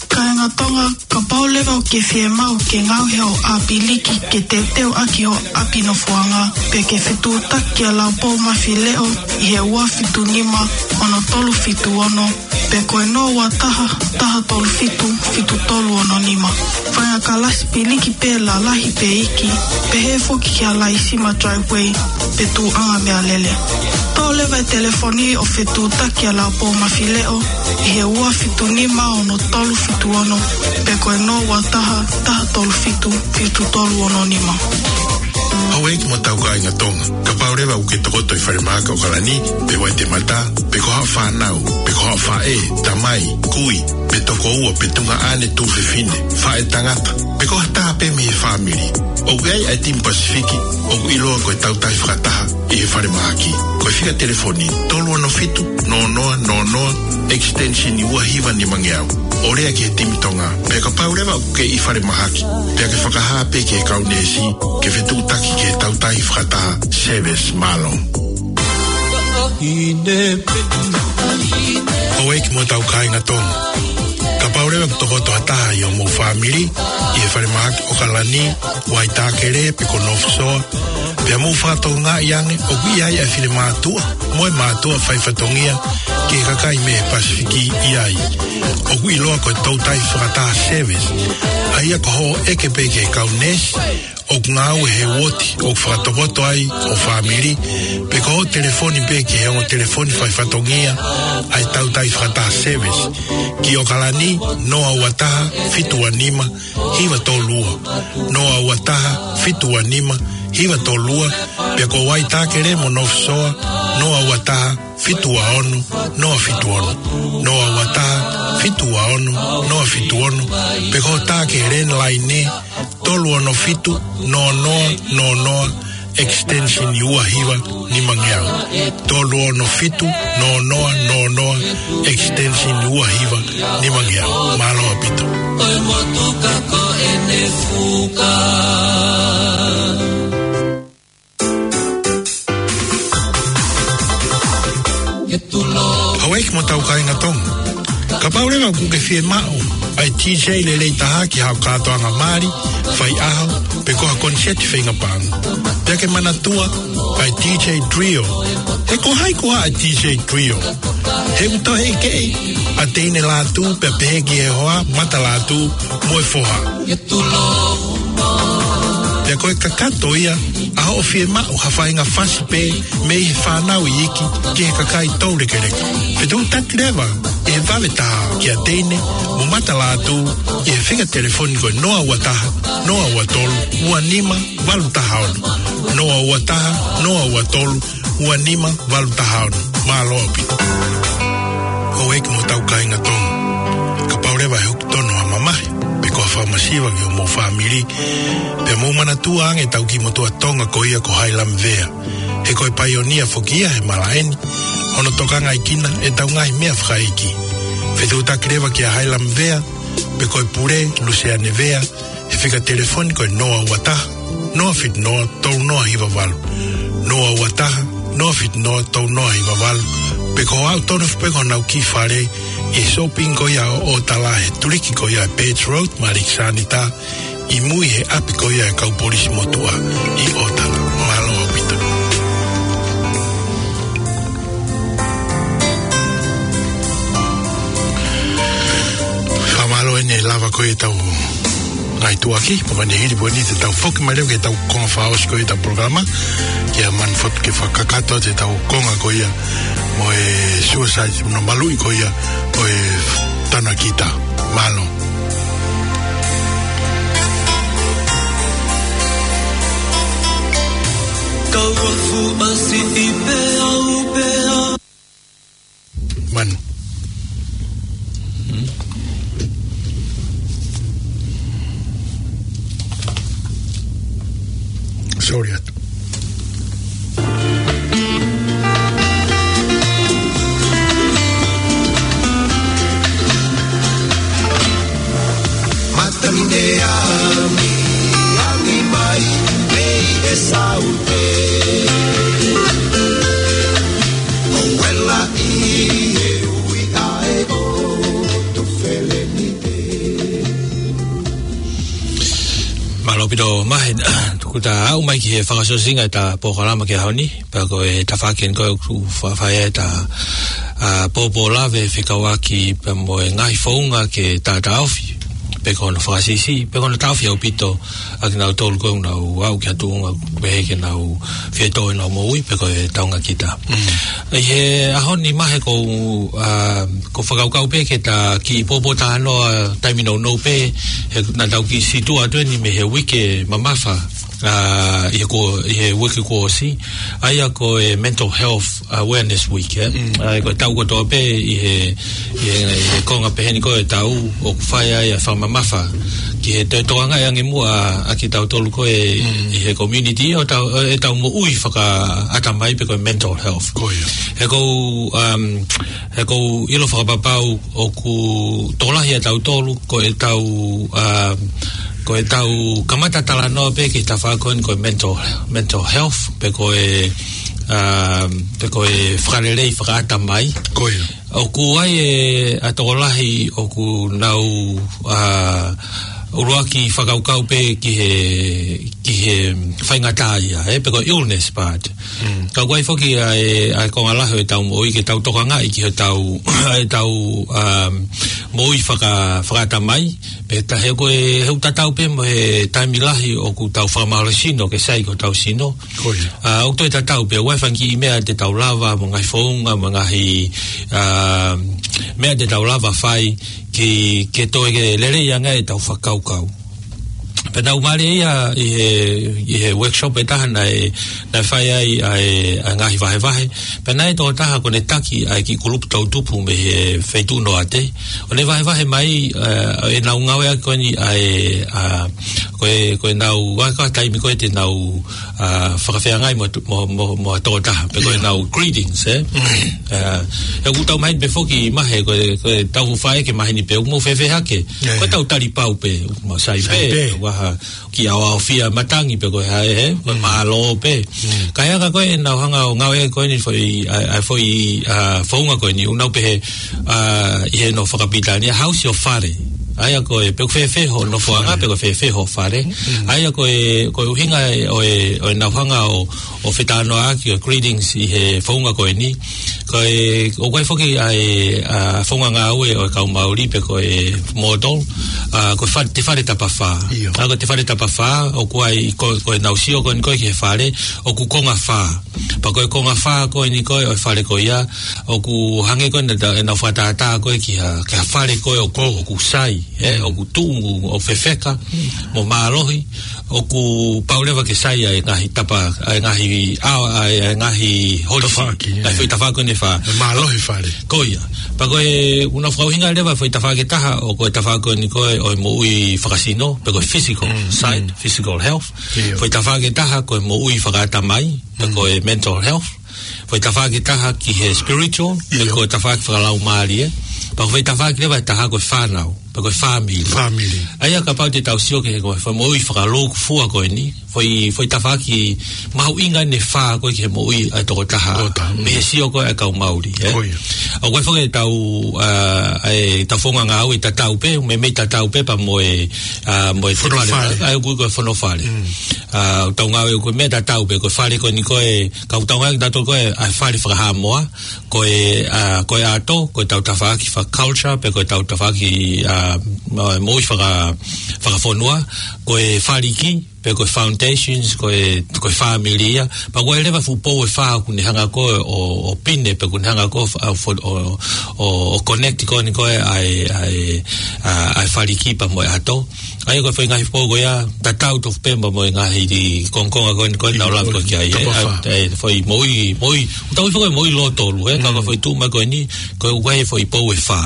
Kāinga Tonga, kapau leva ʻoku ke fiemaʻu ke ngaohi hoʻo ʻapi liki ke teuteu ʻaki hoʻo ʻapi nofoʻanga, pe ke fetuʻutaki kia Laupōmafileʻo ʻi he ua fitu nima ono tolu fitu ono, pe ko e noa ua taha, taha tolu fitu, fitu tolu ono nima. Faʻahinga kalasi piliki pē lalahi pe iiki, pehē foki kia Laisima Driveway pe Tuʻuʻanga Meʻalele. Toʻo leva e telefoni ʻo fetuʻutaki kia Laupōmafileʻo ʻi he ua fitu nima ono tolu fitu ono, pe ko e noa ua taha, taha tolu fitu, fitu tolu ono nima. Houʻeiki mo tau kāinga Tonga, kapau leva ʻoku ke tokoto ʻi Falemahaki ʻAokalani, pe Waitemata, pe ko haʻo fānau, pe ko haʻo faʻē, tamai, kui, pe tokoua, pe tuongaʻane, tuofefine, faʻētangata, pe ko ha taha pē mei he fāmili, ʻoku ʻi ai ʻa e timi Pasifiki ʻoku ʻiloa ko e Toutai Fakataha ʻi he Falemahaki. Ko e fika telefoni tolu ono fitu noa noa noa noa, extension ua hiva nimangeau, ʻo lea ki he timi Tonga. Pea kapau leva ʻoku ke ʻi Falemahaki, pea ke fakahā pē ki he kau neesi ke fetuʻutaki ki he Toutai Fakataha Service. Mālō. Houʻeiki mo tau kāinga Tonga, kapau leva ʻoku tokoto ha taha ʻi hoʻomou fāmili ʻi he Falemahaki ʻAokalani, Waitākele, pe ko North Shore, pea mou fakatokangaʻi ange ʻoku ʻi ai ʻa e finemātuʻa mo e mātuʻa faifatongia ki he kakai mei he Pasifiki ʻi ai. ʻOku ʻiloa ko e Toutai Fakataha Service, ʻa ia ko hoʻo ʻeke pē ki he kau neesi ʻoku ngāue he uooti ʻoku fakatokoto ai ho fāmili, pe ko hoʻo telefoni pē ki he ongo telefoni faifatongia ʻa e Toutai Fakataha Service, ki ʻAokalani, noa ua taha, fitu ua nima, hiva tolu ua, noa ua taha, fitu ua nima, hiva tolu ua, pea ko Waitākele mo North Shore, noa ua taha, fitu ua ono, noa fitu ono, noa ua taha, fitu ua ono, noa fitu ono, pe ko hoʻo tā ki he landline, tolu ono fitu noa noa noa noa, extension ua hiva nimangeau. Tolu ono fitu noa noa noa noa, extension ua hiva nimangeau. Mālō ʻaupito. ʻOi motuka ko ʻene fuka. Houʻeiki mo tau kāinga Tonga, kapau leva ʻoku ke fiemaʻu ʻa e DJ lelei taha ki haʻo kātoanga mali, faiʻaho, pe ko ha koniseti feinga paʻanga, pea ke manatua ʻa e DJ Trio. He ko hai koā ʻa e DJ Trio? He ʻoku tau heʻikeʻi ʻa Teine Lātū pea pehē ki he hoa, Mata Lātū mo e foha. Pea ko e kakato ia ʻa hoʻo fiemaʻu ha faʻahinga fasi pē mei he fānau iiki ki he kakai toulekeleka. Fetuʻutaki leva ʻi he vave taha kia Teine mo Mata Lātū ʻi he fika telefoni ko e noa ua taha, noa ua tolu, ua nima, valu taha ono. Noa ua taha, noa ua tolu, ua nima, valu taha ono. Mālō ʻaupito. Houʻeiki mo tau kāinga Tonga, kapau leva ʻe hoko tonu ha mamahi pe ko ha fakamasiva ki hoʻomou fāmili, pea mou manatua ange ʻetau kiʻi motuʻa Tonga ko ia ko Hailami Vea. He ko e paionia foki ia he malaʻe ni, hono tokangaʻi kinautolu ʻe heʻetau ngaahi meʻa fakaʻeiki. Fetuʻutaki leva kia Hailami Vea, pe ko e pule, Luseane Vea, he fika telefoni ko e noa ua taha, noa fitu noa, tolu noa hiva valu. Noa ua taha, noa fitu noa, tolu noa hiva valu. Pe ko e aʻu tonu foki pē ki honau kiʻi fale ʻi he shopping ko ia ʻo ʻOtala he tuliki ko ia Birch Road, Malikisani ta, ʻi mui he ʻapi ko ia e kau polisi motuʻa ʻi ʻOtala. Mālō ʻaupito. Fakamālō ʻene lava ko ia ʻetau ngaahi tuʻuaki, pea ko ʻene hili pē eni te tau foki mai leva ki heʻetau konga fakaʻosi ko ia ʻetau polokalama, kia Manu Fotu ke fakakakato atu ʻetau konga ko ia mo e Suicide, mo hono maluʻi ko ia ʻo e tana kita. Mālō. Kau afu masi i pea u pea. Manu. Sorry atu. Tangine ami, ami mai, mei e saute. O wela i e ui a e o tu felenite. Mālō ʻaupito Mahe, tuku ta au mai ki he fakaʻosiʻosinga ʻeta polokalama ki he ʻaho ni. Pea ko e tafaʻaki eni ko ē ʻoku faʻa fai ai ʻeta, ʻa, pōpōlave fekauʻaki pea mo e ngaahi founga ke taʻataʻofi. Pe ko hono fakasiʻisiʻi, pe ko hono taʻofi ʻaupito ʻa kinautolu ko ē ʻoku nau aʻu ki ha tuʻunga ʻoku pehē ke nau fie tō ʻenau moʻui, pe ko e taunga kita. Mm. ʻI he ʻaho ni Mahe ʻoku, ʻa, ʻoku ou fakakaukau pē ke ta kiʻi pōpōtalanoa taimi nounou pē, he naʻa tau kiʻi situʻa atu eni mei he uike mamafa, ʻa, ʻi he ko, ʻi he uike kuo ʻosi, ʻa ia ko e Mental Health Awareness Week, ē? Mm. ʻA ia ko e taʻu kotoa pē ʻi he, ʻi he, ʻi he konga pehē ni ko ē ʻo e taʻu ʻoku fai ai ʻa e fakamamafa ki he toe tokangaʻi ange muʻa ʻa kitautolu ko ē Mm. ʻi he community ʻo tau, ʻo ʻetau moʻui fakaʻatamai pe ko e mental health. Ko ia. He ʻoku ou, um, he ʻoku ou ʻilo fakapapau ʻoku tokolahi ʻa tautolu, ko ʻetau, um, ko ʻetau kamata talanoa pē ki he tafaʻaki ko eni ko e mental, mental health, pe ko e, um, pe ko e fakalelei fakaʻatamai. Ko ia. ʻOku ʻi ai e, ʻa e tokolahi ʻoku nau, uh, ʻuluaki fakakaukau pē ki he, ki he faingataʻaʻia, ē, pe ko e illness part. Mm. Ka ʻoku ʻi ai foki ʻa e, ʻa e konga lahi ʻo ʻetau moʻui ke tau tokangaʻi ki heʻetau, ʻetau, um, moʻui faka-, fakaʻatamai. Pea ta he ko e, he ʻoku tatau pē mo e taimi lahi ʻoku tau fakamālohisino ke sai ki hotau sino. Ko ia. ʻA, ʻoku toe tatau pē ʻoku ʻi ai e fanga kiʻi meʻa te tau lava, mo e ngaahi founga, mo e ngaahi, ʻa, meʻa te tau lava fai, ke, ke toe ke lelei ange ʻetau fakakaukau. Pea naʻa ku mālieʻia ʻi he, ʻi he workshop ʻe taha naʻe, naʻe fai ai ʻa e, ʻa e ngaahi vahevahe. Pea naʻe ʻi ai e tokotaha ko ʻene taki ʻa e kiʻi kulupu toʻutupu mei he feituʻu Noate. ʻO ne vahevahe mai, ʻa, ʻenau ngāueʻaki ko eni ʻa e, ʻa, ko e, ko ʻenau, ʻa e ka taimi ko ē te nau ʻa, fakafeangai mo, mo, mo, mo ha tokotaha, pe ko ʻenau greetings, ē? Mm. ʻA, ʻoku tau maheni pē foki Mahe, ko e, ko ʻetau faʻē ke maheni pē, ʻoku mou fēfē hake. Yeah. Ko ʻetau tali pau pē, ʻoku mau sai pē, ʻoku ʻi ai ha kiʻi ʻaoʻaofia matangi pe ko e hā, ē? Ko e mālō pē. Mm. Ka ʻi he anga ko ē ʻenau hanga ʻo ngāueʻaki ko eni foʻi, ʻa, ʻa, foʻi, ʻa, founga ko eni, ʻoku nau pehē, ʻa, ʻi he nofo fakapilitānia, how's your fare? ʻA ia ko e, pe ʻoku fēfē hoʻo nofoʻanga, pe ʻoku fēfē hoʻo fare. Mm. ʻA ia ko e, ko e ʻuhinga ʻo e, ʻo ʻenau hanga ʻo, ʻo fetalanoaʻaki ʻo e greetings ʻi he founga ko eni. Ko e, ʻoku ʻi ai foki ʻa e, ʻa, founga ngāue ʻo e kau Maori pe ko e motto, ʻa, ko e fa-, te fare tapafā. ʻIo. ʻA, ko e te fare tapafā, ʻoku ʻi ai ko, ko ʻenau sio ko eni ko ē ki he fale, ʻoku konga fā. Pea ko e konga fā ko eni ko ē ʻo e fale ko ia, ʻoku hangē ko ē naʻa ta, ʻenau fakatātā ko ē ki ha, ki ha fale ko ē ʻoku, ʻoku sai, ē, ʻoku tuʻunga, ʻoku fefeka, mo mālohi, ʻoku pau leva ke sai ʻa e ngaahi tapa, ʻa e ngaahi, ʻa, ʻa e ngaahi holisi. Tafaʻaki, ʻa e ē. Foʻi tafaʻaki ko eni ʻe fā. ʻE mālohi fale. Ko ia. Pea ko e, ʻoku nau fakaʻuhinga leva foʻi tafaʻaki ʻe taha, ʻo ko e tafaʻaki ko eni ko ē ʻo e moʻui fakasino, pe ko e physical Mm, side, mm. physical health. ʻIo. Foʻi tafaʻaki ʻe taha ko e moʻui fakaʻatamai, pe ko e mental health. Foʻi tafaʻaki ʻe taha ki he spiritual, pe ʻIo. ko e tafaʻaki fakalaumālie. Pea foʻi tafaʻaki leva ʻe taha ko e fānau, pe ko e family. Family. ʻA ia kapau te tau sio ki he ko e foʻi moʻui fakalūkufua ko eni, foʻi, foʻi tafaʻaki mahuʻinga ʻeni ʻe fā ko ē ki he moʻui ʻa e tokotaha. Tokotaha, mm. Mei he sio ko ē ʻa e kau Maori, ē? Ko ia. ʻOku ʻi ai foki ʻetau, ʻa, ʻetau founga ngāue tatau pē, meimei tatau pē pea mo e, ʻa, mo e Fono fale. Fale. ʻA, ʻoku ko e fono fale. Mm. ʻA, ʻetau ngāue ʻoku meimei tatau pē, ko e fale ko eni ko ē, ka ʻoku tau ngāueʻaki ʻe tautolu ko ē, ʻa e fale fakahaʻamoa, ko e, ʻa, ko e ʻato, ko ʻetau tafaʻaki faka-culture, pe ko ʻetau tafaʻaki, ʻa, mo-, moʻui faka-, fakafonua, ko e faliki, pe ko e foundations, ko e, ko e family ia. Pea ʻoku ʻi ai leva e fuʻu pou ʻe fā ʻoku ne hanga ko ē ʻo, ʻo pine, pe ʻoku ne hanga ko ē ʻo, ʻo, ʻo, ʻo connect ko eni ko ē ʻa e, ʻa e, ʻa, ʻa e faliki pea mo e ʻato. ʻA ia ko e foʻi ngaahi pou ko ia, tatau tofu pē mo e ngaahi kongokonga ko eni ko ē naʻa ku lave ko ē ki ai, ē. Toko fā. ʻA, ʻa e foʻi moʻui, moʻi, ʻoku tau ui foki ko e moʻui lōtolu, ē. Ka ko e Mm. foʻi tuʻu mai ko eni, ko e ʻoku ʻi ai e foʻi pou ʻe fā.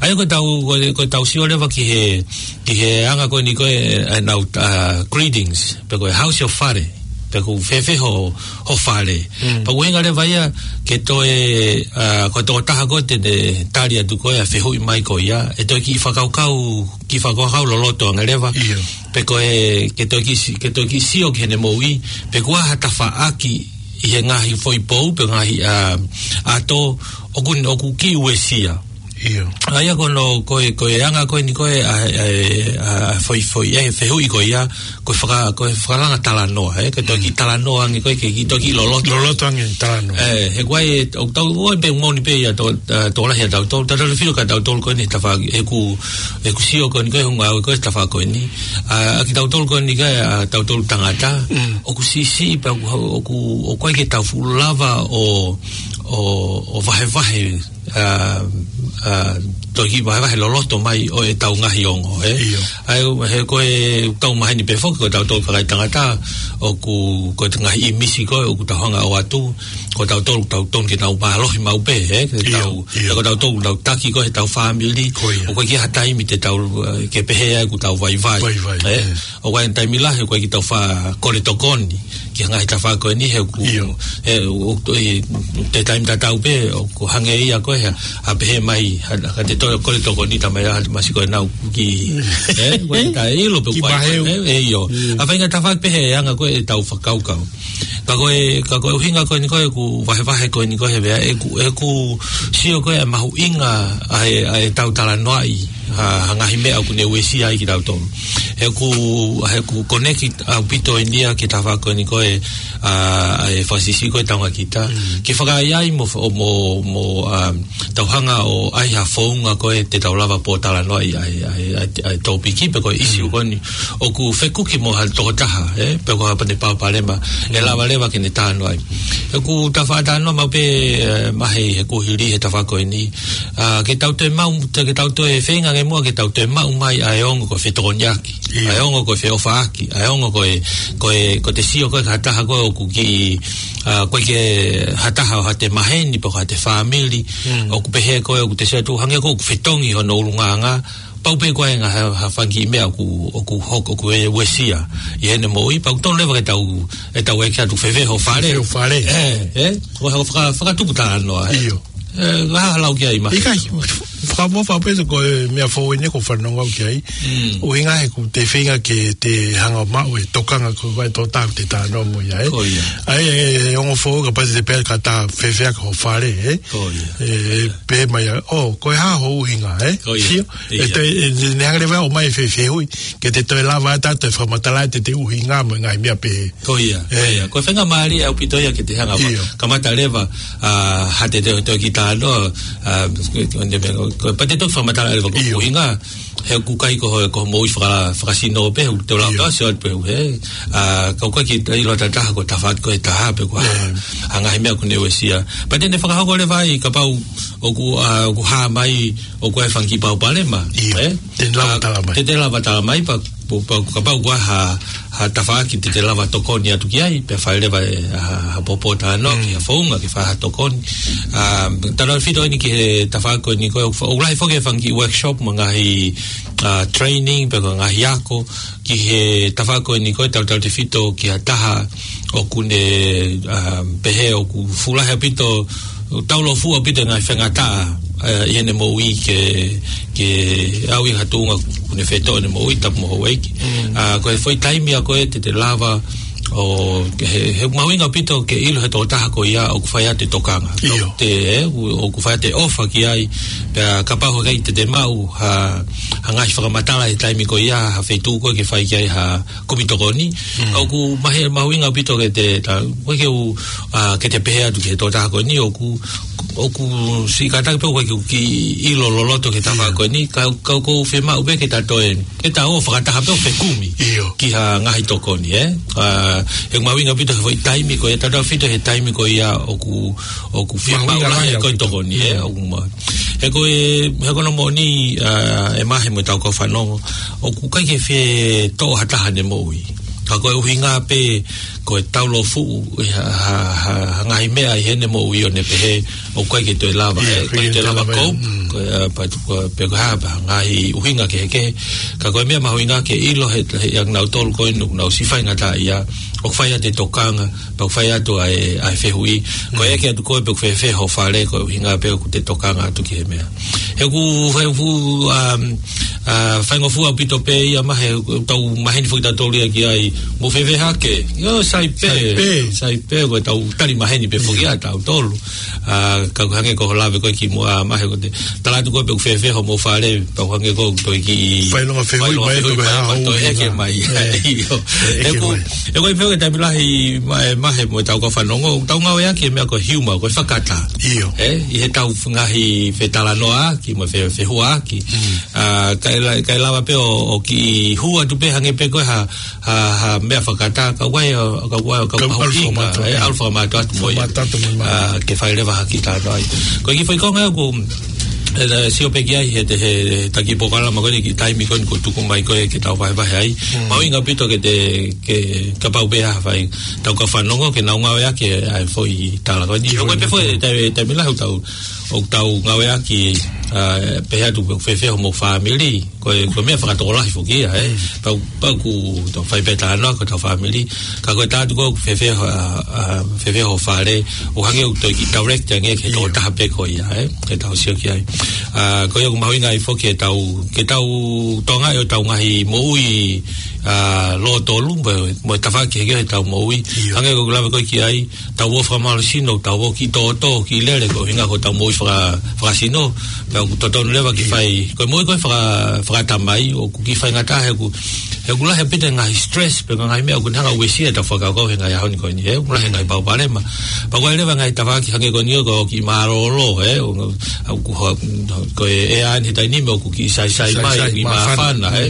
ʻA ia ko ʻetau, ko e, ko ʻetau sio leva ki he, ki he anga ko eni ko ē, ʻenau, ʻa, greetings, pe ko e how's your fare. pe ʻoku fēfē ho, ho fale. Pea ʻuhinga leva ia ke toe, ʻa, ko e tokotaha ko ē te ne tali atu ko ē ʻa e fehuʻi mai ko ia, ʻe toe kiʻi fakakaukau, kiʻi fakakaukau loloto ange leva. Pe ko e, ke toe kiʻi si-, ke toe kiʻi sio ki heʻene moʻui, pe kuo ʻi ai ha tafaʻaki ʻi he ngaahi foʻi pou, pe ngaahi, ʻa, ʻato, ʻoku, ʻoku kiʻi uesia. ʻA ia ko hono, ko e, ko e anga ko eni ko ē ʻa, ʻa, ʻa, foʻi, foʻi, ʻa e fehuʻi ko ia, ko e faka-, ko e fakalanga talanoa, ē? Ko e toe kiʻi talanoa ange ko ē ke kiʻi toe kiʻi loloto. Loloto ange talanoa. Ē, he ko e, ʻoku tau, ʻoku pē moʻoni pē ia to, ʻa, tokolahi ʻa tautolu, tautolu filo ka tautolu ko eni tafaʻaki, ʻeku, ʻeku sio ko eni ko ē, hunga au ko ē tafaʻaki ko eni. ʻA, ʻa kitautolu ko eni ko ē, ʻa, tautolu tangata, ʻoku siʻisiʻi pē ʻoku, ʻoku, ʻoku ʻikai ke tau fuʻu lava ʻo, ʻo, ʻo vahevahe, ʻa, ʻa, toe kiʻi vahevahe loloto mai ʻo ʻetau ngaahi ongo, ē? ʻA ia, he ko e tau maheni pē foki, ko tautolu kakai tangata, ʻoku, ko e ngaahi ʻīmisi ko ē, ʻoku tau hanga ʻo ʻoatu, ko tautolu, tau tonu ke tau mālohi maʻu pē, ē? Ke tau, ko tautolu, tau taki ko ē ʻetau fāmili, ʻoku ʻikai ke ʻi ai ha taimi te tau, ʻa, ke pehē ai ʻoku tau vaivai, ē? ʻOku ʻi ai e taimi lahi, ʻoku ʻikai ke tau faʻa kole tokoni ki he ngaahi tafaʻaki ko eni he ʻoku, he ʻoku, ʻi he taimi tatau pē, ʻoku hangē ia ko ē, ʻa pehē mai, ʻa, ʻa te toe kole tokoni tamai a, masi ko ē nau ki, ē, ko e taʻeʻilo pē ki ʻoku ʻi ai, ʻio. ʻA faʻahinga tafaʻaki pehē anga ko ē ʻetau fakakaukau. Ka ko e, ka ko e ʻuhinga ko eni ko ē ʻeku vahevahe ko eni ko ē he vea, ʻeku, ʻeku sio ko ē ʻa e mahuʻinga ʻa e, ʻa ʻetau talanoaʻi, ʻa, ʻa e ngaahi meʻa ʻoku ne uesia ai kitautolu. He ʻoku, he ʻoku connect ʻaupito eni ia ki he tafaʻaki ko eni ko ē, ʻa, ʻa e fakasiʻisiʻi ko ē taunga kita. Ke fakaʻaiʻai mo, mo, mo, ʻa, tau hanga ʻo ʻai ha founga ko ē te tau lava pōtalanoaʻi ʻa e, ʻa e, ʻa e, ʻa e tōpiki pe ko e ʻisiū ko eni ʻoku fekuki mo ha tokotaha, ē, pe ko ha pane palopalema, ʻe lava leva ke ne talanoaʻi. ʻOku tau faʻa talanoa maʻu pē, ē, mahe he kuohili he tafaʻaki ko eni. ʻA, ke tau toe maʻu, te, ke tau toe feinga ange muʻa, ke tau toe maʻu mai ʻa e ongo ko e fetokoniʻaki. ʻA e ongo ko e feʻofaʻaki, ʻa e ongo ko e, ko e, ko e te sio ko ē ki ha taha ko ē ʻoku kiʻi, ʻa, ʻoku ʻikai ke ha taha ʻo ha te maheni, pe ko ha te fāmili, ʻoku pehē ko ē ʻoku te sio atu hangē ko ē ʻoku fetongi hono ʻulungaanga, pau pē ko ē ngaahi ha, ha fanga kiʻi meʻa ʻoku, ʻoku hoko, ʻoku e uesia ʻi heʻene moʻui, pea ʻoku tonu leva ke tau, ʻe tau ʻeke atu fēfē ho fale. Fēfē ho fale. Ē, ē, ʻo ha faka-, fakatupu talanoa, ē. ʻIo. Ē, ha lau ki ai ma. ʻIkai, fakamoʻoni pē ko e meʻa foʻou eni ʻoku ou fanongo au ki ai. ʻUhinga he ʻoku te feinga ke te hanga maʻu e tokanga ko ē ʻa e tokotaha ʻoku te talanoa mo ia, ē. ʻA e, e, e ongo foʻou kapau te pehē ka ta fēfē ʻaki ho fale, ē. Ē, pehē mai ʻa, ʻo, ko e hā ho ʻuhinga, ē. Sio, ʻe te, ʻe, ne hanga leva ʻo ʻomai e fefehuʻi, ke te toe lava atu ʻo toe fakamatala atu e ʻuhinga mo e ngaahi meʻa pehē. Ko ia, ko ia. Ko e faingamālie ʻaupito ia ke te hanga ʻo kamata leva, ʻa, ha te te, te kiʻi talanoa, ʻa, ko, ko, ko, pea te toki fakamatala leva ko e ʻuhinga, he ʻoku ʻikai ko ho, ko ho moʻui faka-, fakasino pē, ʻoku te lava pē ʻo sio atu pē, ē. ʻA, ka ʻoku ʻikai ke ʻilo ʻe ha taha ko e tafaʻaki ko ē ʻe taha, pe ko e hā, ʻa e ngaahi meʻa ʻoku ne uesia. Pea te ne fakahoko leva ai, kapau ʻoku, ʻa, ʻoku hā mai, ʻoku ʻi ai e fanga kiʻi palopalema, ē? Te ne lava tala mai. Te, te lava tala mai, pea, pea, pea kapau ʻoku ʻi ai ha, ha tafaʻaki te te lava tokoni atu ki ai, pea fai leva e, ha, ha pōtalanoa ki ha founga ke fai ha tokoni. ʻA, tautefito eni ki he tafaʻaki ko eni ko ē, ʻoku fa-, ʻoku lahi foki e fanga kiʻi workshop mo e ngaahi, ʻa, training, pe ko e ngaahi ako, ki he tafaʻaki ko eni ko ē, tautefito ki ha taha ʻoku ne, ʻa, pehē ʻoku fuʻu lahi ʻaupito, taulōfuʻu ʻaupito e ngaahi faingataʻa, ʻa, ʻi heʻene moʻui ke, ke aʻu ʻi ha tuʻunga ʻoku ne fetō ʻene moʻui tapu mo houʻeiki. ʻA, ko e foʻi taimi ia ko ē te te lava ʻo, he, he mahuʻinga ʻaupito ke ʻilo he tokotaha ko ia ʻoku fai atu e tokanga. ʻIo. Te, ē, ʻoku, ʻoku fai atu e ʻofa ki ai, pea kapau ʻoku ʻikai te te maʻu ha, ha ngaahi fakamatala he taimi ko ia, ha feituʻu ko ē ke fai ki ai ha kumi tokoni. ʻOku mahe-, mahuʻinga ʻaupito ke te, ta, ko e ke u, ʻa, ke te pehē atu ki he tokotaha ko eni, ʻoku, ʻoku siʻi kātaki pē ʻoku ʻikai ke u kiʻi ʻilo loloto ki he tafaʻaki ko eni, ka, ka ʻoku ou fiemaʻu pē ke ta toe, ke ta ō fakataha pē ʻo fekumi ki ha ngaahi tokoni, ē? ʻA, he mahuʻinga ʻaupito he foʻi taimi ko ia, tautefito he taimi ko ia ʻoku, ʻoku fiemaʻu lahi ai ko e tokoni, ē? ʻOku ma-, he ko e, he ko hono moʻoni, ʻa, ʻe mahe mo ʻetau kau fanongo, ʻoku ʻikai ke fie toʻo ha taha ʻene moʻui. Ka ko e ʻuhinga pē, ko e taulōfuʻu ʻi ha, ha, ha, ha ngaahi meʻa ʻi heʻene moʻui ʻo ne pehē ʻoku ʻikai ke toe lava, ʻIo, ʻe, ʻikai ke toe lava ko, ko, ʻa, pea tuku, pea ko e hā, pea ngaahi ʻuhinga kehekehe. Ka ko e meʻa mahuʻinga ke ʻilo he, he ʻa kinautolu ko eni ʻoku nau siʻi faingataʻaʻia, ʻoku fai atu e tokanga, pea ʻoku fai atu ʻa e, ʻa e fehuʻi. Ko e ʻeke atu ko ē pe ʻoku fēfē ho fale, ko e ʻuhinga pē ʻoku te tokanga atu ki he meʻa. He ʻoku, he ʻoku, um, uh, faingofua ʻaupito pē ia Mahe, ʻoku tau maheni foki tautolu ia ki ai, mou fēfē hake? ʻIo, sai pē. Sai pē. Sai pē, ko e tau tali maheni pē foki ʻa tautolu. Uh, ka ʻoku hangē ko hoʻo lave ko ē kimuʻa Mahe ko ē te tala atu ko ē pe ʻoku fēfē hoʻomou fale, pea ʻoku hangē ko ē ʻoku toe kiʻi failonga fehuʻi mai, toe ʻeke mai. ʻIo. ʻE ʻeke mai. He ko e pehē ʻoku taimi lahi Mahe mo e tau kau fanongo, tau ngāueʻaki e meʻa ko e humor, ko e fakata. ʻIo. ʻE, ʻi he tau ngaahi fetalanoaʻaki mo e fe, fehuaʻaki. ʻA, kae la, kae lava pē ʻo, ʻo kiʻi hū atu pē hangē pē ko e ha, ha, ha meʻa fakata, ka ʻoku, ka ʻoku, ka ʻoku ʻalu fakamātoato, ʻe, ʻalu fakamātoato mo ia. Fakamātoato mo ia. ʻA, ke fai leva ha kiʻi talanoa ai. Ko e kiʻi foʻi konga ʻoku, ʻe, sio pē ki ai he, he, he taki polokalama ko eni ki taimi ko eni ʻoku tuku mai ko ē ke tau vahevahe ai. Mahuʻinga ʻaupito ke te, ke kapau pē ʻe fai tau kau fanongo ke nau ngāueʻaki ʻa e foʻi tala ko eni. ʻIo, ko e pehē foʻi taimi, taimi lahi ʻoku tau, ʻoku tau ngāueʻaki, ʻa, pehē atu pe ʻoku fēfē hoʻomou fāmili. Ko e, ko e meʻa fakatokolahi foki ia, ʻe. Pau, pau ʻoku tau fai pē talanoa ko ʻetau fāmili. Ka ko e tala atu ko ē ʻoku fēfē, ʻa, ʻa, fēfē ho fale, ʻoku hangē ʻoku toe kiʻi direct ange ki he tokotaha pē ko ia, ʻe. Ke tau sio ki ai. ʻA, ko ia ʻoku mahuʻinga ai foki ke tau, ke tau tokangaʻi hotau ngaahi moʻui, ʻa, lōtolu, mo, mo e tafaʻaki kehekehe ʻetau moʻui. ʻIo. Hangē ko ʻeku lave ko ē ki ai, tau ō fakamālohisino, tau ō kiʻi tōtō, kiʻi lele, ko e ʻuhinga ko ʻetau moʻui faka, fakasino, pea ʻoku totonu leva ke fai, ko e moʻui ko ē faka, fakatamai, ʻoku kiʻi faingataʻa he ʻoku, he ʻoku lahi ʻaupito e ngaahi stress, pe ngaahi meʻa ʻoku ne hanga ʻo uesia ʻetau fakakaukau he ngaahi ʻaho ni ko eni, ʻe, ʻoku lahi e ngaahi palopalema. Pea ko e leva ngaahi tafaʻaki hangē ko eni ko e kiʻi mālōlō, ʻe, ʻo, ʻo, ko e, ʻe ʻi ai e taimi ni ʻoku kiʻi saisai mai, kiʻi māfana, ʻe.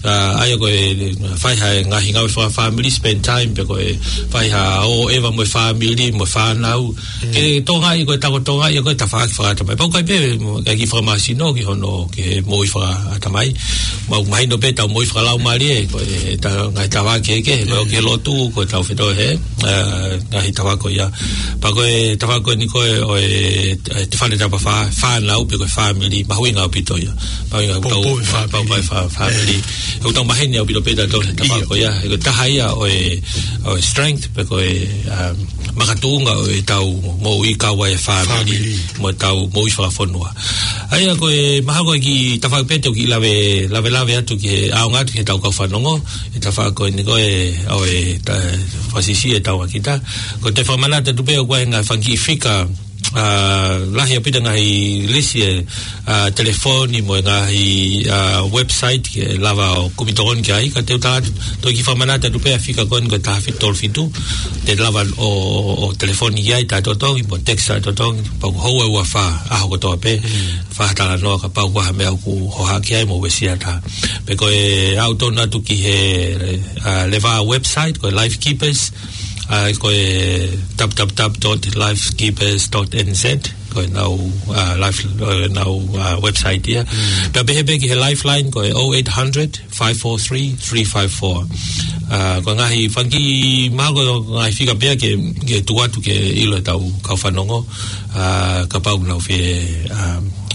ʻA, ʻa ia ko e fai ha ngaahi ngāue fakafāmili, spend time, pe ko e fai ha ō ʻeva mo e fāmili, mo e fānau. Ke tokangaʻi ko e tau tokangaʻi ko e tafaʻaki fakatamai. Pau ʻoku ʻikai pē ke kiʻi fakamālohisino ki hono, ki he moʻui fakatamai. Mau mahino pē ʻetau moʻui fakalaumālie, ko e ta, ngaahi tafaʻaki kehekehe, ko e ʻoku ke lotu, ko ʻetau fetō he, ʻa, ngaahi tafaʻaki ko ia. Pea ko e tafaʻaki ko eni ko e, ʻo e, ʻe, te fale tapa fā, fānau pe ko e fāmili, mahuʻinga ʻaupito ia. Mahuʻinga ʻaupito. Poupou e fāmili. Poupou e fā, fāmili. ʻOku tau maheni ʻaupito pē tautolu he tafaʻaki ko ia. He ko e taha ia ʻo e, ʻo e strength, pe ko e, um, makatuʻunga ʻo ʻetau moʻui kau ai e fāmili. Fāmili. Mo ʻetau moʻui fakafonua. ʻA ia ko e mahalo ko e kiʻi tafaʻaki pē te u kiʻi lave, lave, lave atu ki he, ʻaonga atu ki he tau kau fanongo, e tafaʻaki ko eni ko e, ʻo e, ta, fakasiʻisiʻi e tau ʻa kita. Ko e te fakamanatu atu pē ʻoku ʻi ai e ngaahi fanga kiʻi fika, ʻa, lahi ʻaupito e ngaahi lisi e, ʻa, telefoni mo e ngaahi, ʻa, website ke lava ʻo kumi tokoni ki ai, ka te u tala atu, toe kiʻi fakamanatu atu pē ʻa e fika ko eni ko e taha fitu tolu fitu, te lava ʻo, ʻo, ʻo telefoni ki ai taʻetotongi, mo text taʻetotongi, pea ko e houa ua fā, ʻaho kotoa pē, fai ha talanoa kapau ʻoku ʻi ai ha meʻa ʻoku hohaʻa ki ai mo uesia atu. Pe ko e ʻalu tonu atu ki he, ʻa, leva website, ko e Life Keepers, ʻa, ko e w w w dot life keepers dot n z, ko ʻenau, ʻa, life, ʻenau, ʻa, website ia. Pea pehē pē ki he Lifeline, ko e oh eight hundred, five four three, three five four. ʻA, ko e ngaahi fanga kiʻi, mahalo ko e ngaahi fika pē ia ke, ke tuku atu ke ʻilo ʻe he tau kau fanongo, ʻa, kapau ʻoku nau fie, ʻa,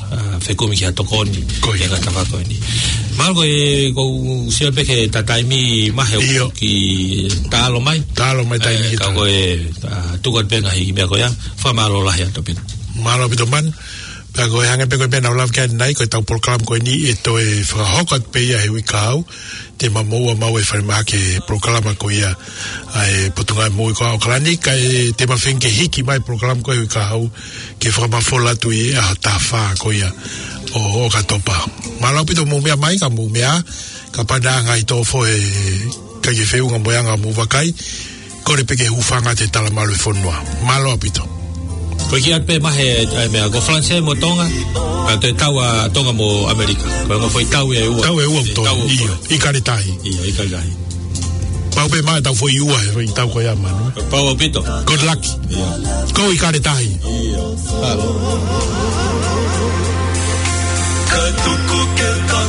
ʻa, fekumi ki ha tokoni, ko ia, ki he ngaahi tafaʻaki ko eni. Mahalo ko e, ʻoku ou sio pē ki he taimi Mahe ʻoku kiʻi taʻalo mai. Taʻalo mai taimi ʻe, ka ko e, ʻa, tuku atu pē ngaahi meʻa ko ia, fakamālō lahi atu pē. Mālō ʻaupito Man. Pea ko e hangē pē ko e meʻa naʻa ku lave ki ai ʻanenai, ko e tau polokalama ko eni ʻe toe fakahoko atu pē ia he uike kahaʻu, te ma moʻua maʻu e falemahaki e polokalama ko ia ʻa e Potungāue Moʻui ko ia ʻAokalani, kae te ma feinga ke hiki mai e polokalama ko ia he uike kahaʻu, ke fakamafola atu ʻi he ʻaho taha fā ko ia ʻo, ʻo ʻOkatopa. Mālō ʻaupito hoʻomou meʻa mai, ka mou meʻa ā, kapau naʻe ʻi ai ha ngaahi tō fo he ʻikai ke feʻunga mo e anga hoʻomou vakai, kole pē ke hūfanga atu he talamalu e fonua. Mālō ʻaupito. Ko e kiʻi ʻoatu pē Mahe, ʻa e meʻa, ko Falanisē mo Tonga, ka ko e tau ʻa Tonga mo ʻAmelika. Ko e ongo foʻi tau ʻe ua. Tau ʻe ua ʻoku tau, ʻio, ʻIkale Tahi. ʻIo, ʻIkale Tahi. Pau pē mai ʻetau foʻi ua, foʻi tau ko ia Manu. Pau ʻaupito. Good luck. ʻIo. Go ʻIkale Tahi. ʻIo. Mālō. Ka tuku ke tau